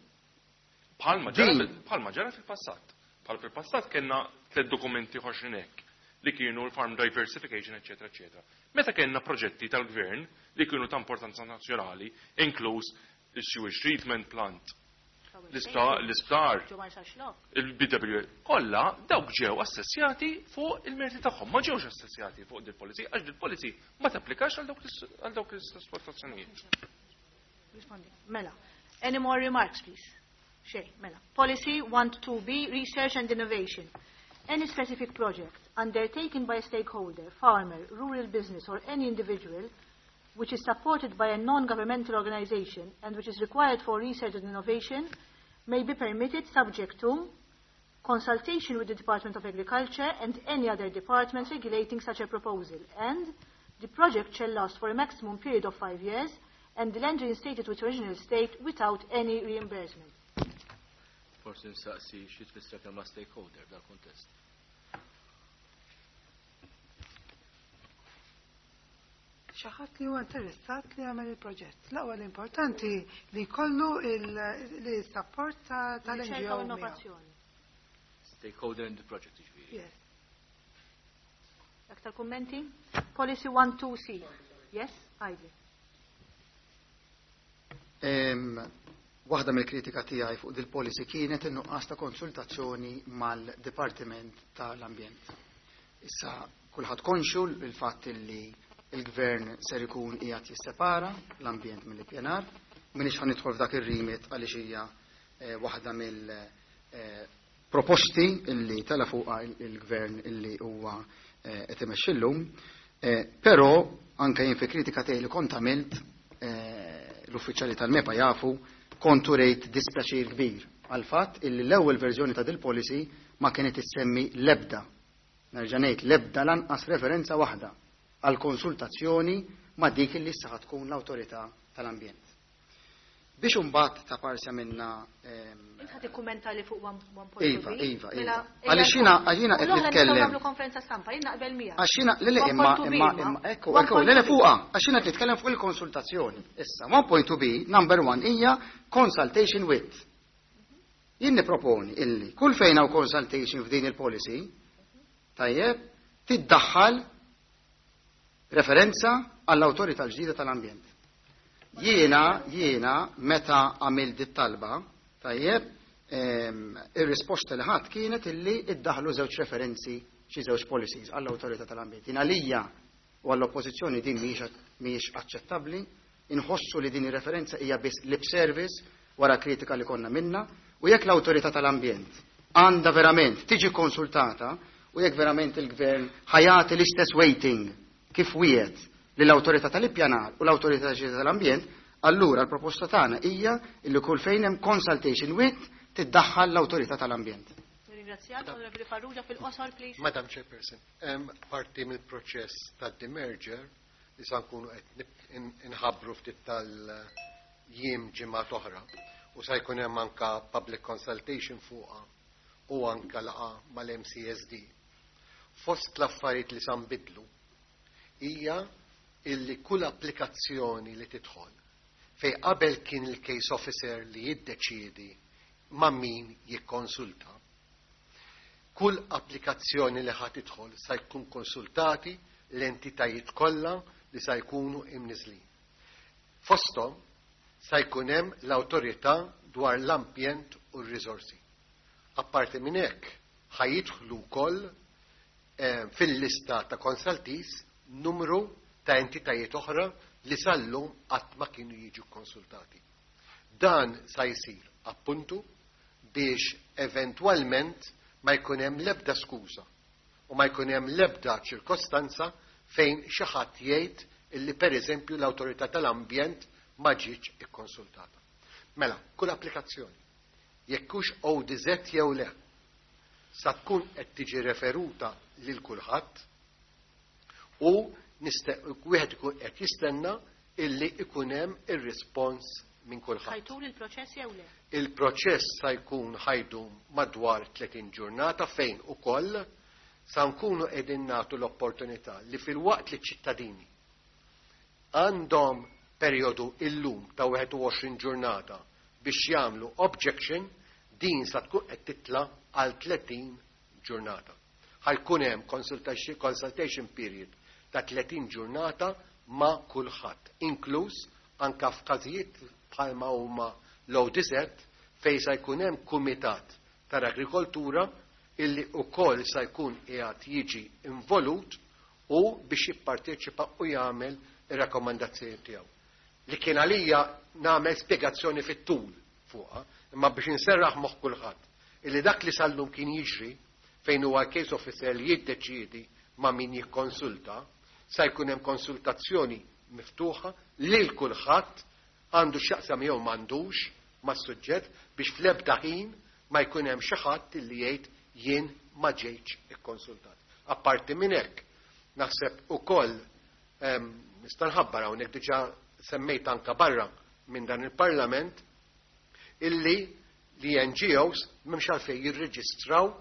Bħalma ġara bħalma ġara fil-passat. Bħal fil-passat kellna tliet dokumenti ħoxrin hekk li kienu l-farm diversification, eccetera, eccetera. Meta kellna proġetti tal-gvern li kienu ta' importanza nazzjonali, inkluż il-sewage treatment plant, l-isptar, il-B W, kollha dawk ġew assessjati fuq il-merti tagħhom, ma ġewx assessjati fuq dil-policy, għax dil-policy ma tapplikax għal dawk l-esportazzjonijiet. Mela, any more remarks, please? Xejn, mela. Policy one two B, Research and Innovation. Any specific project undertaken by a stakeholder, farmer, rural business or any individual which is supported by a non-governmental organization and which is required for research and innovation may be permitted subject to consultation with the Department of Agriculture and any other department regulating such a proposal, and the project shall last for a maximum period of five years and the land reinstated to its original state without any reimbursement. Forsi nsaqsi xi tfisser kelma stakeholder dal kontest. Xi ħadd li huwa interessat li jagħmel il-proġett. L-ewwel importanti li jkollu il-support tal-N G O. Innovazzjoni. Stakeholder in the project, jiġifieri. Yes. Aktar kummenti? Policy one two C. Yes, Heidi. Waħda mill-kritika tiegħi fuq dil-policy kienet in-nuqqas ta' konsultazzjoni mal-Dipartiment tal-Ambjent. Issa kulħadd konxu il-fatt li il-gvern ser ikun qiegħed jissepara l-ambjent mill-ippjanar. M'iniex ħa nidħol f'dak ir-remit għaliex hija eh, waħda mill-proposti illi tela fuqha il-gvern illi huwa eh, qed imexxi llum. Eh, però anke jien fi kritika tiegħi li kont għamilt, l-uffiċjali tal-MEPA jafu, kont urejt dispjaċir kbir għal fatt illi l-ewwel verżjoni ta' dil-policy ma kienet issemmi lebda, nerġa' ngħid lebda, lanqas referenza waħda għal konsultazzjoni ma' dik li issa tkun l-awtorità tal-ambjent. Biex imbagħad ta' parsa minna Int ħa tikkummenta li fuq one point two. Iva, iva, iva. Għaliex jiena għalina qed nitkellem. Nagħmlu konferenza stampa, jien naqbel miegħek. Għax jiena le le imma imma imma ekku ekku le le fuqha, għax jiena qed nitkellem fuq il-konsultazzjoni. Issa one point two B number one hija consultation with. Jien niproponi illi kull fejn hawn consultation f'din il-policy, tajjeb, tiddaħħal referenza għall-awtorità l-ġdida tal-ambjent. Jiena, jiena, meta għamil dit talba, tajjeb, ir-risposta li ħadd kienet illi iddaħlu żewġ referenzi xi żewġ policies għall-awtorità tal-ambjent. Jien għalija u għall-oppożizzjoni din mhijiex aċċettabbli, inħossu li din ir-referenza hija biss lip service wara kritika li konna minna, u jekk l-awtorità tal-ambjent għandha verament tiġi konsultata u jekk verament il-gvern ħa jagħti l-istess weighting kif wiegħed lill-awtorità tal-ippjanar u l-awtorità tal-ambjent, allura l-proposta tagħna hija li kull fejn hemm consultation with tiddaħħal l-awtorità tal-ambjent. Ringrazzjak, Onorevoli Farrugia, fil-qosor, please. Madam Chairperson, hemm parti mill-proċess tad-demerger li sa nkunu qed inħabbru ftit tal-jiem, ġimgħat oħra, u sa jkun hemm anka public consultation fuqha u anka laqgħa mal-M C S D. Fost l-affarijiet li sa nbidlu hija illi kull applikazzjoni li tidħol, fej qabel kien il-case officer li jiddeċiedi ma' min jikkonsulta, kull applikazzjoni li ħa tidħol sa jkun konsultati l-entitajiet kollha li sa jkunu imniżlin. Fosthom sa jkun hemm l-awtorità dwar l-ambjent u r-riżorsi. Apparti minn hekk, ħa jidħlu wkoll eh, fil-lista ta' consultees numru ta' entitajiet oħra li sal-lum qatt ma kienu jiġu konsultati. Dan sa jsir appuntu biex eventwalment ma jkun hemm l-ebda skuża u ma jkun hemm l-ebda ċirkostanza fejn xi ħadd jgħid illi pereżempju l-awtorità tal-ambjent ma ġietx ikkonsultata. Mela, kull applikazzjoni, jekk hux O D Z jew le, sa tkun qed tiġi referuta lil kulħadd u wieħed ikun qed jistenna illi ikun hemm ir-rispons minn kulħadd. Ħa jtul il-proċess jew le? Il-proċess sa jkun ħa jdum madwar tletin ġurnata, fejn ukoll sa nkunu qegħdin nagħtu l-opportunità li filwaqt li ċittadini għandhom perjodu illum ta' wieħed u għoxrin ġurnata biex jagħmlu objection, din sa tkun qed titla għal tletin ġurnata. Ħa jkun hemm consultation, consultation period ta' tletin ġurnata ma' kulħadd, inkluż anka f'każijiet bħalma huma l-O D Z, fejn sa jkun hemm kumitat tal-agrikoltura illi ukoll sa jkun qiegħed jiġi involut u biex jipparteċipa u jagħmel ir-rakkomandazzjoni tiegħu. Li kien għalija nagħmel spjegazzjoni fit-tul fuqha, imma biex inserraħ moħħ kulħadd illi dak li sal-lum kien jiġri, fejn huwa case officer li jiddeċiedi ma' min jikkonsulta, sa jkun hemm konsultazzjoni miftuħa lil kulħadd, għandu x'jaqsam jew m'għandux mas-suġġett, biex fl-ebda ħin ma jkun hemm xi ħadd li jgħid jien ma ġejtx ikkonsultat. Apparti minn hekk, naħseb ukoll nista' nħabbar hawnhekk, diġà semmejt anka barra minn dan il-Parlament, illi li N G Os m'hemmx għalfejn jirreġistraw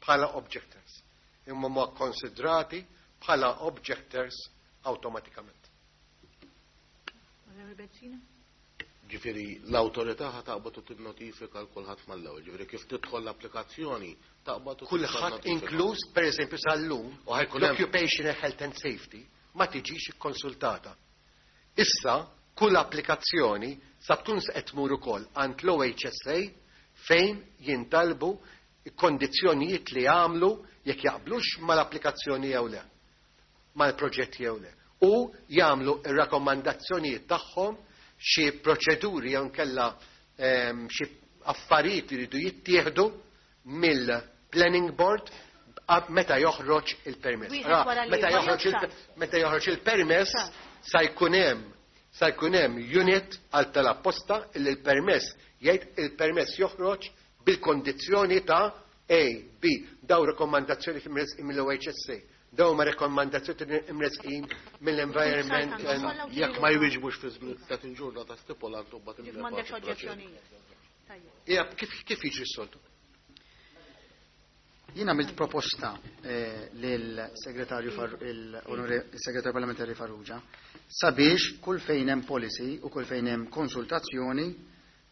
bħala objectors. Imma ma konsidrati bħala objectors awtomatikament. Onorevoli Bezzina? Ġifieri, l-awtorità ħa taqbad u tinnotifika l kulħadd mal-ewwel. Ġifieri, kif tidħol l-applikazzjoni, taqbad u Kulħadd, inkluż pereżempju sal-lum U ħa jkun hemm- l-Occupational Health and Safety ma tiġix ikkonsultata. Issa kull applikazzjoni sa tkun qed tmur ukoll għand l-O H S A, fejn jintalbu kondizzjonijiet li jagħmlu jekk jaqblux mal-applikazzjoni jew le, mal-proġett jew le. U jagħmlu ir-rakkomandazzjonijiet tagħhom, xi proċeduri jew nkella ehm, xi affarijiet li jridu jittieħdu mill-planning board ab- meta joħroġ il-permess. Wieħed Ra, wara meta l-ieħor, joħroġ jew il- ċar? Meta joħroġ il-permess Ċar. sa jkun hemm sa jkun hemm unit għal tal-apposta illi l-permess jgħid il-permess joħroġ bil-kondizzjoni ta' A, B, daw rekomandazzjoni mill-O H S A, daw ma rekomandazzjoni imresqin mill-environment. and- Jekk ma jwieġbux fi żmien tletin ġurnata stipulat, u mbagħad Ġif m'għandekx oġġezzjonijiet. Tajjeb. Ija, kif kif jiġri s-soltu? Jien għamilt proposta eh, lill-segretarju Far- il-onore- il-segretarju parlamentari Farrugia sabiex kull fejn hemm policy u kull fejn hemm konsultazzjoni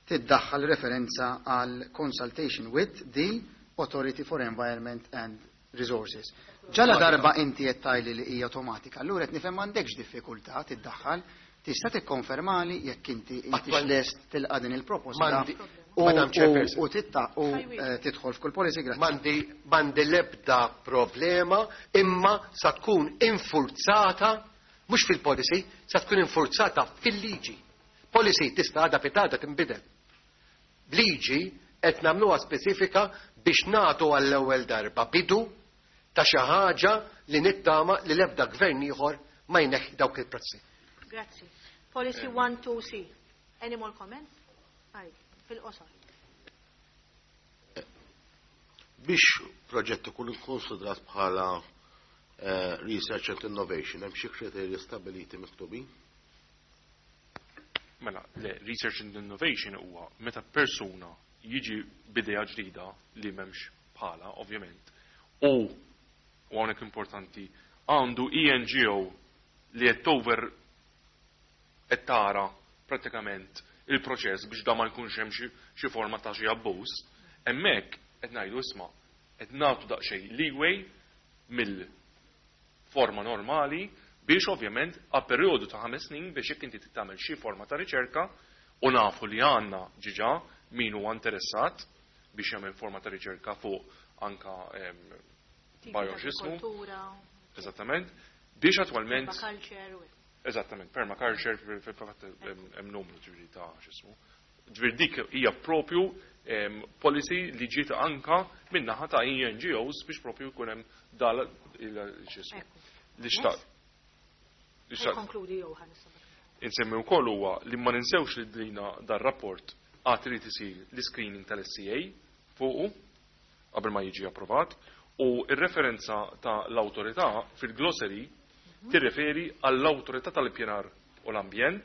tiddaħħal referenza għal consultation with the Authority for Environment and Resources. Ġala darba inti qed tgħidli li hija automatika, allura qed nifhem m'għandekx diffikultà tiddaħħal, tista' tikkonfermali jekk inti inti Attwal- lest tilqa' din il-proposta M'għandi- u Madam Chairperson. u titta u eh, tidħol f'kull policy, grazzi. M'għandi m'għandi lebda problema, imma sa tkun infurzata mhux fil-policy, sa tkun infurzata fil-liġi. Policy tista' għada pitgħada tinbidel. Liġi qed nagħmluha speċifika biex nagħtu għall-ewwel darba bidu ta' xi ħaġa li nittama li l-ebda gvern ieħor ma jneħħi dawk il-prezzi. Grazzi. Policy one two C. Any more comments? Għaj, fil-qosor. Biex proġett ikun ikkonsidrat bħala eh, research and innovation, hemm xi kriterji stabiliti miktubin? Mela, le, research and innovation huwa meta persuna jiġi b'idea ġdida li m'hemmx bħala, ovvjament, u u hawnhekk importanti, għandu E N G O li qed over qed tara pratikament il-proċess biex da ma jkunx hemm xi- xi forma ta' xi abbuż, hemmhekk qed ngħidu isma' qed nagħtu daqsxejn leeway mill-forma normali biex ovvjament għal perjodu ta' ħames snin biex jekk inti tagħmel xi forma ta' riċerka, u nafu li għandna ġiġa min huwa interessat biex jagħmel forma ta' riċerka fuq anka bio x'ismu. Eżattament. Biex attwalment. Eżattament, permaculture fil-fatt hemm numru ġifieri ta' x'ismu. Ġifieri dik hija propju policy li ġiet anka min-naħa ta' N G Os biex propju jkun hemm dal x'ismu. Li xtaqt. Li xtaqt. Konkludi Johan. Insemmi wkoll huwa li ma ninsewx li dlina dar-rapport għad irid isir l-screening tal-S C A fuqu qabel ma jiġi approvat u r-referenza ta' l-awtorità fil-glossary tirreferi għall-awtorità tal-ippjanar u l-ambjent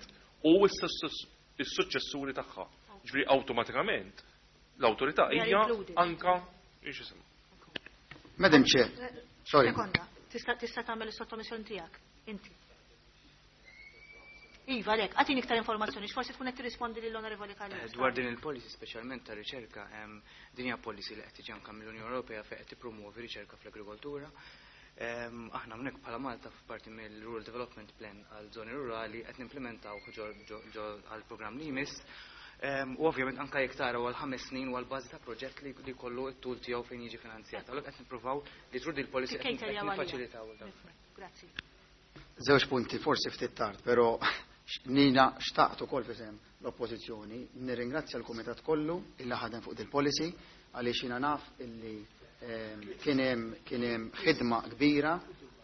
u s-suċċessuri tagħha. Ġifieri awtomatikament l-awtorità hija anka x'isem. Madam Chair, sorry. Sekonda, tista' tagħmel is-sottomissjoni tiegħek, inti. Iva, lek, għatini iktar informazzjoni, x'forsi tkun qed tirrispondi lill-Onorevoli Callus. Dwar din il-policy speċjalment ta' riċerka, din hija policy li qed tiġi anke mill-Unjoni Ewropea fejn qed tippromuovi riċerka fl-agrikoltura. Aħna hawnhekk bħala Malta f'parti mill-Rural Development Plan għal żoni rurali qed nimplementaw ġo għall-programm li jmiss. U ovvjament anke jekk taraw għal ħames snin u għal bażi ta' proġett li jkollu t-tul tiegħu fejn jiġi finanzjat. Allura qed nippruvaw li trud il-policy qed niffaċilitaw dan. Grazzi. Żewġ punti, forsi ftit tard, però Nina xtaqt ukoll f'isem l-Oppożizzjoni, nirringrazzja l-Kumitat kollu illi ħadem fuq dil-policy għaliex jiena naf illi kien hemm kien hemm ħidma kbira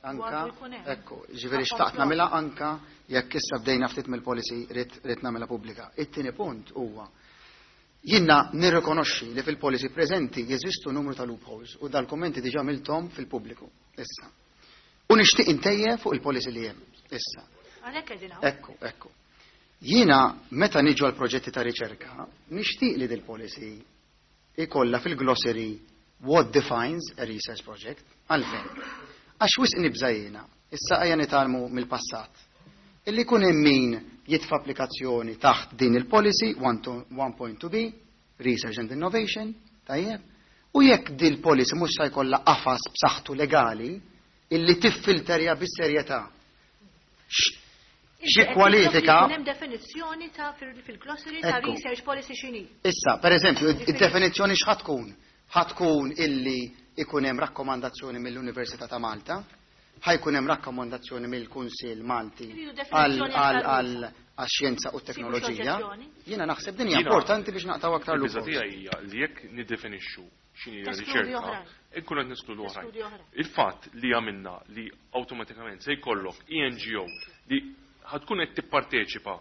anka, ekku, ġifieri xtaqt nagħmilha anka jekk issa bdejna ftit mill-policy rrid rrid nagħmilha pubblika. It-tieni punt huwa jiena nirrikonoxxi li fil-policy preżenti jeżistu numru ta' loopholes u dal-kummenti diġà għamilthom fil-pubbliku issa. U nixtieq intejjeb fuq il-policy li hemm issa. Għalhekk qegħdin hawn. Ekku, ekku. Jiena meta niġu għal proġetti ta' riċerka, nixtieq li dil-policy ikollha fil-glossary what defines a research project. Għalfejn. Għax wisq nibża' jiena, issa ejja nitgħallmu mill-passat. Illi jkun hemm min jitfa' applikazzjoni taħt din il-policy one point two B, Research and Innovation, tajjeb, u jekk din il-policy mhux se jkollha qafas b'saħħtu legali illi tiffilterja bis-serjetà. Xi kwalifika? Hemm definizzjoni ta' fil-glossary ta' research policy x'inhi. Issa, per eżempju, id-definizzjoni x'ħa tkun? Ħa tkun illi ikun hemm rakkomandazzjoni mill-Università ta' Malta, ħa jkun hemm rakkomandazzjoni mill-Kunsill Malti għall-xjenza u t-teknoloġija. Jiena naħseb din hija importanti biex naqtaw aktar l-biża' tiegħi hija li jekk niddefinixxu x'inhi riċerka, inkunu qed neskludu oħrajn. Il-fatt li għamilna li awtomatikament se jkollok E N G O li ħatkun qed tipparteċipa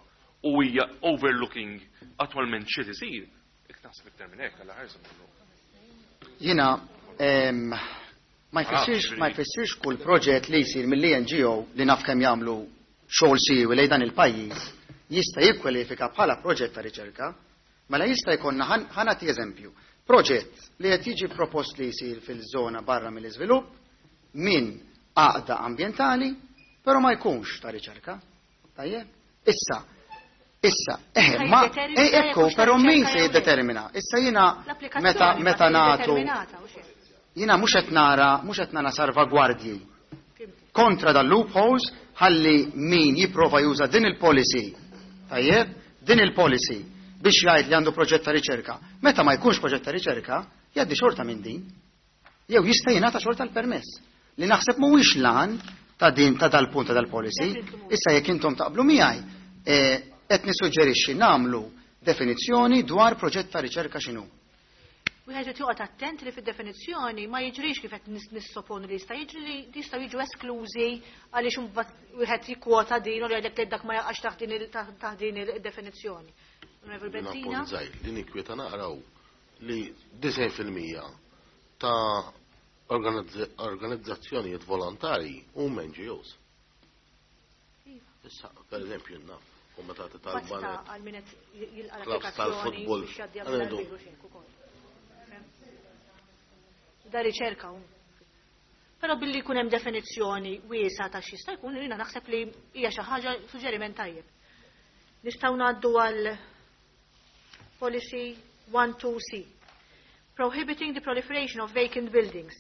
u hija overlooking attwalment xi isir, jekk naħseb iktar minn hekk għal ħarsa minnu. Jiena ma jfissirx ma jfissirx kull proġett li jsir mill-E N G O li naf kemm jagħmlu xogħol siewi lejn dan il-pajjiż jista' jikkwalifika bħala proġett ta' riċerka, mela jista' jkollna ħa nagħti eżempju. Proġett li qed jiġi propost li jsir fil-żona barra mill-iżvilupp minn għaqda ambjentali, però ma jkunx ta' riċerka. Tajjeb? Issa, issa, eh, ma, ekku, però min se jiddetermina? Issa jiena meta meta nagħtu jiena mhux qed nara, mhux qed nara salvagwardji kontra dal loopholes ħalli min jipprova juża din il-policy. Tajjeb? Din il-policy biex jgħid li għandu proġett ta' riċerka. Meta ma jkunx proġett ta' riċerka, jgħaddi xorta minn din. Jew jista' jingħata xorta l-permess. Li naħseb mhuwiex lan ta' din ta' dal-punt ta' dal-policy. Issa jekk intom taqblu miegħi, qed nissuġġerixxi nagħmlu definizzjoni dwar proġett ta' riċerka x'inhu. Wieħed irid joqgħod attent li fid-definizzjoni ma jiġrix kif qed nissoponu li jista' jiġri li jistgħu jiġu esklużi għaliex imbagħad wieħed jikkwota din u jgħidlek li dak ma jaqax taħt din id-definizzjoni. Onorevoli Bezzina. Li ninkwieta naqraw li disgħin fil-mija ta' organizzazzjonijiet volontari huma N G Os. Issa, per eżempju, naf, komitati tal-banet, għal min qed jilqa' clubs tal-futbol, da riċerka. Però billi jkun hemm definizzjoni wiesa ta' x'jista' jkun, jiena naħseb li hija xi ħaġa suġġeriment tajjeb. Nistgħu ngħaddu għal policy one two C. Prohibiting the proliferation of vacant buildings.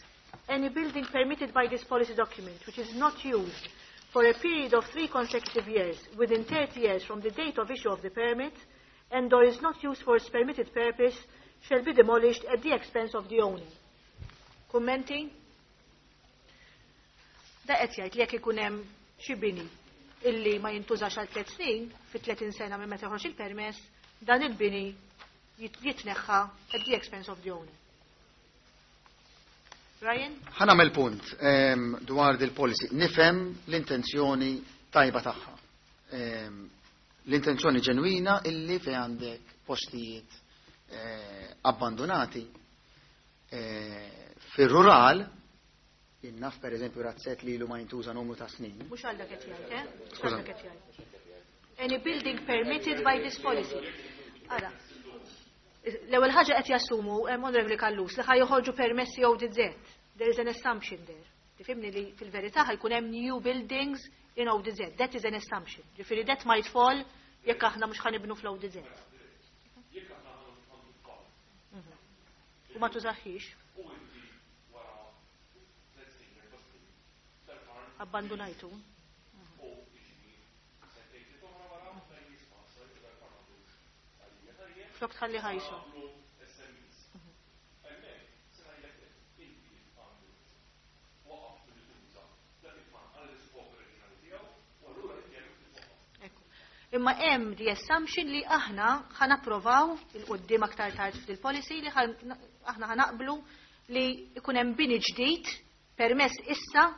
Any building permitted by this policy document which is not used for a period of three consecutive years within thirty years from the date of issue of the permit and or is not used for its permitted purpose shall be demolished at the expense of the owner. Kummenti? Da qed jgħid li jekk ikun hemm xi bini illi ma jintużax għal tliet snin, fi tletin sena minn meta joħroġ il-permess, dan il-bini jitneħħa at the expense of the owner. Ryan? Ħa nagħmel punt ehm, dwar dil-policy. Nifhem l-intenzjoni tajba tagħha. Ehm, l-intenzjoni ġenwina illi fej għandek postijiet eh, abbandonati eh, fir-rural, naf per eżempju razzett li ilu ma jintuża numru ta' snin. Mhux għal dak qed jgħid, eh? Mhux għal dak qed jgħid. Any building permitted by this policy. Ara. L-ewwel ħaġa qed jassumu hemm Onorevoli Callus li ħa joħorġu permessi O D Z. There is an assumption there. Tifhimni li fil-verità ħa jkun hemm new buildings in O D Z. That is an assumption. Ġifieri that might fall jekk aħna mhux ħa nibnu fl-O D Z. Mhm. U ma tużaħħix. Abbandonajtu. Flok tħalli ħajsu. Mhm. Imma hemm the assumption li aħna ħa napprovaw 'il quddiem aktar tard fil-policy li aħna ħa naqblu li ikun hemm bini ġdid permess issa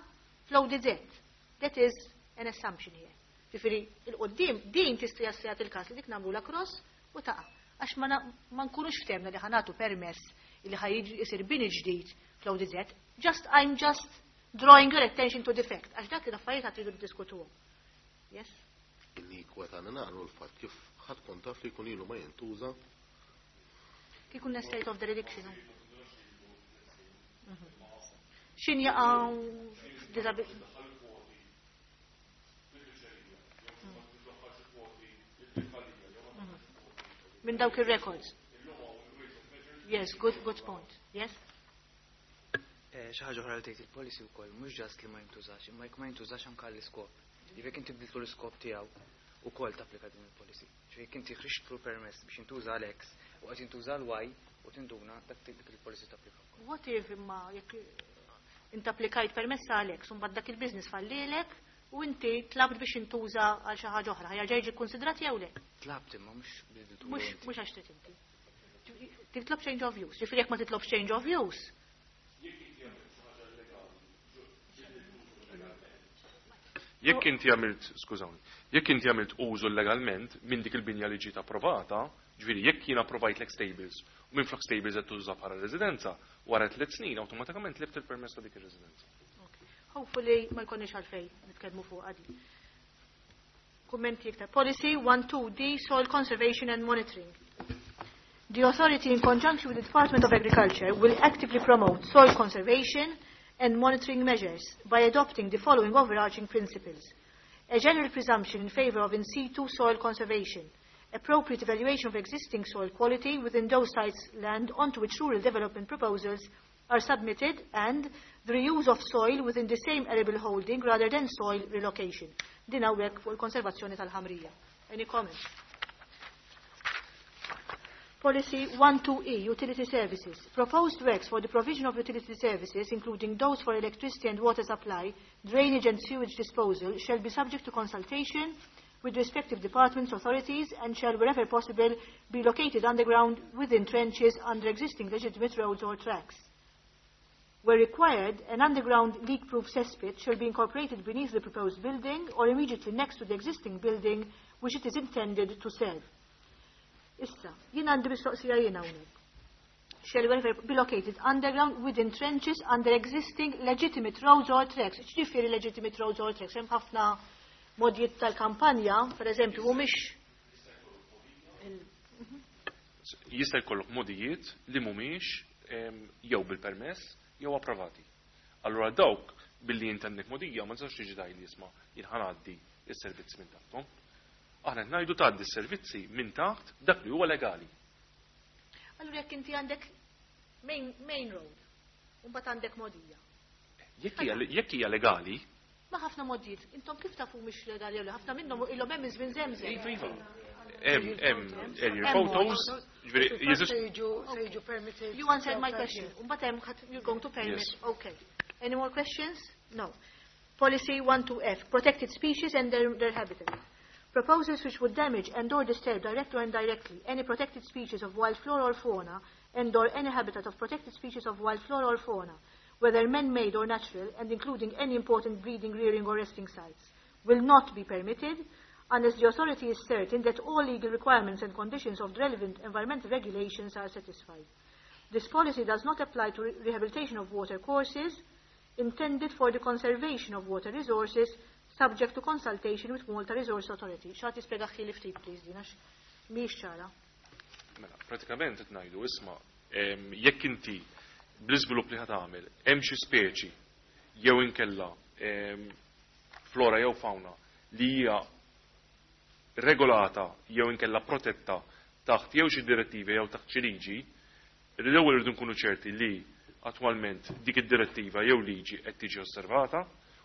fl-O D Z. That is an assumption here. Ġifieri 'il quddiem din tista' jassijat il-każ li dik nagħmlu la cross u taqa'. Għax ma nkunux ftehmna li ħa nagħtu permess li ħa jisir bini ġdid fl-O D Z. Just I'm just drawing your attention to the fact. Għax dak l-affarijiet għad tridu diskutuhom. Yes? Inni kwetana naqru l-fatt kif ħadd kont taf li jkun ilu ma jintuża. Kif ikun state of dereliction. Mhm. Xin jaqa' disability. Mhm. Minn dawk il-records. Yes, good, good point. Yes? Eh, xi ħaġa oħra li tgħid il-policy wkoll mhux just li ma jintużax, imma jekk ma jintużax anke l-iskop. Jekk inti bdiltu l-iskop tiegħu ukoll tapplika din il-policy. Ġifieri jekk inti ħriġtlu permess biex jintuża għal X u qed jintuża l Y u tinduna dak dik il-policy tapplika wkoll. What if imma jekk inti applikajt permess għal X u mbagħad dak il-business fallilek u inti tlabt biex intuża għal xi ħaġa oħra, ħa jerġa' jiġi konsidrat jew le? Tlabt imma mhux bdiltu. Mhux mhux għax trid inti. Titlob change of use. Ġifieri jekk ma titlob change of use, Jekk inti għamilt, skużawni, jekk inti għamilt użu legalment minn dik il-binja li ġiet approvata, ġifieri jekk jien approvajtlek stables u minn flok stables qed tuża bħala residenza, wara tliet snin awtomatikament tlift il-permess ta' dik ir-residenza. Hopefully ma jkollniex għalfejn nitkellmu fuq għadi. Kummenti iktar. Policy one two D, Soil Conservation and Monitoring. The authority, in conjunction with the Department of Agriculture, will actively promote soil conservation and monitoring measures by adopting the following overarching principles. A general presumption in favor of in situ soil conservation, appropriate evaluation of existing soil quality within those sites land onto which rural development proposals are submitted, and the reuse of soil within the same arable holding rather than soil relocation. Din hawnhekk fuq il-konservazzjoni tal-ħamrija. Any comments? Policy one two E, Utility Services. Proposed works for the provision of utility services, including those for electricity and water supply, drainage and sewage disposal, shall be subject to consultation with respective departments, authorities, and shall, wherever possible, be located underground within trenches under existing legitimate roads or tracks. Where required, an underground leak-proof cesspit shall be incorporated beneath the proposed building or immediately next to the existing building which it is intended to serve. Issa, jien għandi mistoqsija jien hawnhekk. Shall wherever be located underground within trenches under existing legitimate roads or tracks. X'ġifieri legitimate roads or tracks? Hemm ħafna modijiet tal-kampanja, per eżempju, mhumiex Jista' jkollok modijiet li mhumiex jew bil-permess jew approvati. Allura dawk billi inti għandek modija ma tistax tiġi tgħid li isma' jien ħa ngħaddi s-servizzi minn taħthom. Aħna qed ngħidu tgħaddi s-servizzi minn taħt dak li huwa legali. Allura jekk inti għandek main, main road, u mbagħad għandek modija. Jekk hija legali, Ma ħafna modijiet, intom kif tafu mhix legali jew le? Ħafna minnhom ilhom hemm iż-żmien żemżem. Iva, iva. Hemm hemm aerial photos, ġifieri jeżist Se jiġu se jiġu permitted. You answered my question. Mbagħad hemm ħadd- you're going to permit. Yes. Okay. Any more questions? No. Policy one two F, protected species and their, their habitat. Proposals which would damage and or disturb directly or indirectly any protected species of wild flora or fauna and or any habitat of protected species of wild flora or fauna, whether man-made or natural, and including any important breeding, rearing or resting sites, will not be permitted unless the authority is certain that all legal requirements and conditions of the relevant environmental regulations are satisfied. This policy does not apply to re- rehabilitation of water courses intended for the conservation of water resources, subject to consultation with Malta Resource Authority. Xi ħadd jispjegahieli ftit, please, din għax mhijiex ċara. Mela, pratikament qed ngħidu, isma', em, jekk inti bl-iżvilupp li ħa tagħmel hemm xi speċi jew inkella em, flora jew fauna li hija regolata jew inkella protetta taħt jew xi direttivi jew taħt xi liġi, l-ewwel irridu nkunu ċerti li attwalment dik id-direttiva jew liġi qed tiġi osservata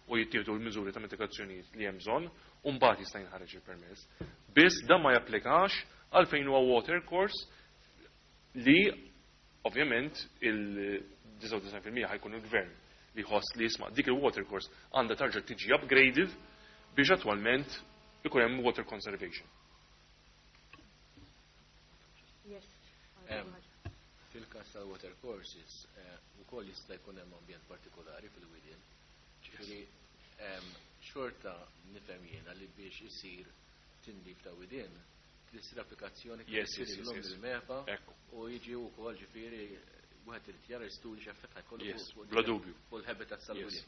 u jittieħdu l-miżuri ta' mitigazzjonijiet li hemm bżonn u mbagħad jista' jinħareġ il-permess. Biss dan ma japplikax għal fejn huwa water course li ovvjament il-disgħa u disgħin fil-mija ħa jkun il-gvern li jħoss li, jisma', dik il-water course għandha tarġa' tiġi upgraded biex attwalment ikun hemm water conservation. Yes. Em, Fil-kas tal-water courses, eh, ukoll jista' jkun hemm ambjent partikolari fil-widien. Ġifieri, em, xorta nifhem jiena li biex isir tindif ta' widien, tissir applikazzjoni kif Yes, isir yes, yes, illum yes. bil-MEPA Ekku. U jiġi wkoll, ġifieri, wieħed irid jara studji x'effett ħa jkollu Yes, fuq- bla dubju. fuq il-habitat tal-widien.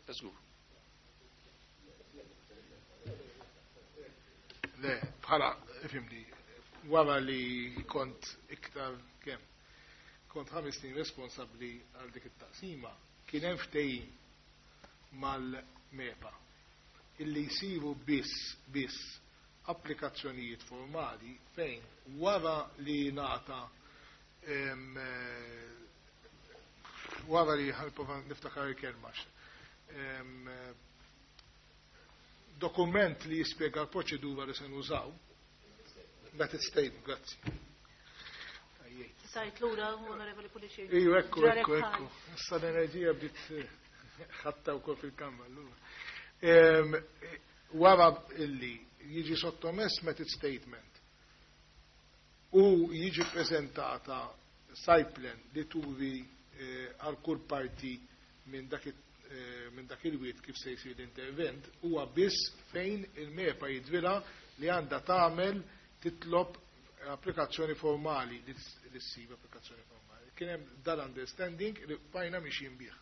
Ta' żgur. Le, bħala, ifhimni, wara li kont iktar kemm, kont ħames snin responsabbli għal dik it-taqsima, kien hemm ftehim mal-MEPA illi jsiru biss biss applikazzjonijiet formali fejn wara li nata em, eh, wara li, ħa nipprova niftakar il-kelma, em, eh, dokument li jispjega l-proċedura li se nużaw, method statement, grazzi. Għajjejt. Sajt lura, Onorevoli Pullicino. Iju, ekku, Ġarek ekku, ħal. ekku. Issa l-enerġija bdiet eh, ħatta wkoll fil-kamra allura. Em, eh, Wara illi jiġi sottomess method statement u jiġi prezentata site plan li turi eh, għal kull parti minn dak it- eh, minn dak il-wied kif se jsir l-intervent, huwa biss fejn il-MEPA jidhrilha li għandha tagħmel, titlob applikazzjoni formali, li ts- li ssir applikazzjoni formali. Kien hemm dal-understanding li bqajna mixjin bih.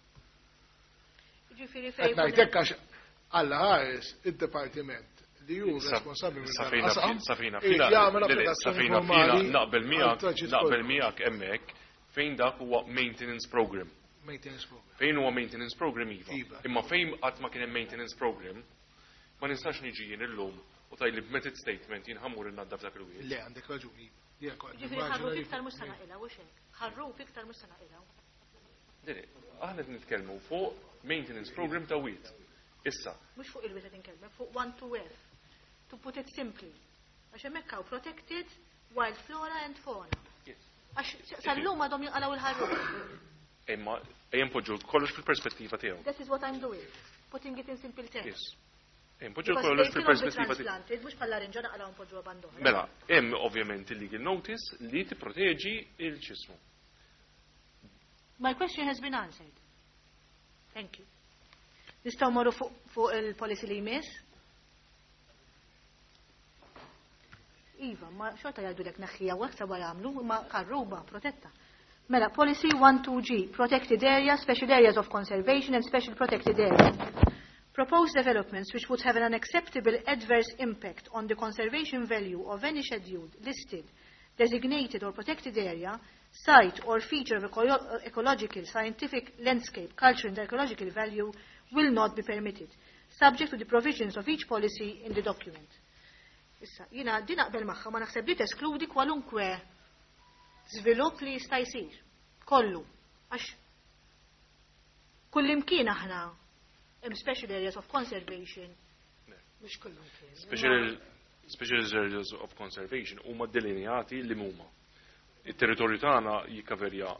Ġifieri Qed fejn ngħidlek għax Alla ħares id-dipartiment li hu Sa- responsabbli minn dan Safejna il-qasam safejna irid fila, jagħmel le, le, applikazzjoni safejna fila formali naqbel għal miegħek traġit naqbel kollu. miegħek hemmhekk fejn dak huwa maintenance program. Maintenance program. Fejn huwa maintenance program, iva. Iva. Imma fejn qatt ma kien hemm maintenance program, ma nistax niġi jien illum u tgħidli b'method statement jien ħa mmur innaddaf dak il-wied. Le, għandek raġuni. Jien kont Ġifieri nimmaġina ħarruf li- iktar mhux se naqilgħu, hux hekk? Ħarruf iktar mhux se naqilgħu. Diri, aħna qed nitkellmu fuq maintenance program ta' wied. Issa, Mhux fuq il-wied qed inkellmek, fuq one two F. To put it simply. Għax hemmhekk hawn protected wild flora and fauna. Yes. Għax sal-lum għadhom jinqalgħu il-ħarruf. Imma ejja npoġġu kollox fil-perspettiva tiegħu. That is what I'm doing. Putting it in simple terms. Yes. Ejja npoġġu Because kollox they cannot be fil-perspettiva tiegħu. transplanted, mhux bħal larinġa naqalgħu npoġġuha band'oħra. Mela, hemm ovvjament il-legal notice li tipproteġi il-ċismu. My question has been answered. Thank you. Nistgħu morru fuq fuq il-policy li jmiss? Iva, ma xorta jgħidu lek neħħija u hekk jagħmlu, ma karruba protetta. Mela, policy one two G, protected area, special areas of conservation and special protected areas. Proposed developments which would have an unacceptable adverse impact on the conservation value of any scheduled, listed, designated or protected area, site or feature of eco- ecological, scientific, landscape, culture and archaeological value will not be permitted, subject to the provisions of each policy in the document. Issa, jiena din naqbel magħha, ma naħseb li teskludi kwalunkwe żvilupp li jista' jsir. Kollu. Għax kullimkien aħna hemm special areas of conservation. Mhux kullimkien. Special Special Areas of Conservation huma delineati li huma. Il-territorju tagħna jikkaverja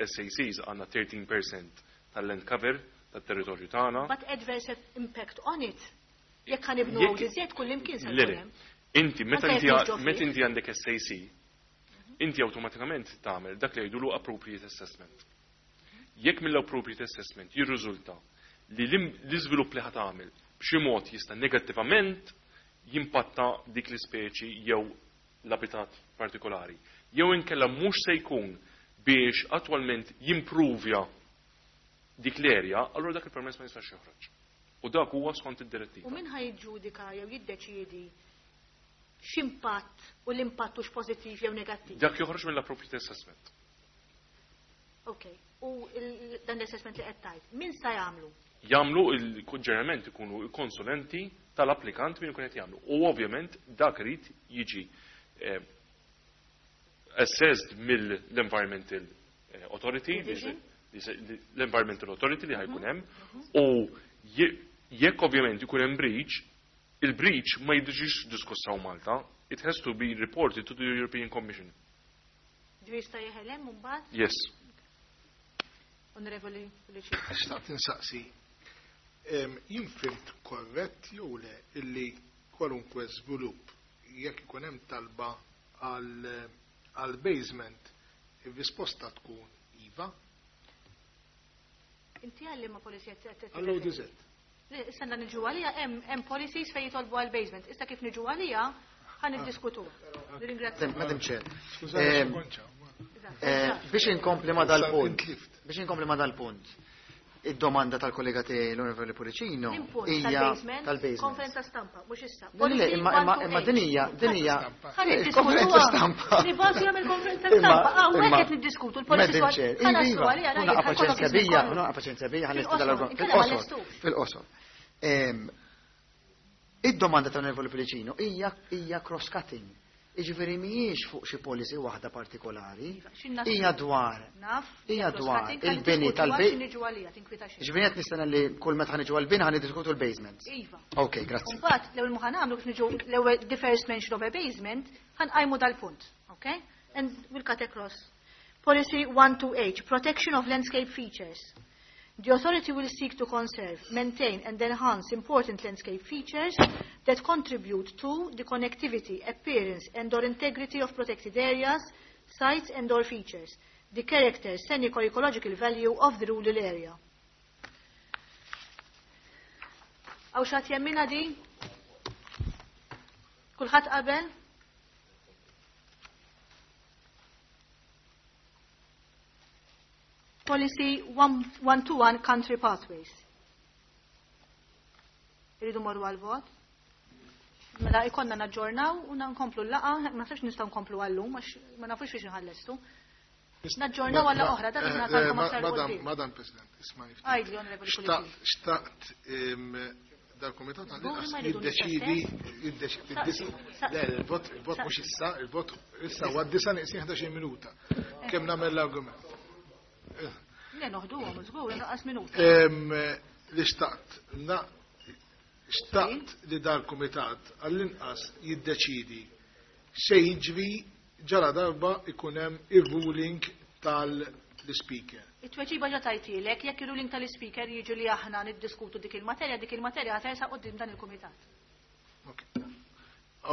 S A Cs għandna thirteen percent tal-land cover tat-territorju tagħna. But adverse impact on it. Jekk ħanibnu Jekk O D Z kull imkien se Le, le. jkun hemm. Inti meta Anke inti jekk mhux ġo meta fih. inti għandek S A C, inti awtomatikament tagħmel dak li jgħidulu appropriate assessment. Jekk mill-appropriate assessment jirriżulta li l-im-, l-iżvilupp li ħa tagħmel b'xi mod jista' negattivament jimpatta dik l-ispeċi jew l-abitat partikolari. Jew inkella mhux se jkun biex attwalment jimpruvja dik l-erja, allura dak il-permess ma jistax joħroġ. U dak huwa skont id-direttiva. U min ħajġudika jew jiddeċiedi x'impatt u l-impatt hux pożittiv jew negattiv? Dak joħroġ mill-appropriate assessment. Ok, u il-, dan l-assessment li qed tgħid, min sa jagħmlu? Jagħmlu il-ġeneralment ikunu konsulenti tal-applikant min ikun qed jagħmlu. U ovvjament dak irid jiġi, eh, assessed mill-Environmental, eh, Authority, li Division? se-, li se-, li l-Environmental Authority li ħajkun Mhm. hemm, u je-, jekk ovvjament ikun hemm breach, il-breach ma jiġix diskuss hawn Malta, it has to be reported to the European Commission. Ġifieri jista' jeħel hemm imbagħad? Yes. Onorevoli Pullicino. Xtaqt insaqsi, em, jien fimt korrett jew le illi kwalunkwe żvilupp jekk ikun hemm talba għal, għal basement, ir-risposta tkun iva? Inti għalli ma policy qed qed Għall O D Z. Le, issa għandna niġu għalija, hemm, hemm policies fejn jitolbu għal basement. Issa kif niġu għalija, ħan niddiskutu. Nirringrazzja. Madam Chair. Skużani, Ehm, konċa. eh, biex inkompli ma dal-punt. Issa intlift. Biex inkompli ma dal-punt. Id-domanda tal-kollega tiegħi l-Onorevoli Pullicino L-impunt hija tal-basement, tal-basement. Konferenza stampa, mhux issa. Le, le, imma, imma, imma din hija, din hija Ħa konferenza stampa. Nibgħatu jagħmel konferenza Imma, stampa. Hawnhekk imma, qed niddiskutu l-policy Madam dwar Chair, ħa naslu iva, għaliha, kuna rajt, ħa paċenzja jkollok bija, iżmien kuna paċenzja bija, ħa Fil-qosor, nistida l-argument. inkella ma Fil-qosor, lestux. fil-qosor. Ehm, id-domanda tal-Onorevoli Pullicino hija, hija cross-cutting. Jiġifieri mhijiex fuq xi policy waħda partikolari, Iva, x'in hija dwar Naf, hija hija dwar cross-cutting, ħa il-bini niddiskutu tal-bej. għal xi niġu għalija, tinkwita xejn. Jiġifieri qed nistenna li kull meta ħaniġu għall-bini ħa niddiskutu l-basement. Iva. Ok, grazzi. Mbagħad l-ewwel ma ħanagħmlu kif niġu l-ewwel the first mention of a basement, ħanqajmu dal-punt, ok? And we'll cut across. Policy one two H, protection of landscape features. The authority will seek to conserve, maintain and enhance important landscape features that contribute to the connectivity, appearance and or integrity of protected areas, sites and or features, the character, scenic or ecological value of the rural area. Għaw xat jemmina di? Kulħadd qabel? Policy one, one two one Country Pathways. Irridu morru għal-vot. Mela ikonna naġġornaw u nkomplu l-laqa, ma nafx nistgħu nkomplu għallum, għax ma nafux biex nħallestu. Naġġornaw għal oħra, dak Eh, li nagħtalkom eh, aktar Madam, quddiem. Madam President, isma' niftit. Għidli, Onorevoli Xtaqt, Pullicino. xtaqt, em, dal-komitat Żgur għal-inqas ma jridu jiddeċidi, l-istess? jiddeċidi, Saqsi, jiddeċidi. saqsi. Le, il-vot, il-vot mhux issa, il-vot issa huwa disa' neqsin ħdax-il minuta. Kemm nagħmel l-argument? Le, noħduhom, żgur, inqas minuta. Em, li xtaqt, na, xtaqt li dal-komitat għall-inqas jiddeċidi se jiġri ġara darba ikun hemm ir-ruling tal-speaker. It-tweġiba ġa tajtilek, jekk ir-ruling tal-speaker jiġu li aħna niddiskutu dik il-materja, dik il-materja ħatersa quddiem dan il-kumitat. Ok.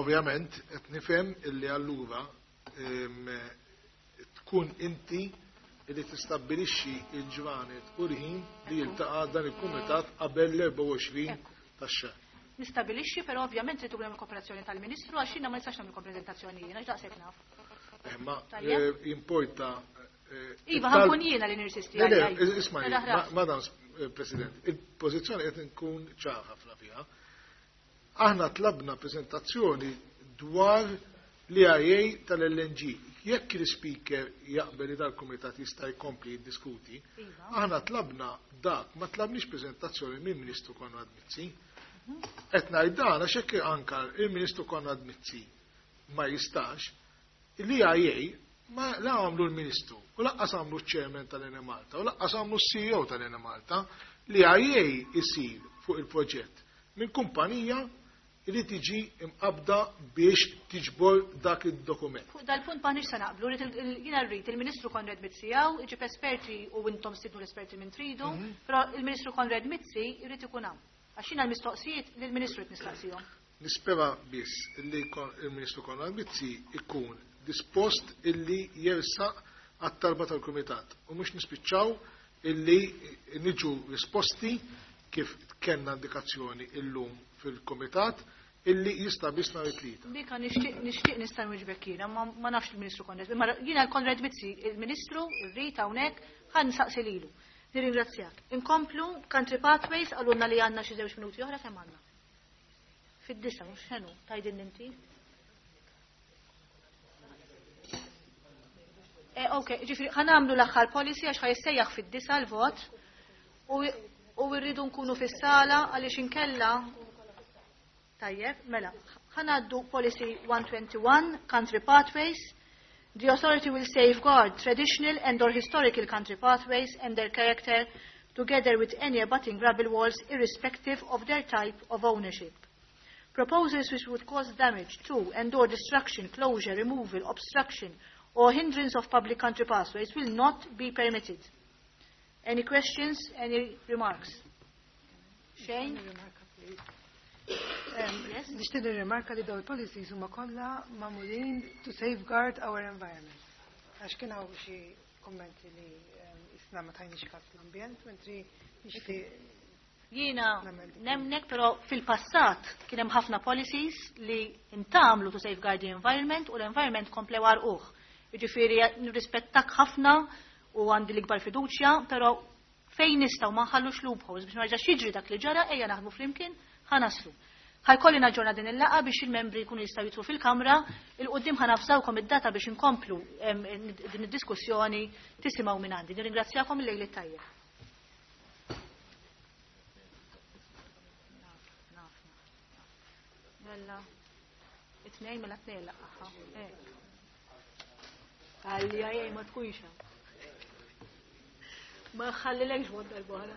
Ovvjament, qed nifhem illi allura, em, tkun inti li tistabbilixxi il-ġranet u l-ħin li jiltaqa' dan il-kumitat qabel l-erbgħa u għoxrin Ekku. tax-xahar. Nistabilixxi, però ovvjament trid ikun hemm il-kooperazzjoni tal-Ministru għax jiena ma nistax nagħmel prezentazzjoni jiena, għax daqshekk naf. Eh, ma, Tajjeb. eh, importa, eh, Iva, it-talb- ħankun jiena li nirsisti Le, le, għalija. isma' Mela, ma-, ħras. Madam, eh, President, il-pożizzjoni qed nkun ċar ħafna fiha. Aħna tlabna preżentazzjoni dwar l-I A tal-L N G. Jekk il-speaker jaqbel li dal-kumitat jista' jkompli jiddiskuti, Iva. aħna tlabna dak, ma tlabniex preżentazzjoni minn Ministru Konrad Mizzi. Qed ngħid dan għax hekk anka il-Ministru Konrad Mizzi ma jistax, l-I A ma la għamlu l-Ministru, u laqqas għamlu ċ-Chairman tal-Enemalta, u laqqas għamlu s-C E O tal-Enemalta, l-I A isir fuq il-proġett minn kumpanija li tiġi imqabda biex tiġbor dak id-dokument. Fuq dal-punt m'aħniex se naqblu, jiena rrid il-Ministru Konrad Mizzi hawn, iġib esperti u intom stidnu l-esperti minn tridu, però il-Ministru Konrad Mizzi jrid ikun hawn. Għax jiena l-mistoqsijiet lill-Ministru qed nistaqsihom. Nispera biss li il-Ministru Konrad Mizzi ikun dispost illi jersaq għat-talba tal-Kumitat u mhux nispiċċaw illi niġu risposti kif kellna indikazzjoni illum fil-Kumitat illi jista' biss nhar it-Tlieta. Dika nixtieq nixtieq nista' nwieġbek jiena, ma nafx il-Ministru Konrad. Imma jiena l-Konrad Mizzi, il-Ministru rrid hawnhekk ħa nsaqsi lilu. Nirringrazzjak. Inkomplu Country Pathways qalulna li għandna xi żewġ minuti oħra kemm għandna. Fid-disa mhux x'inhu tgħidilni inti? Eh, ok, ġifieri ħa nagħmlu l-aħħar policy għax ħa jissejjaħ fid-disa l-vot u rridu nkunu fis-sala għaliex inkella. Tajjeb, mela, ħa ngħaddu policy one twenty-one, Country Pathways. The authority will safeguard traditional and or historical country pathways and their character together with any abutting rubble walls irrespective of their type of ownership. Proposals which would cause damage to and or destruction, closure, removal, obstruction or hindrance of public country pathways will not be permitted. Any questions, any remarks? Shane? Nixtieq nirrimarka li dawn il-policies huma kollha magħmulin to safeguard our environment. Għax kien hawn xi kummenti li isna ma tajniex każ l-ambjent, mentri nixtieq Jiena nemnek, però fil-passat kien hemm ħafna policies li intamlu to safeguard the environment u l-environment komplew għarquh. Jiġifieri nirrispettak ħafna u għandi l-ikbar fiduċja, però fejn nistgħu ma nħallux loopholes biex ma jerġax jiġri dak li ġara, ejja naħdmu flimkien ħa naslu. Ħajkolli naġġorna din il-laqgħa biex il-membri jkunu jistgħu jidħlu fil-kamra, il-qudiem ħanafsawkom id-data biex inkomplu din id-diskussjoni tisimgħu minn għandi. Nirringrazzjakom il-lejl it-tajjeb. Mela, it-tnejn mela tnejn laqgħa. Għalli għajaj ma tkunx. Ma ħallilekx mod darb'oħra.